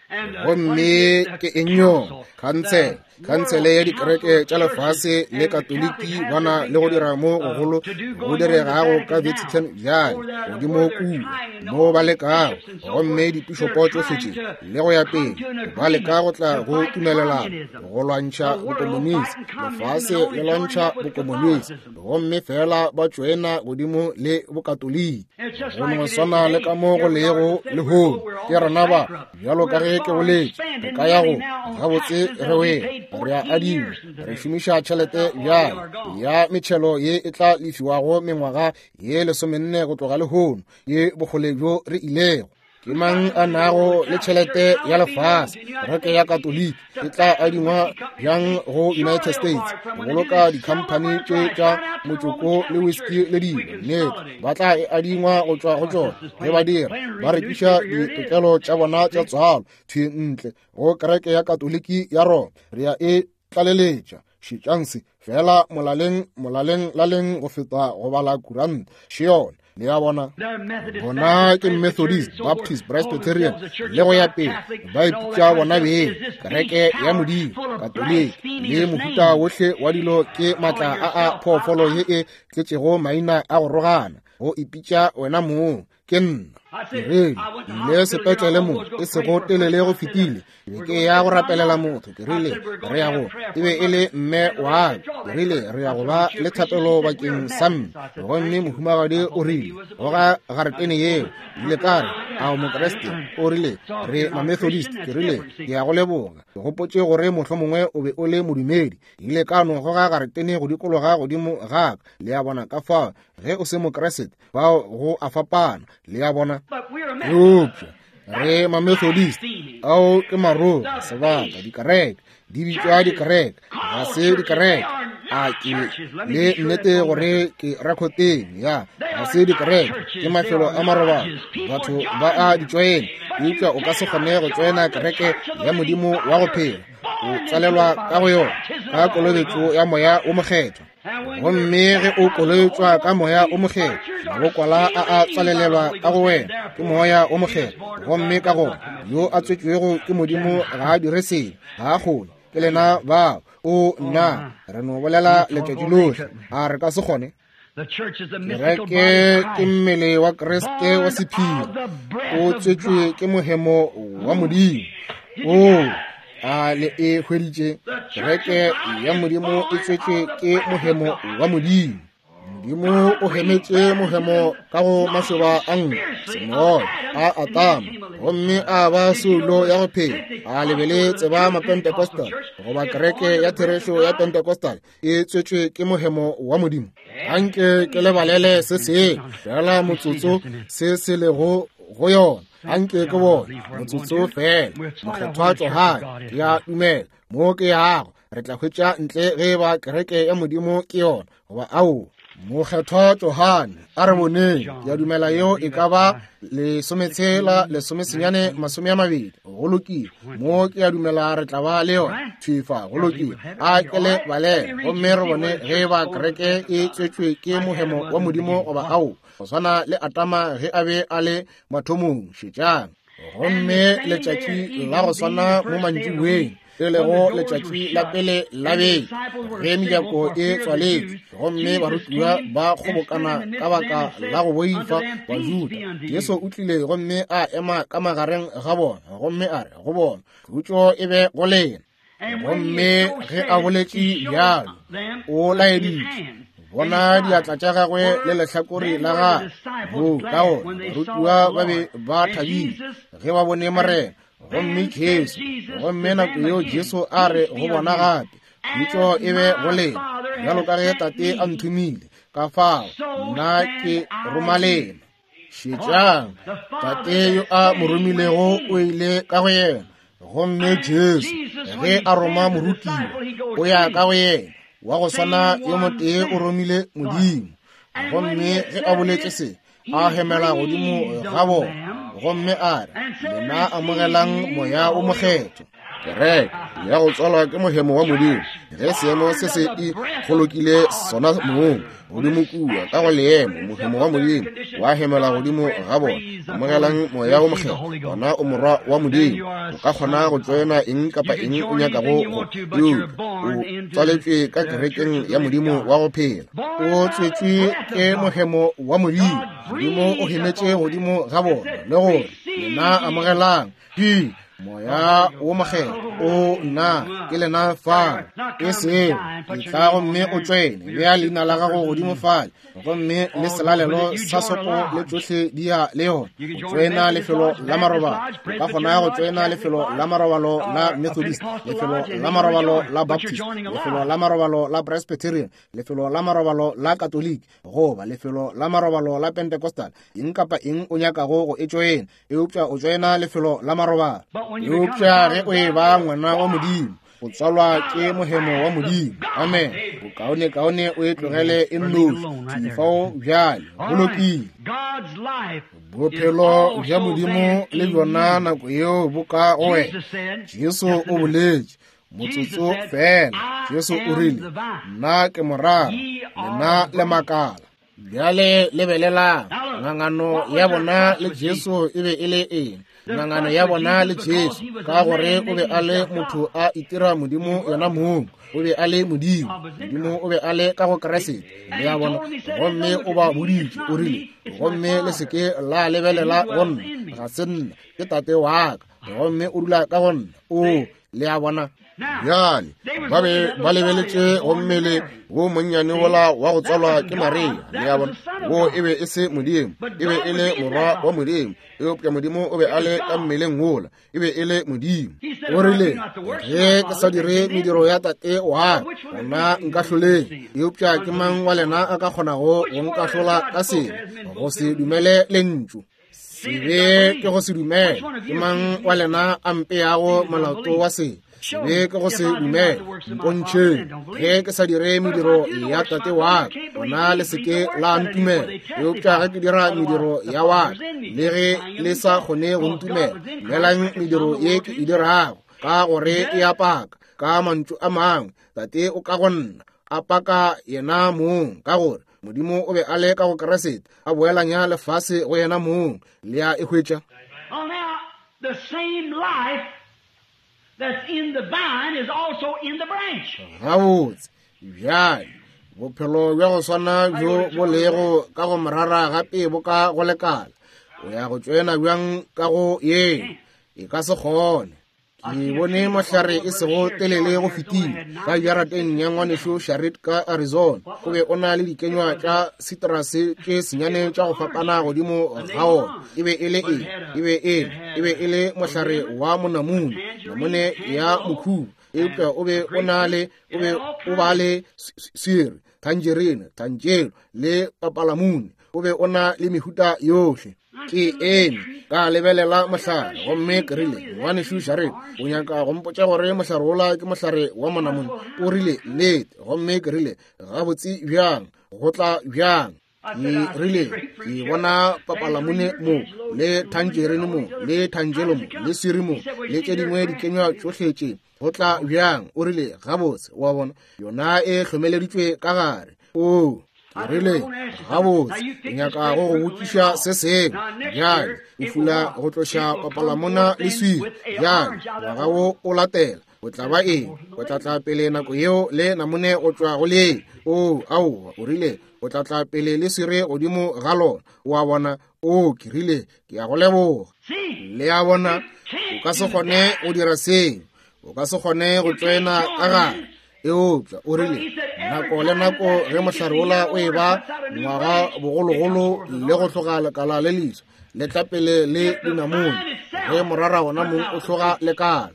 Gomme ke eng yona? Khansele. Khansele ya dikereke tša lefase le Katoliki ba na le go dira mo gogolo go diregago ka Vatican bjale, godimo kua mo ba lekago, gomme dipišopo tšohle tše le go ya pele ba leka go tla go tumelelano go lwantšha bokomonisi. Lefase le lwantšha bokomonisi, gomme fela ba tšoena godimo le Bokatoliki. Go no swana le ka mo go lego lehono, ke rena ba, bjalo ka ge ke boletše, re ka ya go gabotse re wele, re a adima, re šomiša tšhelete bjale ya metšhelo ye e tla lefiwago mengwaga ye 14 go tloga lehono, ye bokgole bjo re ilego. Ke mang a nago le tšhelete ya lefase? Kereke ya Katoliki e tla adingwa bjang go United States go boloka dikhamphani tše tša motšoko le whisky le dilo? Nnete, ba tla e adingwa go tšwa go tšona. Ge ba dira, ba rekiša ditokelo tša bona tša tswalo thwi ntle go kereke ya Katoliki ya Roma. Re ya e tlaleletša. Šetšang se fela molaleng, molaleng laleng go feta go bala kuranta. Še yona. Le a bona? Bona ke Methodist, Baptist, Presbyterian, le go ya pele, ba ipitša bona beng kereke ya Modimo, Katoliki, le mohuta wohle wa dilo. Ke maatla a a phoofolo ye e tletšego maina a go rogana, go ipitša wena mong. Ke nna ke rile, ile sepetlele mo e sego telele go fetile, ke be ke ya go rapelela motho. Ke rile, re ya go, e be e le mme wa ka. Ke rile, re ya go ba le thapelo bakeng sa mme. Gomme mohumagadi o rile, goga garetene yeo. Ke ile ka re, a o Mokriste? O rile, re Mamethodist. Ke rile, ke ya go leboga. Ke gopotše gore mohlomongwe o be o le modumedi. Ke ile ka no goga garetene go dikologa godimo ga ka. Le a bona? Ka fao, ge o se Mokriste, fao go a fapana. Le a bona? Eupša re Mamethodist, ao ke maroga, sebaka, dikereke di bitšwa dikereke, ga se dikereke. A ke le nnete gore ke rekoteng ya, ga se dikereke, ke mafelo a marobalo, batho ba a di tšoena. Eupša o ka se kgone go tšoena kereke ya Modimo wa go phela, o tsalelwa ka go yona ka kolobetšo ya Moya wo Mokgethwa. Gomme ge o kolobetšwa ka Moya o Mokgethwa, mabokwala a a tswalelelwa ka go wena ke Moya o Mokgethwa. Gomme ka gona yo a tswetšwego ke Modimo ga a dire sebe, ga a kgone. Ke lena bao. O nna, re no bolela letšatši lohle, a re ka se kgone? Kereke ke mmele wa Kriste wa sephiri, o tswetšwe ke mohemo wa Modimo. O a le e hweditše? Kereke ya Modimo e tswetšwe ke mohemo wa Modimo. Modimo o hemetše mohemo ka go mašoba a nku, semoya a Atama, gomme a ba soulo ya go phela. A le be le tseba Mapentecostal goba kereke ya therešo ya Pentecostal e tswetšwe ke mohemo wa Modimo? Anke ke le balele se sengwe fela motsotso se se lego go yona. Anke ke bone motsotso fela. Mokgethwa Johane, ke a dumela mo ke yago, re tla hwetša ntle ge ba kereke ya Modimo ke yona goba ao. Mokgethwa Johane, a re boneng, ke a dumela yeo e ka ba 16, 19, 20. Go lokile, mo ke a dumela re tla ba le yona thwi fa. Go lokile, a ke le balele gomme re bone ge ba kereke e tswetšwe ke mohemo wa Modimo goba ao, go swana le Atama ge a be a le mathomong. Šetšang. Gomme letšatši la go swana mo mantšiboeng, e lego letšatši la pele la beke, ge mejako e tswaletšwe gomme barutiwa ba kgobokana ka baka la go boifa Bajuda, Jesu o tlile gomme a ema ka magareng ga bona gomme a re go bona, khutšo e be go lena. Gomme ge a boletše bjalo, o laeditše bona diatla tša gagwe le lehlakore la gagwe. Moo ka gona barutiwa ba be ba thabile ge ba bone Morena. Gomme Jesu, gomme nako yeo Jesu a re go bona gape, khutšo e be go lena, bjalo ka ge Tate a nthomile, ka fao nna ke roma lena. Šetšang, Tate yo a mo romilego o ile ka go yena. Gomme Jesu ge a roma morutiwa, o ya ka go yena. Wa go swana yo motee o romile Modimo. Gomme ge a boletše se, a hemela godimo ga bona gomme a re, lena amogelang Moya o Mokgethwa. Kereke ya go tswalwa ke mohemo wa Modimo, ge seemo se se e kgolokile sona mong godimo kua ka go leemo, mohemo wa Modimo wa hemela godimo ga bona. Amogelang Moya wo Mokgethwa, gona o morwa wa Modimo. O ka kgona go tšoena eng kapa eng o nyakago go, eupša o tswaletšwe ka kerekeng ya Modimo wa go phela. O tswetšwe ke mohemo wa Modimo. Modimo o hemetše godimo ga bona le gore lena amogelang ke Moya wo Mokgethwa. O nna ke lena fa, e sego etla gomme o tšwene, bea leina la gago godimo fale, gomme le selalelo sa sopo le tšohle di ya le yona. O tšwena lefelo la marobalo, o ka kgona go tšwena lefelo la marobalo la Methodist, lefelo la marobalo la Baptist, lefelo la marobalo la Presbyterian, lefelo la marobalo la Katoliki, goba lefelo la marobalo la Pentecostal, eng kapa eng o nyakago go e tšoena, eupša o tšoena lefelo la marobalo. Eupša ge o e ba ngwana wa Modimo, o tswalwa ke mohemo wa Modimo. Amen. Bokaone kaone o e tlogele e nnoši fao bjale. Go lokile. Bophelo bja Modimo le bjona nako yeo bo ka go wena. Jesu o boletše motsotso fela. Jesu o rile, Nna ke morara, lena le makala. Bjale lebelelang, ngangano ya bona le Jesu e be e le eng? Ngangano ya bona le Jesu, ka gore o be a le motho a itira Modimo yena mong. O be a le Modimo. Modimo o be a le ka go Kriste. Le a bona? Gomme o ba boditše, o rile, gomme le se ke la lebelela go nna, ga se nna, ke Tate wa ka, gomme o dula ka go nna. O, le a bona? Bjale ba be ba lebeletše go mmele wo monnyane wola wa go tswalwa ke Maria. Le a bona? Wo e be e se Modimo, e be e le morwa wa Modimo, eupša Modimo o be a le ka mmeleng wola, e be e le Modimo. O rile, ge ke sa dire mediro ya Tate wa ka, gona nka hloleng. Eupša ke mang wa lena a ka kgonago go nkahlola ka sebe, go se dumele lentšu? Sebe ke go se dumele. Ke mang wa lena a mpeago molato wa sebe? Sebe ke go se dumele. Mpontšheng ge ke sa dire mediro ya Tate wa ka, gona le se ke la ntumela. Eupša ge ke dira mediro ya wa ka, le ge le sa kgone go ntumela, dumelang mediro ye ke e dirago, ka gore e a paka. Ka mantšu a mangwe, Tate o ka go nna, a paka yena mong, ka gore Modimo o be a le ka go Kriste, a boelanya lefase go yena mong. Le a e hwetša? Well, now, the same life that's in the vine is also in the branch. Gabotse, bjale, bophelo bja go swana bjo bo lego ka go morara gape bo ka go lekala. O ya go tšoena bjang ka go ye? E ka se kgone. Ke bone mohlare e sego telele go fetile ka jarateng ya ngwanešu Sharit ka Arizona. O be o na le dikenywa tša citrus tše senyane tša go fapana godimo ga ona. E be e le eng? E be e e be e le mohlare wa monamune, namune ya mokhubu. Eupša o be o na le, o be o ba le swiri, tangerine, tangelo le papalamune. O be o na le mehuta yohle. Ke eme ka lebelela mohlare, gomme ke rile, Ngwanešu Jared, o nyaka go mpotša gore mohlare wola ke mohlare wa monamone? O rile, Nnete. Gomme ke rile, Gabotse bjang? Go tla bjang? Ke rile, Ke bona papalamune mo, le tangerine mo, le tangelo mo, le swiri mo, le tše dingwe dikenywa tšohle tše. Go tla bjang? O rile, Gabotse, wa bona, yona e hlomeleditšwe ka gare. Oo, Ke rile, Gabotse, ke nyaka go go botšiša se sengwe. Bjale, o fula go tloša papalamona le swiri. Bjale, ngwaga wo o latela, o tla ba eng? O tla tla pele nako yeo le namone go tšwa go lee. Oo, aowa, o rile, o tla tla pele le swiri godimo ga lona. O a bona? Oo, ke rile, ke a go leboga. Le a bona, o ka se kgone go dira seo. O ka se kgone go tšoena ka gare. Eupša o rile, nako le nako ge mohlare wola o eba ngwaga bogologolo le go hloga lekala le leswa, le tla pele le dinamone, ge morara wona mong o hloga lekala.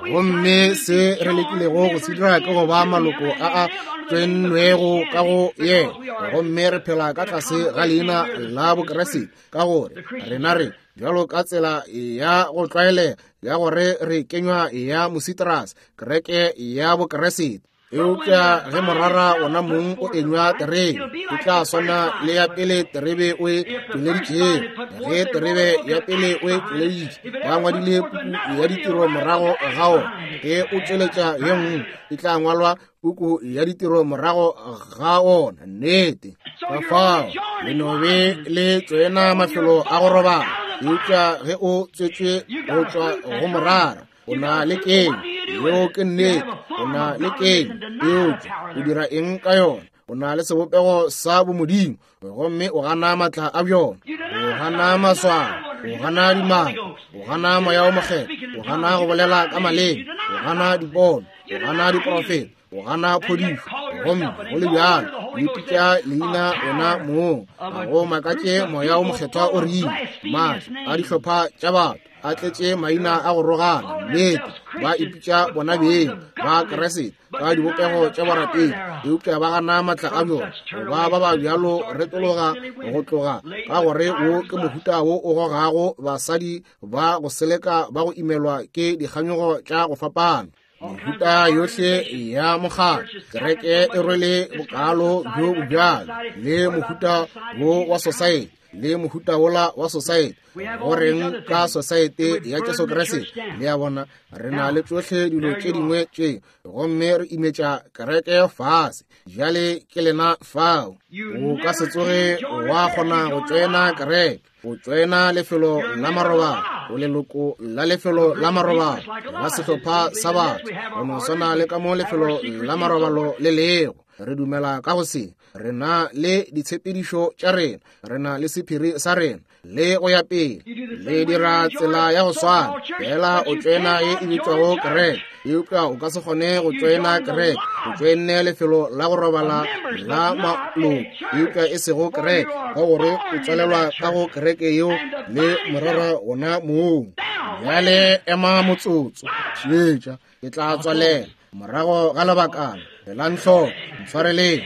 Gomme se re lekilego go se dira ke go ba maloko a a tswennwego ka go yena, gomme re phela ka tlase ga leina la Bokriste, ka gore rena re bjalo ka tsela ya go tlwaelega ya gore re kenywa ya mositrase, kereke ya Bokriste. Eupša ge morara wona mong o enywa terebe, o tla swana le ya pele terebe o e tšweleditšego. Ge terebe ya pele o e tšweleditše, ba ngwadile puku ya ditiro morago ga ona. Ge o tšweletša ye nngwe, e tla ngwalwa puku ya ditiro morago ga ona. Nnete. Ka fao le no be le tsena mafelo a go robala. Eupša ge o tswetšwe go tšwa go morara, o na le keng. Yeo ke nnete. O na le keng. Eupša o dira eng ka yona? O na le sebopego sa bomodimo, gomme o gana matla a bjona, o gana maswao, o gana dimaka, o gana moya o mokgethwa, o gana go bolela ka maleme, o gana dipono, o gana diprofeta, o gana phodišo, gomme go le bjalo o ipitša leina wena mong. Ga go makatše moya o mokgethwa o rile, maatla a dihlopha tša batho a tletše maina a go rogana. Nnete, ba ipitša bona beng ba Kriste ka dibopego tša borapedi, eupša ba gana matla a bjona. Goba ba ba bjalo retologa go tloga, ka gore wo ke mohuta wo o gogago basadi ba go seleka ba go imelwa ke dikganyogo tša go fapana. Mehuta yohle ya mokgatlo, kereke e rwele bokalo bjo bo bjalo, le mohuta wo wa society, le mohuta wola wa society. Go reng ka society ya Jesu Kriste? Le a bona, re na le tšohle dilo tše dingwe tše, gomme re imetša kereke fase. Bjale ke lena fao. O ka se tsoge wa kgona go tšoena kereke. O tšoena lefelo la marobalo, o leloko la lefelo la marobalo la sehlopha sa batho, go no swana le ka mo lefelo la marobalo le lego. Re dumela ka go se, re na le ditshepedišo tša rena, re na le sephiri sa rena, le go ya pele. Le dira tsela ya go swana, fela o tšoena ye e bitšwago kereke, eupša o ka se kgone go tšoena kereke. O tšoenne lefelo la go robala la maloko, eupša e sego kereke, ka gore o tswalelwa ka go kereke yeo le morara wona mong. Bjale ema motsotso, šetša, ke tla tswalela morago ga lebakana. Elang hloko, ntshwareleng,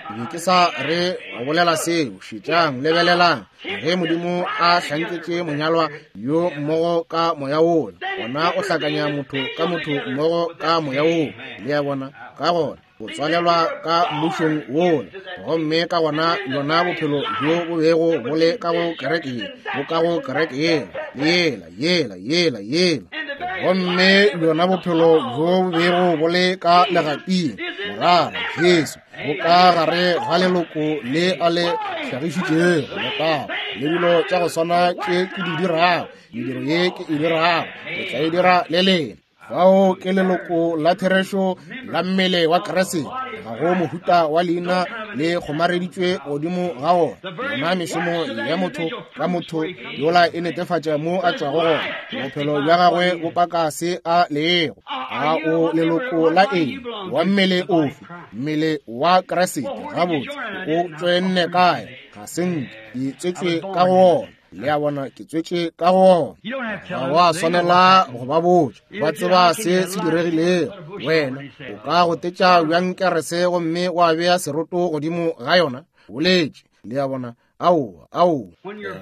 ke be ke sa re go bolela seo. Šetšang, lebelelang, ge Modimo a hlanketše monyalwa yo mmogo ka moya wola, gona o hlakanya motho ka motho mmogo ka moya woo. Le a bona? Ka gona o tswalelwa ka mmušong wola, gomme ka gona yona bophelo bjo bo bego bo le ka go kereke ye, bo ka go kereke yela, yela, yela, yela, yela. Gomme yona bophelo bjo bo bego bo le ka legaping, morara Jesu, bo ka gare ga leloko le a le hlagišitšego, letago le dilo tša go swana tše ke di dirago, mediro ye ke e dirago, ke tla e dira le lena. Fao ke leloko la therešo la mmele wa Kriste. Ga go mohuta wa leina le kgomareditšwe godimo ga ona. Yona mešomo ya motho ka motho yola e netefatša mo a tšwago gona. Bophelo bja gagwe bo paka se a lego. A o leloko la eng? Wa mmele ofe? Mmele wa Kriste. Gabotse, o tšoenne kae? Ga se nke ke tswetšwe ka go ona. Le a bona, ke tswetše ka go ona. Ga wa swanela go ba botša, ba tseba se se diregilego. Wena o ka gotetša bjang kerese gomme wa bea seroto godimo ga yona? Boletše. Le a bona, aowa, aowa.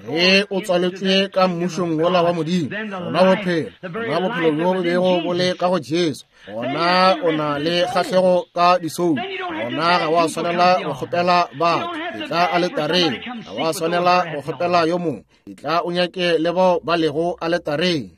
Ge o tswaletšwe ka mmušong wola wa Modimo, gona bophelo, gona bophelo bjo bo bego bo le ka go Jesu, gona o na le kgahlego ka disoulu, gona ga wa swanela go kgopela batho etla aletareng, ga wa swanela go kgopela yo mongwe etla o nyake le bao ba lego aletareng.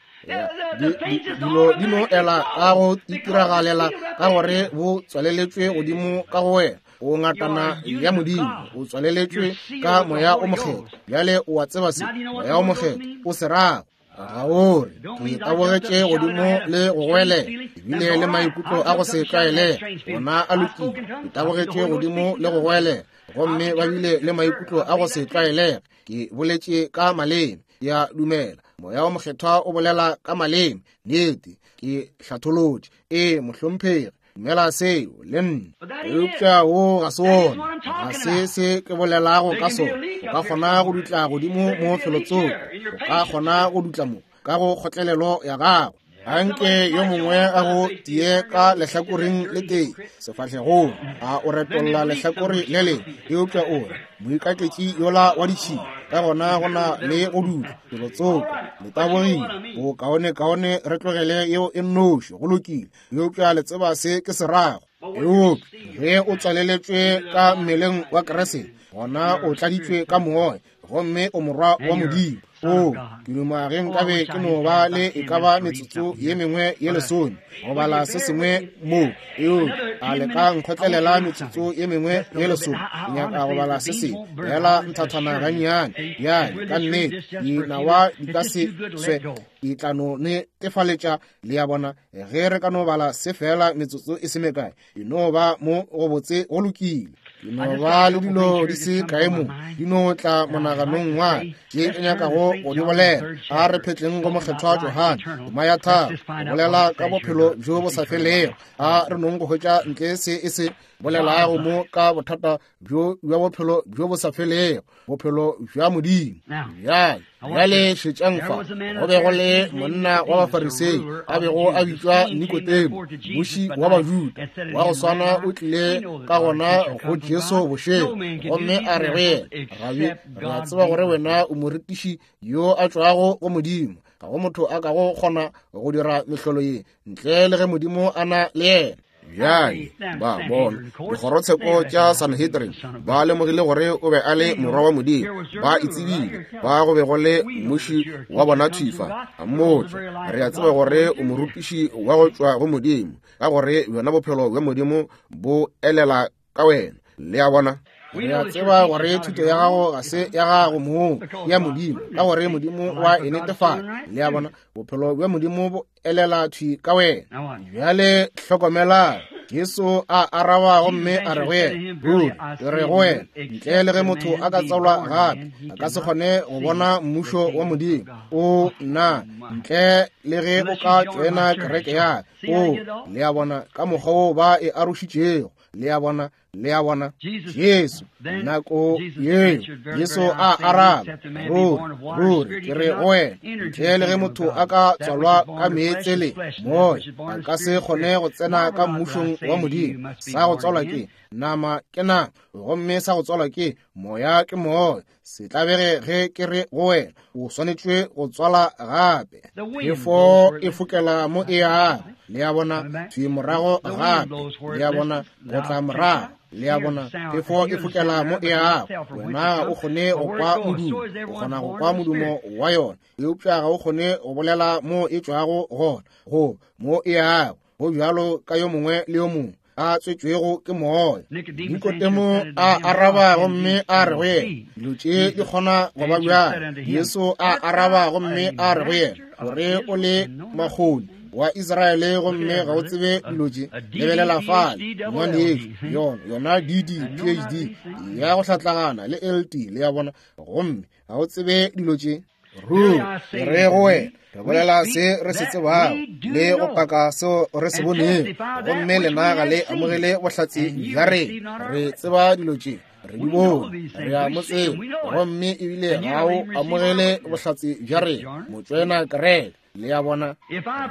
Dilo di no ela ka go itiragalela ka gore bo tswaleletšwe godimo ka go wena. O ngatana ya Modimo, o tswaleletšwe ka moya o mokgethwa. Bjale o a tseba se moya o mokgethwa o se rago. Ga o re ke tabogetše godimo le go goelela, ebile le maikutlo a go se tlwaelege, ona a lokile. Ke tabogetše godimo le go goelela, gomme ba bile le maikutlo a go se tlwaelege. Ke boletše ka maleme, ke a dumela moya o mokgethwa o bolela ka maleme. Nnete, ke hlatholotše. Ee, mohlomphegi, dumela seo le nna. Eupša wo ga se wona, ga se se ke bolelago ka sona. O ka kgona go dutla godimo mo felotsoko, o ka kgona go dutla mo ka go kgotlelelo ya gago. Anke yo mongwe a go tie ka lehlakoreng le tee sefahlegong, a o retolla lehlakore le lengwe, eupša o re moikaketši yola wa ditšhila. Ka gona go na le go dutla felotsoko, le tabogile. Bokaonekaone re tlogele yeo e nnoši, go lokile. Eupša le tseba se ke se rago. Eupša ge o tswaleletšwe ka mmeleng wa Kriste, gona o tladitšwe ka Moya, gomme o morwa wa Modimo. O, ke duma ge nkabe ke no ba le e ka ba metsotso ye mengwe ye lesome go bala se sengwe mo. Eupša a le ka nkgotlelela metsotso ye mengwe ye lesome? Ke nyaka go bala se sengwe fela nthathana gannyane. Bjale, ka nnete, dinawa di ka se swe, di tla no netefaletša, le a bona, ge re ka no bala se fela metsotso e se mekae. E no ba mo go botse, go lokile. Ke no ba le dilo di se kae mo, di no tla monaganong wa tše ke nyakago go di bolela. A re phetleng go Mokgethwa Johane, tema ya 3, go bolela ka bophelo bjo bo sa felego. A re nong go hwetša ntle se e se bolelago mo ka bothata bjo bja bophelo bjo bo sa felego, bophelo bja Modimo. Bjale, bjale šetšang fa, go be go le monna wa Bafarisei a bego a bitšwa Nikodemo, mmuši wa Bajuda wa go swana, o tlile ka gona go Jesu bošego, gomme a re go yena, Rabi, re a tseba gore wena o morutiši yo a tšwago go Modimo, ga go motho a kago kgona go dira mehlolo ye ntle le ge Modimo a na le yena. Bjale ba bona dikgorotsheko tša Sanhedrin ba lemogile gore o be a le morwa wa Modimo. Ba e tsebile, ba go be go le mmuši wa bona thwi fa, a mmotša, re a tseba gore o morutiši wa go tšwa go Modimo, ka gore bjona bophelo bja Modimo bo elela ka wena. Le a bona? Re a tseba gore thuto ya gago ga se ya gago mong, ke ya Modimo, ka gore Modimo wa e netefatša. Le a bona? Bophelo bja Modimo bo elela thwi ka wena. Bjale hlokomela, Jesu a araba gomme a re go yena, Ruri ke re go wena, ntle le ge motho a ka tswalwa gape, a ka se kgone go bona mmušo wa Modimo. O nna, ntle le ge o ka tšoena kereke ya ka. O, le a bona ka mokgwa wo ba e arošitšego. Le a bona? Le a bona? Jesu, nako yeo, Jesu a araba, Ruri, ruri, ke re go wena, ntle le ge motho a ka tswalwa ka meetse le Moya, a ka se kgone go tsena ka mmušong wa Modimo. Sa go tswalwa ke nama ke nama, gomme sa go tswalwa ke Moya ke moya. Se tlabege ge ke re go wena, o swanetšwe go tswala gape. Phefo e fokela mo e yago, le a bona, thwi morago gape, le a bona, go tla morago, le a bona, phefo e fokela mo e yago. Wena ga o kgone go kwa modumo, o kgona go kwa modumo wa yona, eupša ga o kgone go bolela mo e tšwago gona, go mo e yago. Go bjalo ka yo mongwe le yo mongwe a tswetšwego ke Moya. Nikodemo a araba gomme a re go yena, dilo tše di kgona go ba bjang? Jesu a araba gomme a re go yena, gore o le makgoni wa Israele gomme ga o tsebe dilo tše. Lebelela fale, ngwanešu, yona, yona DD, PhD ya go hlatlagana le LT, le ya bona, gomme ga o tsebe dilo tše. Ruri, ke re go wena, re bolela se re se tsebago le go paka seo re se bonego, gomme lena ga le amogele bohlatse bja rena. Re tseba dilo tše, re di bone, re a mo tseba, gomme ebile ga o amogele bohlatse bja rena. Motšwena kereke, le a bona,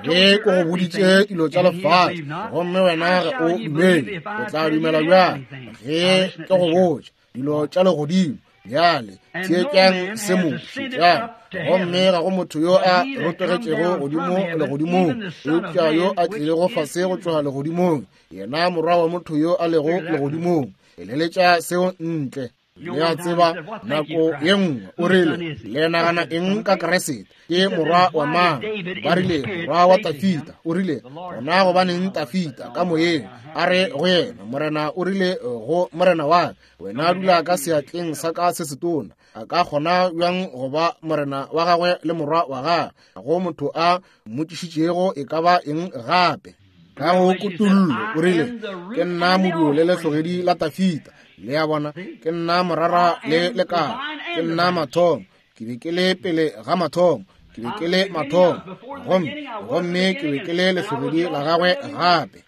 ge ke go boditše dilo tša lefase, gomme wena ga o dumele, o tla dumela bjang ge ke go botša dilo tša legodimo? Bjale theetšang se mo, šetšang. Gomme ga go motho yo a rotogetšego godimo legodimong, eupša yo a tlilego fase go tšwa legodimong, yena Morwa wa motho yo a lego legodimong. Eleletša seo ntle. Le a tseba, nako ye nngwe o rile, le nagana eng ka Kriste? Ke morwa wa mang? Ba rile, morwa wa Tafita. O rile, gona gobaneng Tafita ka moyeng a re go yena, Morena o rile go Morena wa ka, wena dula ka seatleng sa ka se setona. A ka kgona bjang go ba morena wa gagwe le morwa wa gagwe? Ga go motho a mmotšišitšego e ka ba eng gape. Ka go kutullo o rile, ke nna moduo le lehlogedi la Tafita. Le a bona, ke nna morara le lekala, ke nna mathomo. Ke be ke le pele ga mathomo, ke be ke le mathomo, gomme, gomme ke be ke le lehlogedi la gagwe gape.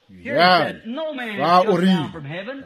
Bjale, fa o rile,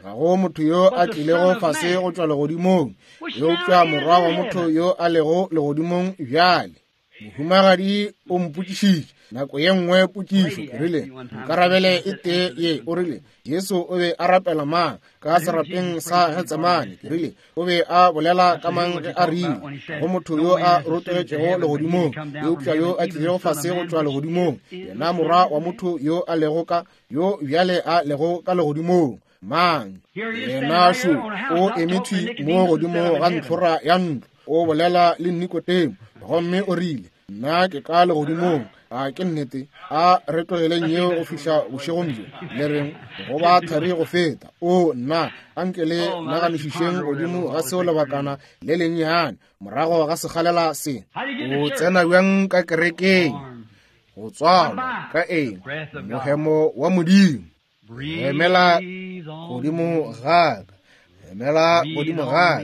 ga go motho yo a tlilego fase go tšwa legodimong, eupša Morwa wa motho yo a lego legodimong bjale. Mohumagadi o mpotšišitše nako ye nngwe potšišo, ke rile, nkarabele e tee ye. O rile, Jesu o be a rapela mang ka serapeng sa Getsemane? Ke rile, o be a bolela ka mang ge a rile go motho yo a rotogetšego legodimong, eupša yo a tlilego fase go tšwa legodimong, yena morwa wa motho yo a lego ka yo bjale a lego ka legodimong? Mang? Yena šo o eme thwi mo godimo ga ntlhora ya ntlo, o bolela le Nikodemo, gomme o rile, nna ke ka legodimong. A ke nnete? A re tlogeleng yeo go fihla bošegong bjo, le reng go ba thari go feta. O nna, a nke le naganišišeng godimo ga seo lebakana le lennyane morago ga sekgalela se. O tsena bjang ka kerekeng? Go tswalwa ka eng? Mohemo wa Modimo. Hemela godimo ga ka, hemela godimo ga ka,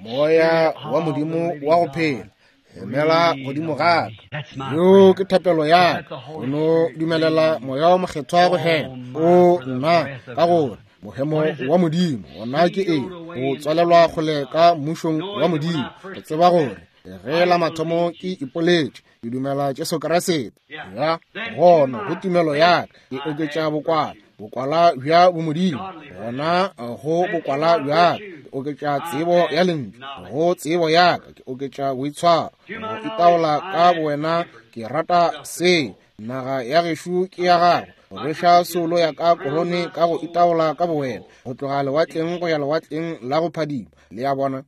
moya wa Modimo wa go phela, hemela godimo ga ka. Yo ke thapelo ya ka, o no dumelela moya wa mokgethwa go hema. O nna, ka gore mohemo wa Modimo gona ke eng? O tswalelwa kgole ka mmušong wa Modimo. Go tseba gore ge la mathomo ke ipoletše ke dumela Jesu Kriste, ya gona go tumelo ya ka ke oketša bokwala, bokwala bja bomodimo, gona go bokwala bja ka ke oketša tsebo ya lentšu, go tsebo ya ka ke oketša boitshwaro, go itaola ka bowena. Ke rata se. Naga ya gešo ke ya gago, go rweša soulo ya ka korone ka go itaola ka bowena, go tloga lewatleng go ya lewatleng la go phadima. Le a bona?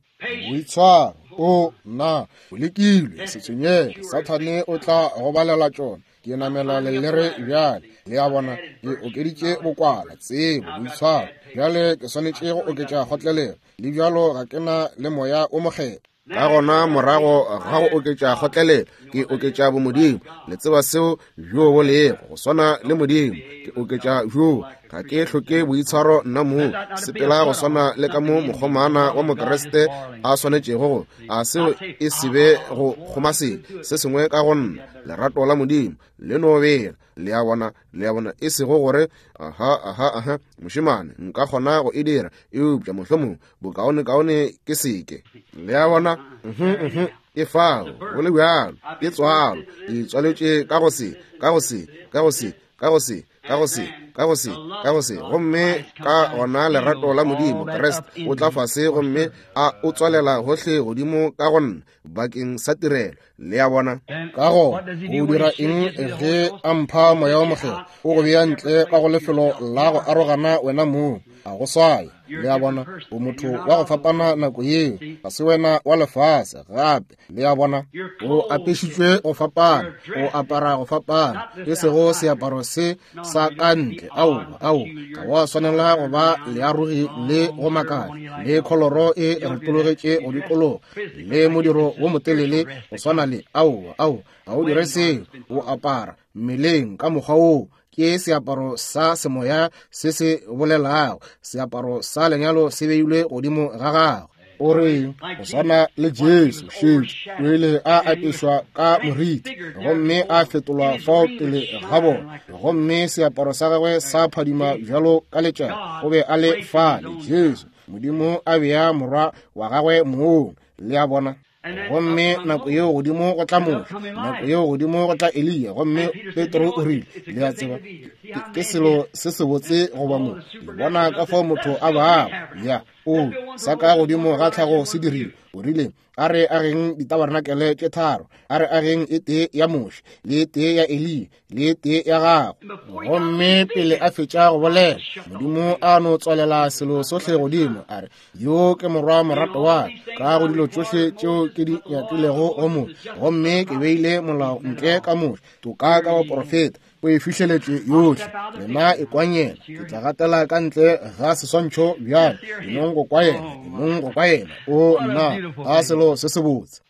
Boitshwaro, o nna o lekilwe, se tshwenyege, Sathane o tla go balela tšona. Ke namela lelere bjale, le a bona, ke okeditše bokwala, tsebo, boitshwaro. Bjale ke swanetše go oketša kgotlelelo, le bjalo ga ke na le moya o mokgethwa. Ka gona morago ga go oketša kgotlelelo, ke oketša bomodimo. Le tseba seo bjo bo lego, go swana le Modimo. Ke oketša bjo. Ga ke hloke boitshwaro nna mong, sepela go swana le ka mo mokgomana wa Mokriste a swanetšego go. A seo e se be go kgoma selo se sengwe ka go nna, lerato la Modimo le no bela. Le a bona, le a bona, e sego gore aha, aha, aha, mošemane, nka kgona go e dira, eupša mohlomong bokaonekaone ke seke. Le a bona, e fao, go le bjalo, ke tswalo, ke tswaletše ka go se, ka go se, ka go se, ka go se, ka go se, ka go se, ka go se, gomme ka gona lerato la Modimo, Kriste, o tla fase gomme a o tswalela gohle godimo ka go nna bakeng sa tirelo. Le a bona? Ka gona o dira eng ge a mpha moya wa mokgethwa? O go bea ntle ka go lefelo la go arogana wena mong, a go swaya. Le a bona? O motho wa go fapana nako yeo, ga se wena wa lefase gape. Le a bona? O apešitšwe go fapana, o apara go fapana, e sego seaparo se sa ka ntle. Aowa, aowa, ga wa swanela go ba learogi le go makatša, le kholoro e retologetše go dikologa, le modiro wo motelele go swana le. Aowa, aowa, ga o dire seo. O apara mmeleng ka mokgwa woo. Ke seaparo sa semoya se se bolelago, seaparo sa lenyalo se beilwe godimo ga gago. O reng? Go swana le Jesu, šetše o ile a apešwa ka moriti gomme a fetolwa fao pele ga bona, gomme seaparo sa gagwe sa phadima bjalo ka letšatši. O be a le fale, Jesu, Modimo a bea morwa wa gagwe mong. Le a bona? Gomme nako yeo godimo go tla Moshe, nako yeo godimo go tla Eliya, gomme Petro o rile, le a tseba, ke selo se sebotse go ba mo. Le bona ka fao motho a bago. Ya, o, sa ka godimo ga tlhago se dirile. O rile, a re ageng ditabarenakele tše tharo, a re ageng e tee ya Moshe, le e tee ya Eliya, le e tee ya gago. Gomme pele a fetša go bolela, Modimo a no tswalela selo sohle godimo, a re, yo ke morwa morato wa ka go dilo tšohle tšeo ke di nyakilego go mo, gomme ke beile molao ntle ka Moshe, toka ka baprofeta, o e fihleletše yohle. Lena e kwang yena, ke tla gatela ka ntle ga seswantšho bjale. Enong go kwa yena, enong go kwa yena. O nna, a selo se sebotse.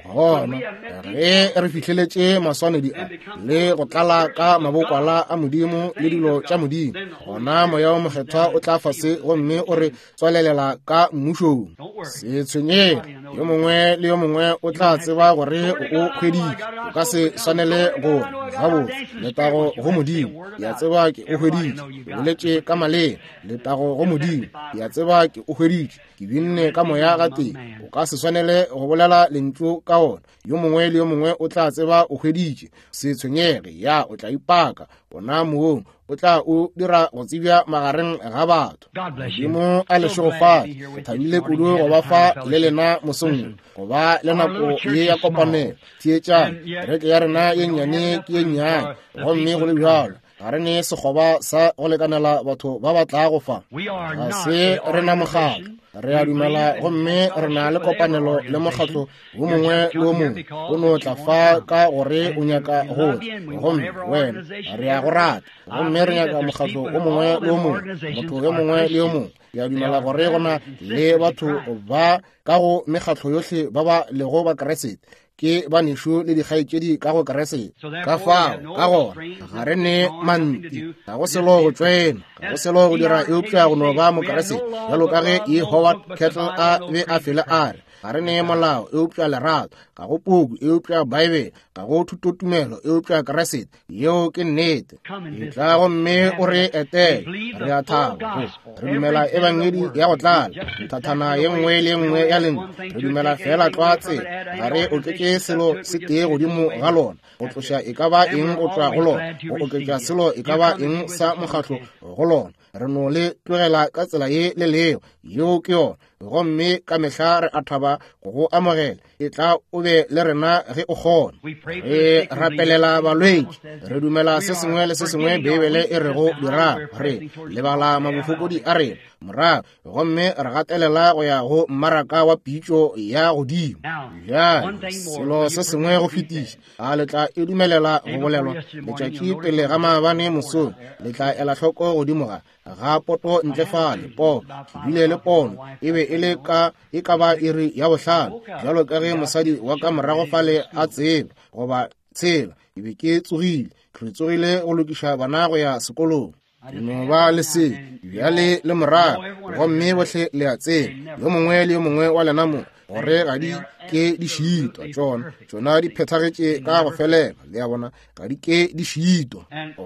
Gona ge re fihleletše maswanedi a le go tlala ka mabokwala a Modimo le dilo tša Modimo, gona Moya wo Mokgethwa o tla fase gomme o re tswalelela ka mmušong. Se tshwenyege, yo mongwe le yo mongwe o tla tseba gore o hweditše. O ka se swanele gore gabotse letago Letago go Modimo, ke a tseba ke o hweditše. Ke boletše ka maleme. Letago go Modimo, ke a tseba ke o hweditše. Ke binne ka moya gatee. O ka se swanele go bolela lentšu ka ona. Yo mongwe le yo mongwe o tla tseba o hweditše. Se tshwenyege, ya, o tla ipaka ona moong, o tla o dira go tsebja magareng ga batho. Modimo a le šegofatše. Ke thabile kudu go ba fa le lena mosong wo, go ba le nako ye ya kopanelo. Theetšang, kereke ya rena ye nnyane ke ye nnyane, gomme go le bjalo ga re ne sekgoba sa go lekanela batho ba ba tlago fa. Ga se re na mokgatlo, re a dumela, gomme re na le kopanelo le mokgatlo wo mongwe le wo mongwe. O no tla fa ka gore o nyaka go tla, gomme wena re a go rata, gomme re nyaka mokgatlo wo mongwe le wo mongwe, motho yo mongwe le yo mongwe. Ke a dumela gore go na le batho ba ka go mekgatlo yohle ba ba lego ba Keresete, ke banešu le dikgaetšedi ka go Keresete. Ka fao, ka gona, ga re ne manti, ga go selo go tšwena, ga go selo go dira eupša go no ba Mokeresete, bjalo ka ge E. Howard Kettle a be a fele a re, ga re ne molao eupša lerato, ga go puku eupša Baebele, ga go thutotumelo eupša Keresete. Yeo ke nnete. Etla gomme o re etele. Re a thaba. Re dumela ebangedi ya go tlala, nthathana ye nngwe le ye nngwe ya lentšu. Re dumela feela tlwa tsela. Ga re oketše selo se tee godimo ga lona, go tloša e ka ba eng go tšwa go lona, go oketša selo e ka ba eng sa mokgatlo go lona. Re no le tlogela ka tsela ye le lego. Yeo ke yona. Gomme ka mehla re a thaba go go amogela. Etla o be le rena ge o kgona. Re rapelela balwetši. Re dumela se sengwe le se sengwe Beibele e rego dira. Re lebala mabofokodi a rena morago, gomme re gatelela go ya go mmaraka wa pitšo ya godimo. Bjale, selo se sengwe go fetiša, a le tla e dumelela go bolelwa letšatši pele ga maabane mosong? Le tla ela hloko godimo ga ga poto ntle fale, po ke bile le pono, e be e le ka e ka ba iri ya bohlano, bjalo ka ge mosadi wa ka morago fale a tseba, goba tshela, ke be ke tsogile, re tsogile go lokiša bana go ya sekolong. Ke no ba le se bjale le morago, gomme bohle le a tseba, yo mongwe le yo mongwe wa lena mo, gore ga di ke di šitwa, tšona tšona di phethagetše ka go felela, le a bona, ga di ke di šitwa.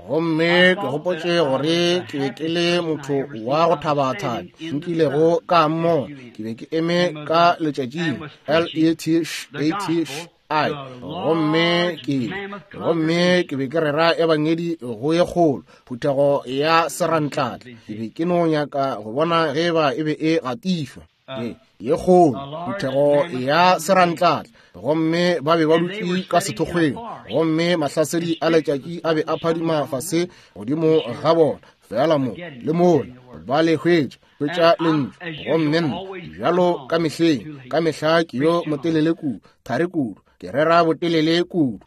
Gomme ke gopotše gore ke be ke le motho wa go thabathabi nkilego ka mmona. Ke be ke eme ka letšatšing L E T Š A T Š I, gomme ke gomme ke be ke rera ebangedi go ye kgolo phuthego ya serantlatla. Ke be ke no nyaka go bona ge eba e be e gatišwa. Ye kgolo phuthego ya serantlatla, gomme ba be ba dutše ka sethokgweng, gomme mahlasedi a letšatši a be a phadima fase godimo ga bona, feela mo le mola ba le hwetša, hwetša lentšu. Gomme nna, bjalo ka mehleng, ka mehla ke yo motelele kudu, thari kudu, ke rera botelele kudu,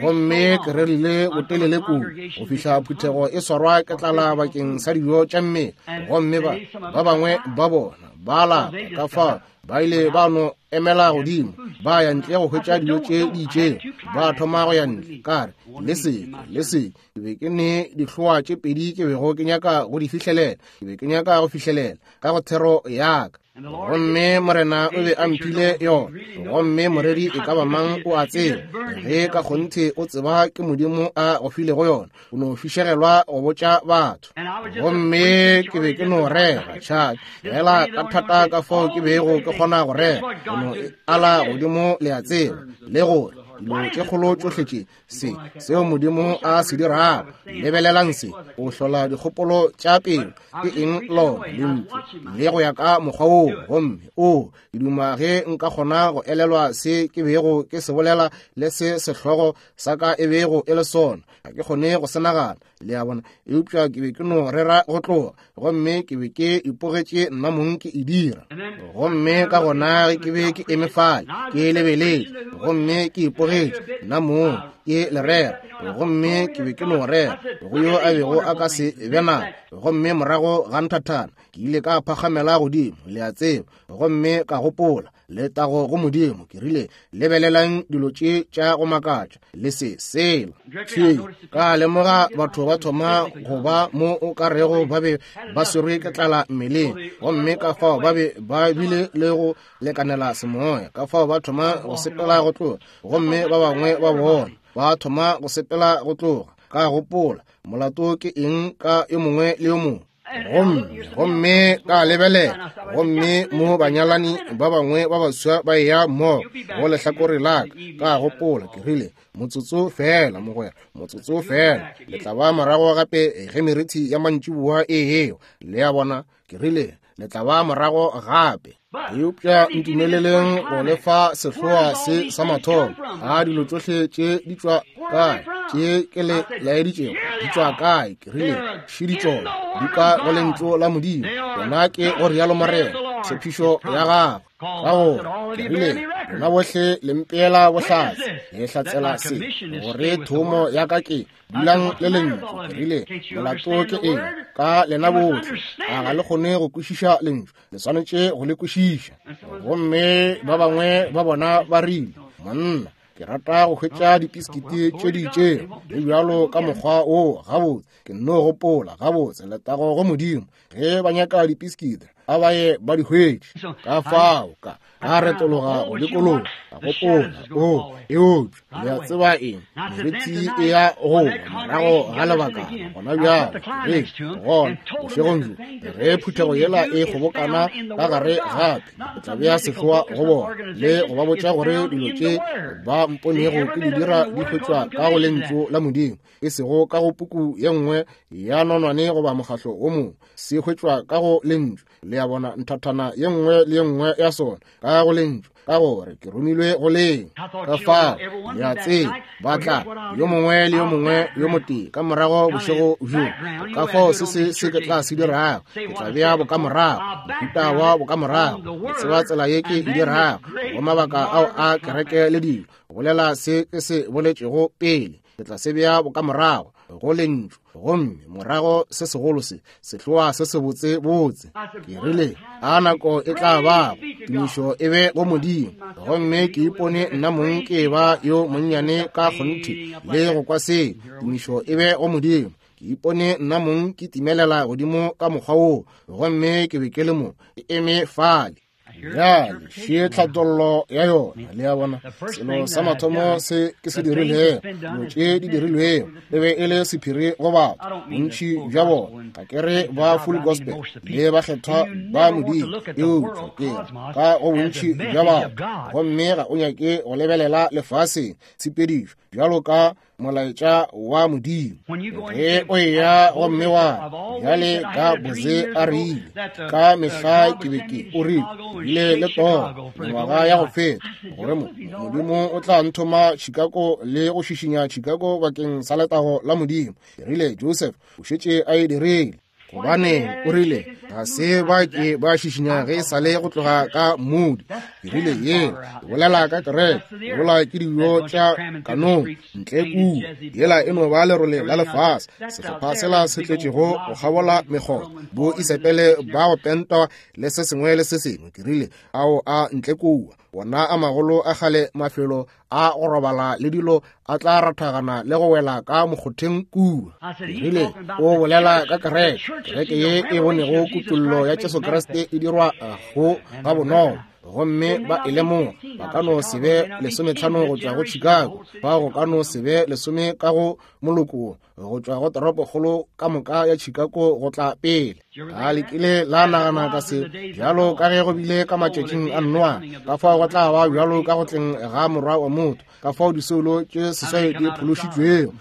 gomme ke rerile botelele kudu go fihla phuthego e swarwa ke tlala bakeng sa dijo tša mmele. Gomme ba ba bangwe ba bona ba lapa, ka fao ba ile ba no emela godimo, ba ya ntle go hwetša dijo tše di itšego, ba thoma go ya ntle. Ka re, le seke, le seke. Ke be ke ne dihloa tše pedi ke bego ke nyaka go di fihlelela, ke be ke nyaka go fihlelela ka go thero ya ka, gomme Morena o be a mphile yona. Gomme moreri e ka ba mang o a tseba, ge ka kgonthe o tseba ke Modimo a go filego yona, o no fišegelwa go botša batho. Gomme ke be ke no rera tšha fela ka thata ka fao ke bego ke kgona go rera, go no e ala godimo, le a tseba, le gore dilo tše kgolo tšohle tše se seo Modimo a se dirago. Lebelelang se, o hlola dikgopolo tša pelo. Ke eng lona lentšu le go ya ka mokgwa woo? Gomme o, ke duma ge nka kgona go elelwa se ke bego ke se bolela le se sehlogo sa ka e bego e le sona. Ga ke kgone go se nagana, le a bona, eupša ke be ke no rera go tloga, gomme ke be ke ipogetše nna mong ke e dira. Gomme ka gona ge ke be ke eme fale ke lebeletše, gomme ke ipogetše nna mong ke le rera, gomme ke be ke no rera go yo a bego a ka se be nako. Gomme morago ga nthathana ke ile ka phagamela godimo, le a tseba, gomme ka gopola, letago go Modimo. Ke rile, lebelelang dilo tše tša go makatša le se sela. Thwi ka lemoga batho ba thoma go ba mo o ka rego ba be ba swerwe ke tlala mmeleng, gomme ka fao ba be ba bile le go lekanela semoya, ka fao ba thoma go sepela go tloga, gomme ba bangwe ba bona ba thoma go sepela go tloga. Ka gopola, molato ke eng ka yo mongwe le yo mongwe? Gomme ka lebelela, gomme mo banyalani ba bangwe ba baswa ba eya mmogo go lehlakore la ka. Ka gopola, ke rile, motsotso fela mogwera, motsotso fela, le tla ba morago gape ge merithi ya mantšiboa e ewa. Le a bona? Ke rile, le tla ba morago gape. Eupša ntumeleleng go lefa sehloa se sa mathomo. A dilo tšohle tše di tšwa kae? Tše ke le laeditšego di tšwa kae? Ke rile, šidi tšona di ka go lentšu la Modimo. Yona ke go rialo Morena, tshepišo ya gagwe. Ka gore ke rile, lena bohle le mpeela bohlatse, le hlatsela se, gore thomo ya ka ke dulang le lentšu. Ke rile, molato ke eng ka lena bohle? A ga le kgone go kwešiša lentšu? Le swanetše go le kwešiša. Gomme ba bangwe ba bona ba rile, monna, ke rata go hwetša dipiskiti tše di itšego le bjalo ka mokgwa wo. Gabotse, ke nno gopola, gabotse, letago go Modimo, ge ba nyaka dipiskiti a ba ye ba di hwetše. Ka fao ka retologa go dikologa, ka gopola, o eupša le a tseba eng, merithi e ya go morago ga lebaka gona bjalo. Ee, gona bošegong bjo ge phuthego yela e kgobokana ka gare gape, ke tla bea sehloa go bona le go ba botša gore dilo tše ba mponego ke di dira di hwetšwa ka go lentšu la Modimo, e sego ka go puku ye nngwe ya nonwane goba mokgahlo wo mongwe. Se hwetšwa ka go lentšu. Le a bona, nthathana ye nngwe le ye nngwe ya sona ka go lentšu, ka gore ke romilwe go leng. Ka fao le a tseba, ba tla yo mongwe le yo mongwe yo motee ka morago bošego bjo. Ka fao se se se ke tla se dirago, ke tla bea bokamorago, mohuta wa bokamorago. Ke tseba tsela ye ke e dirago go mabaka ao a kereke le dilo, bolela se ke se boletšego pele, ke tla se bea bokamorago go lentšu, gomme morago se segolo se sehloa se sebotse botse. Ke rile, a nako e tla bago, tumišo e be go Modimo. Gomme ke ipone nna mong ke ba yo monnyane ka kgonthe le go kwa se, tumišo e be go Modimo. Ke ipone nna mong ke timelela godimo ka mokgwa woo, gomme ke be ke le mo ke eme fale. Bjale še tlhatollo ya yona. Le a bona, selo sa mathomo se ke se dirilego, dilo tše di dirilwego, e be e le sephiri go batho, bontši bja bona. Ga ke re ba full gospel le bakgethwa ba Modimo, eupša ke re ka go bontši bja batho. Gomme ga o nyake go lebelela lefaseng tshepedišo bjalo ka molaetša wa Modimo. Ge o eya gomme wa bjale ka Boze a rile, ka mehla ke be ke o rile, bile le toro mengwaga ya go feta gore Modimo o tla nthoma Chicago le go šišinya Chicago bakeng sa letago la Modimo. Ke rile, Joseph o šetše a e dirile. Gobane o rile, ga se ba ke ba šišinya ge e sa le go tloga ka Moody. Ke rile, yela ke bolela ka kereke, bola ke dijo tša kanong ntle kua, yela e no ba lerole la lefase, sehlopha sela se tletšego go kgabola mekgotha, bo isepele ba go pentwa le se sengwe le se sengwe. Ke rile, ao a ntle kua, wona a magolo a kgale mafelo a go robala le dilo a tla rathagana le go wela ka mokgotheng kua. Rile o bolela ka kereke, kereke ye e bonego kutollo ya Jesu Kriste e dirwa go ga bonolo, gomme ba e lemoga. Ba ka no se be 15 go tšwa go Chicago, ba go ka no se be 10 ka go moloko go tšwa go toropokgolo ka moka ya Chicago go tla pele. A le kile la nagana ka se? Bjalo ka ge go bile ka matšatšing a Noa, ka fao go tla ba bjalo ka go tleng ga Morwa wa motho, ka fao disoulo tše seswai di phološitšwego.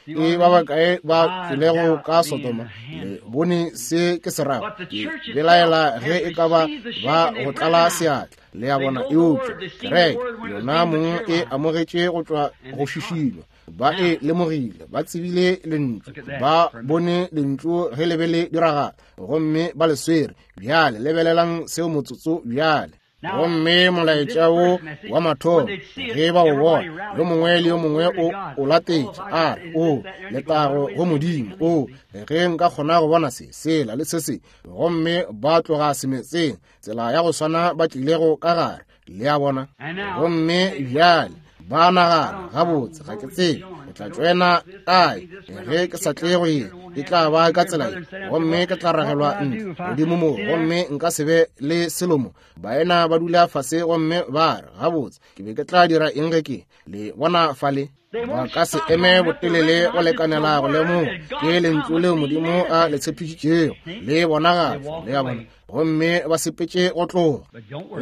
E ba bakae ba tšwelego ka Sodoma? Le bone se ke se rago? Ke belaela ge e ka ba ba go tlala seatla. Le a bona? Eupša kereke yona mong e amogetše go tšwa go šišinwa. Ba e lemogile, ba tsebile lentšu, ba bone lentšu ge le be le diragala, gomme ba le swere. Bjale lebelelang seo motsotso bjale. Gomme molaetša wo wa mathomo, ge ba o bona, yo mongwe le yo mongwe o o latetše, a re, O letago go Modimo, o ge nka kgona go bona se, sela le se se. Gomme ba tloga semetseng, tsela ya go swana ba tlilego ka gare. Le a bona? Gomme bjale ba nagana, gabotse, ga ke tsebe ke tla tšwena kae ge ke sa tle go ye, e tla ba ka tsela ye, gomme ke tla ragelwa ntle godimo mo, gomme nka se be le selo mo. Baena ba dula fase gomme ba re, gabotse, ke be ke tla dira eng ge ke le bona fale? Ba ka se eme botelele go lekanela go lemoga ke lentšu leo Modimo a le tshepišitšego le bonagatšwa, le a bona, gomme ba sepetše go tloga.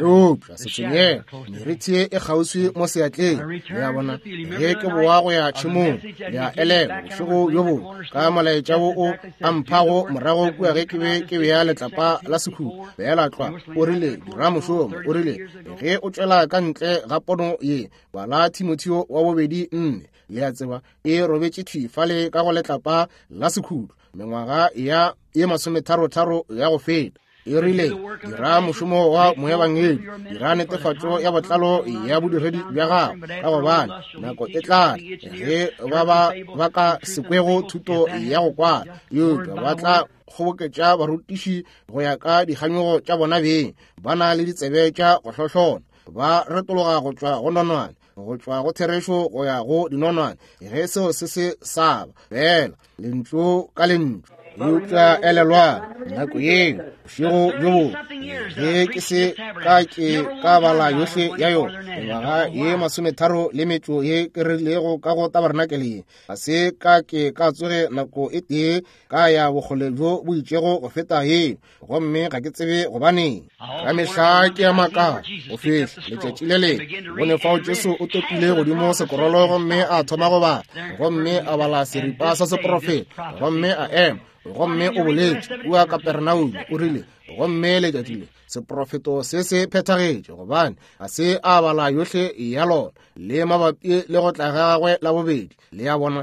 Eupša se tshwenyege, merithi e kgauswi mo seatleng, le a bona. Ge ke boa go ya tšhemong, le a elelwa bošego bjo bongwe ka molaetša wo o a mphago morago kua ge ke be ke bea letlapa la sekhutlo, feela tlwa, o rile, dira mošomo, o rile, ge o tšwela ka ntle ga pono ye, bala Timotheo wa bobedi 4, le a tseba, e robetše thwi fale ka go letlapa la sekhutlo, mengwaga ya ye masometharotharo ya go feta. E rile, dira mošomo wa moebangedi, dira netefatšo ya botlalo ya bodiredi bja gago, ka gobane nako e tla ge ba ka se kwego thuto ya go kwala, eupša ba tla kgoboketša barutiši go ya ka dikganyogo tša bona beng, ba na le ditsebe tša go hlohlona, ba retologa go tšwa go nonwane, go tšwa go therešo go ya go dinonwane, ge seo se se sa ba fela lentšu ka lentšu. Eupša elelwang, nako yeo bošego bjo bongwe ge ke se ka ke ka bala yohle ya yona, mengwaga ye 33 le metšo ye ke rilego ka go tabernakeleng ye, ga se ka ke ka tsoge nako e tee ka ya bokgole bjo bo itšego go feta yeo, gomme ga ke tsebe gobaneng. Ka mehla ke a makala go fihla letšatši le lengwe bone fao Jesu o topile godimo sekorolo gomme a thoma go bala, gomme a bala seripa sa seprofeta, gomme a ema, gomme o boletše kua Kapernaum, o rile, gomme letšatši le seprofeto se se phethagetše, gobane ga se a bala yohle ya lona le mabapi le go tla ga gagwe la bobedi, le a bona.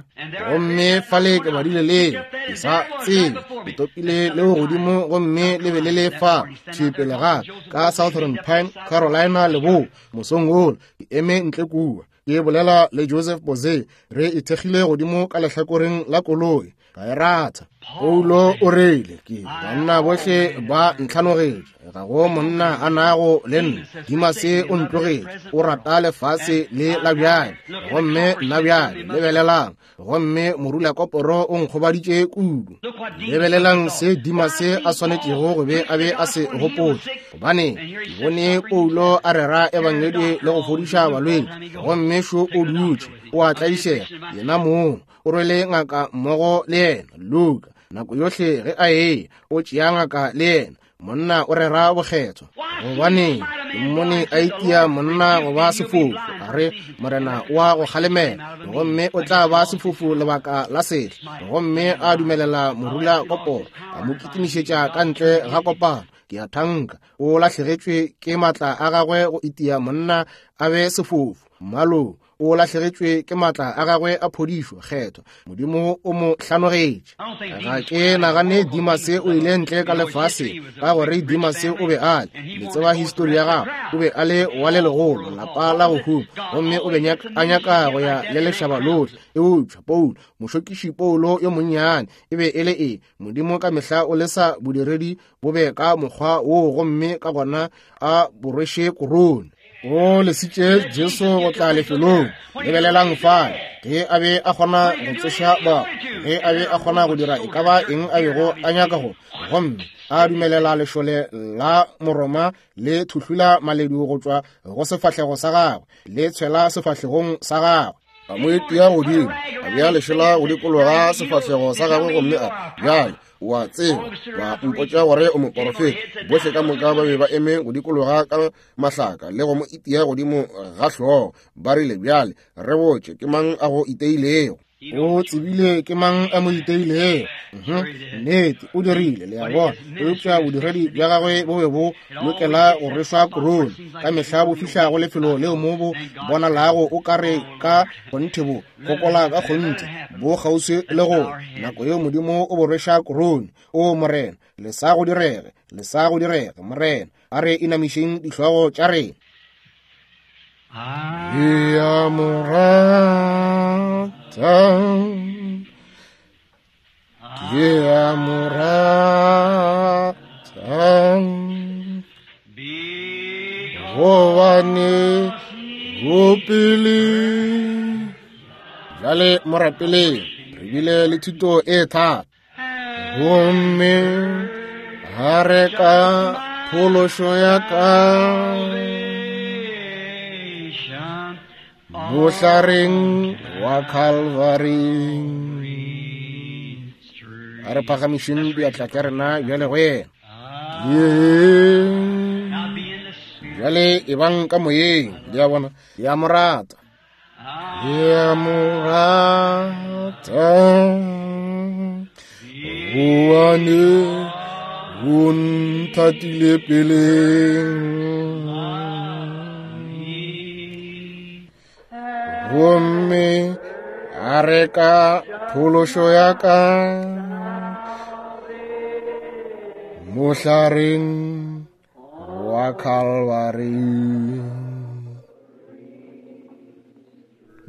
Gomme fale ke badile leo, ke sa tsebe, ke topile leo godimo, gomme le be le le fa thwi pele ga ka Southern Pine, Carolina leboa, mosong wola, ke eme ntle kua ke bolela le Joseph Boze, re ithekgile godimo ka lehlakoreng la koloi, ka e ratha. Paulo o rile, ke banna bohle ba ntlhanogetše, ga go monna a nago le nna, Dimase o ntlogetše, o rata lefase le la bjale, gomme nna bjale, lebelelang, gomme morula koporo o nkgobaditše kudu. Lebelelang se Dimase a swanetšego go be a be a se gopotše, gobane ke bone Paulo a rera ebangedi le go fodiša balwetši, gomme šo o dutše o a tlaišega yena mong, o rwele ngaka mmogo le yena, Luka, nako yohle ge a eya o tšea ngaka le yena. Monna o rera bokgethwa, gobane ke mmone a itia monna go ba sefofu, a re, Morena o a go kgalemela, gomme o tla ba sefofu lebaka la sehla. Gomme a dumelela morula koporo, a mo kitimišetša ka ntle ga kopano. Ke a thanka o lahlegetšwe ke matla a gagwe go itia monna a be sefofu. Mmalo o lahlegetšwe ke matla a gagwe a phodišo kgethwa. Modimo o mo hlanogetše. Ga ke nagane Dimase o ile ntle ka lefase, ka gore Dimase o be a le, le tseba histori ya gagwe, o be a le wa le legolo, lapa la go huma, gomme o be a nyaka go ya le lešaba lohle. Eupša Paulo, mošokiši Paulo yo monnyane, e be e le eng? Modimo ka mehla o lesa bodiredi bo be ka mokgwa woo, gomme ka gona a bo rweše korone. O lesitše Jesu go tla lefelong. Lebelelang fale, ge a be a kgona go tsoša ba, ge a be a kgona go dira e ka ba eng a bego a nyaka go, gomme a dumelela lešole la Moroma le thuhlula maledu go tšwa go sefahlego sa gagwe, le tshwela sefahlegong sa gagwe. A mo itia godimo, a bea lešela go dikologa sefahlego sa gagwe, gomme a bjale, o a tseba, ba mpotša gore o moporofeta. Bohle ka moka ba be ba eme go dikologa ka mahlaka le go mo itia godimo ga hlogo. Ba rile, bjale re botše, ke mang a go iteilego? O tsebile ke mang a mo iteilego. Nnete, o dirile, le a bona. Eupša bodiredi bja gagwe bo be bo lokela go rwešwa korone. Ka mehla bo fihla go lefelo leo mo bo bonalago o ka re ka kgonthe bo fokola ka kgonthe, bo kgauswi le go nako yeo Modimo o bo rweša korone. O Morena, le sa go direge, le sa go direge, Morena. A re inamišeng dihlogo tša rena. Ke a mo rata, ke a mo rata, gobane o pele. Bjale mo rapeleng, re bile le thuto e thata, gomme a re ka phološo ya ka. Mohlareng wa Calvary. A re phagamišeng diatla tša rena bjale go yena. Bjale e bang ka moyeng, le a bona, le a mo rata. Le a mo rata. Goane o nthatile peleng. Gomme a reka phološo ya ka mohlareng wa Calvary.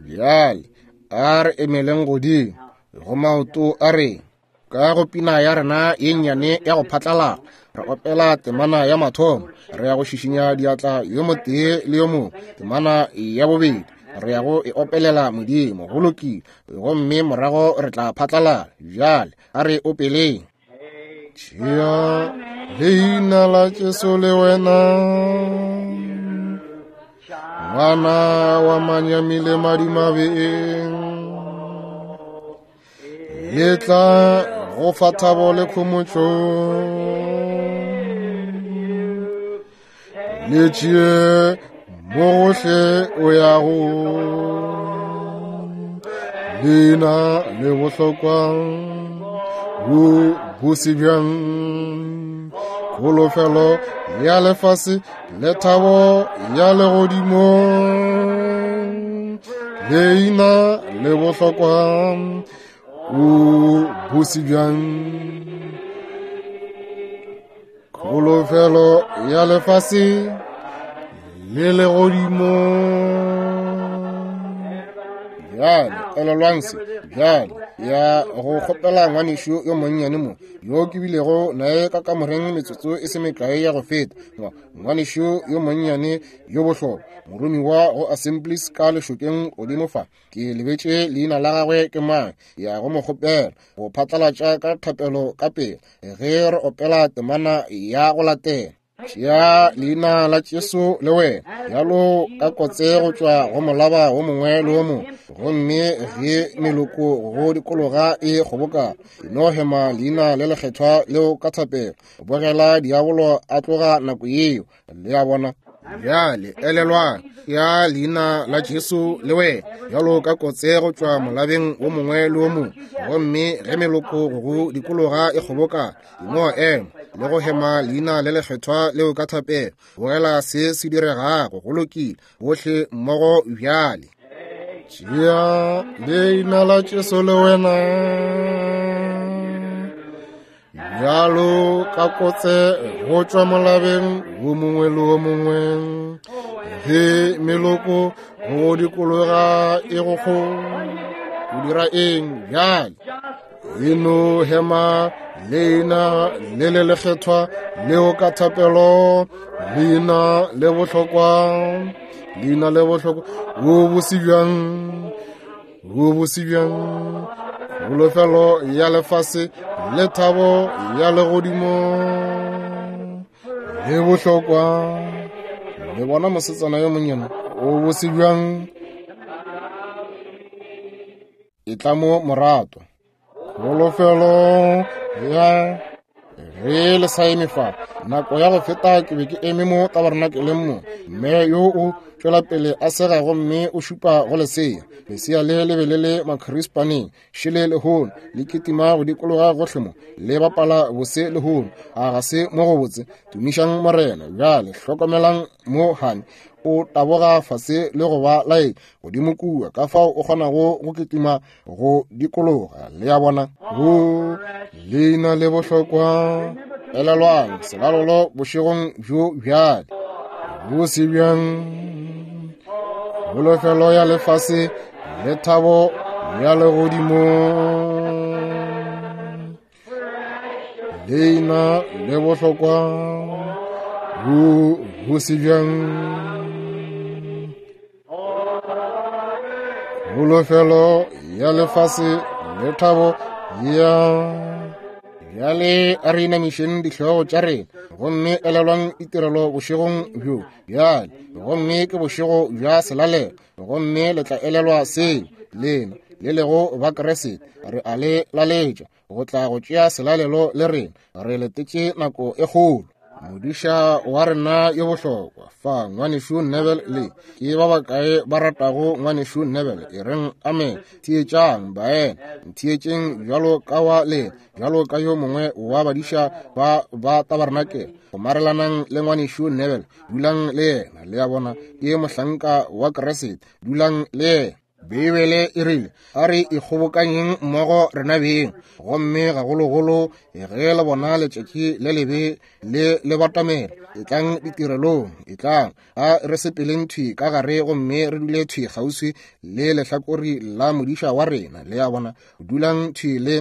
Bjale a re emeleng godimo go maoto a reng ka go pina ya rena ye nnyane ya go phatlalala re opela temana ya mathomo, re ya go šišinya diatla yo motee le yo mongwe. Temana ya bobedi re ya go e opelela Modimo, go lokile, gomme morago re tla phatlalala. Bjale a re opeleng. Tšea leina la Jesu le wena, ngwana wa manyami le madimabeng, le tla go fa thabo le khomotšo. Le tšee mo gohle o yago, leina le bohlokwa bo bose bjang, kholofelo ya lefase le thabo ya legodimo. Leina le bohlokwa o bose bjang, kholofelo ya lefase le legodimo. Bjale elelwang se bjale ya go kgopela ngwanešu yo monnyane mo yo ke bilego naye ka kamoreng metsotso e se mekae ya go feta. Ngwanešu yo monnyane yo bohlokwa, moromiwa go Assemblies ka lešokeng godimo fa, ke lebetše leina la gagwe ke mang, ya go mo kgopela go phatlalatša ka thapelo ka pele ge re opela temana ya go latela. Tšea leina la Jesu le wena bjalo ka kotse go tšwa go molaba wo mongwe le wo mongwe, gomme ge meloko go dikologa e kgobokana, no hema leina le lekgethwa leo ka thapelo. Bogela diabolo a tloga nako yeo, le a bona. Bjale elelwang, ya leina la Jesu le wena bjalo ka kotse go tšwa molabeng wo mongwe le wo mongwe, gomme ge meloko go dikologa e kgobokana, no ema le go hema leina le lekgethwa leo ka thapelo. Bogela se se diregago, go lokile, bohle mmogo bjale. Tšea leina la Jesu le wena bjalo ka kotse go tšwa molabeng wo mongwe le wo mongwe, ge meloko go dikologa e go kgo o dira eng bjale? E no hema leina le le lekgethwa leo ka thapelo, leina le bohlokwa, leina le bohlokwa, wo bose bjang, wo bose bjang, kholofelo ya lefase le thabo ya legodimo le bohlokwa. Le bona mosetsana yo monnyane o bose bjang, e tla mo morato. Kholofelo ya ge le sa eme fa nako ya go feta, ke be ke eme mo tabernakeleng mo, mme yo o tšwela pele a sega gomme o šupa go lesea. Lesea le le be le le makhrispaneng, šele lehono le kitima go dikologa gohle mo, le bapala bose lehono. A ga se mo go botse? Tumišang Morena. Bjale hlokomelang mo, hani o taboga fase le go ba lae godimo kua, ka fao o kgonago go kitima go dikologa. Le a bona, go leina le bohlokwa. Elelwang selalolo bošegong bjo bjale. Bose bjang, kholofelo ya lefase le thabo ya legodimo. Leina le bohlokwa, bose bjang, kholofelo ya lefase le thabo ya. Bjale a re inamišeng dihlogo tša rena gomme elelwang ditirelo bošegong bjo bjale. Gomme ke bošego bja selalelo, gomme le tla elelwa seo lena le lego ba Kriste. Re a le laletša go tla go tšea selalelo le rena. Re letetše nako e kgolo. Modiša wa rena yo bohlokwa fa, ngwanešu Neville, le ke ba bakae ba ratago ngwanešu Neville? E reng amen. Theetšang baena, ntheetšeng bjalo ka wa lena, bjalo ka yo mongwe wa badiša ba ba tabarnakele. Gomarelanang le ngwanešu Neville, dulang le yena. Le a bona, ke mohlanka wa Kriste, dulang le yena. Beibele e rile, a re ikgobokanyeng mmogo rena beng, gomme gagologolo ge le bona letšatši le lebe le le batamela, etlang ditirelong, etlang, a re sepeleng thwi ka gare gomme re dule thwi kgauswi le lehlakori la modiša wa rena. Le a bona, dulang thwi le.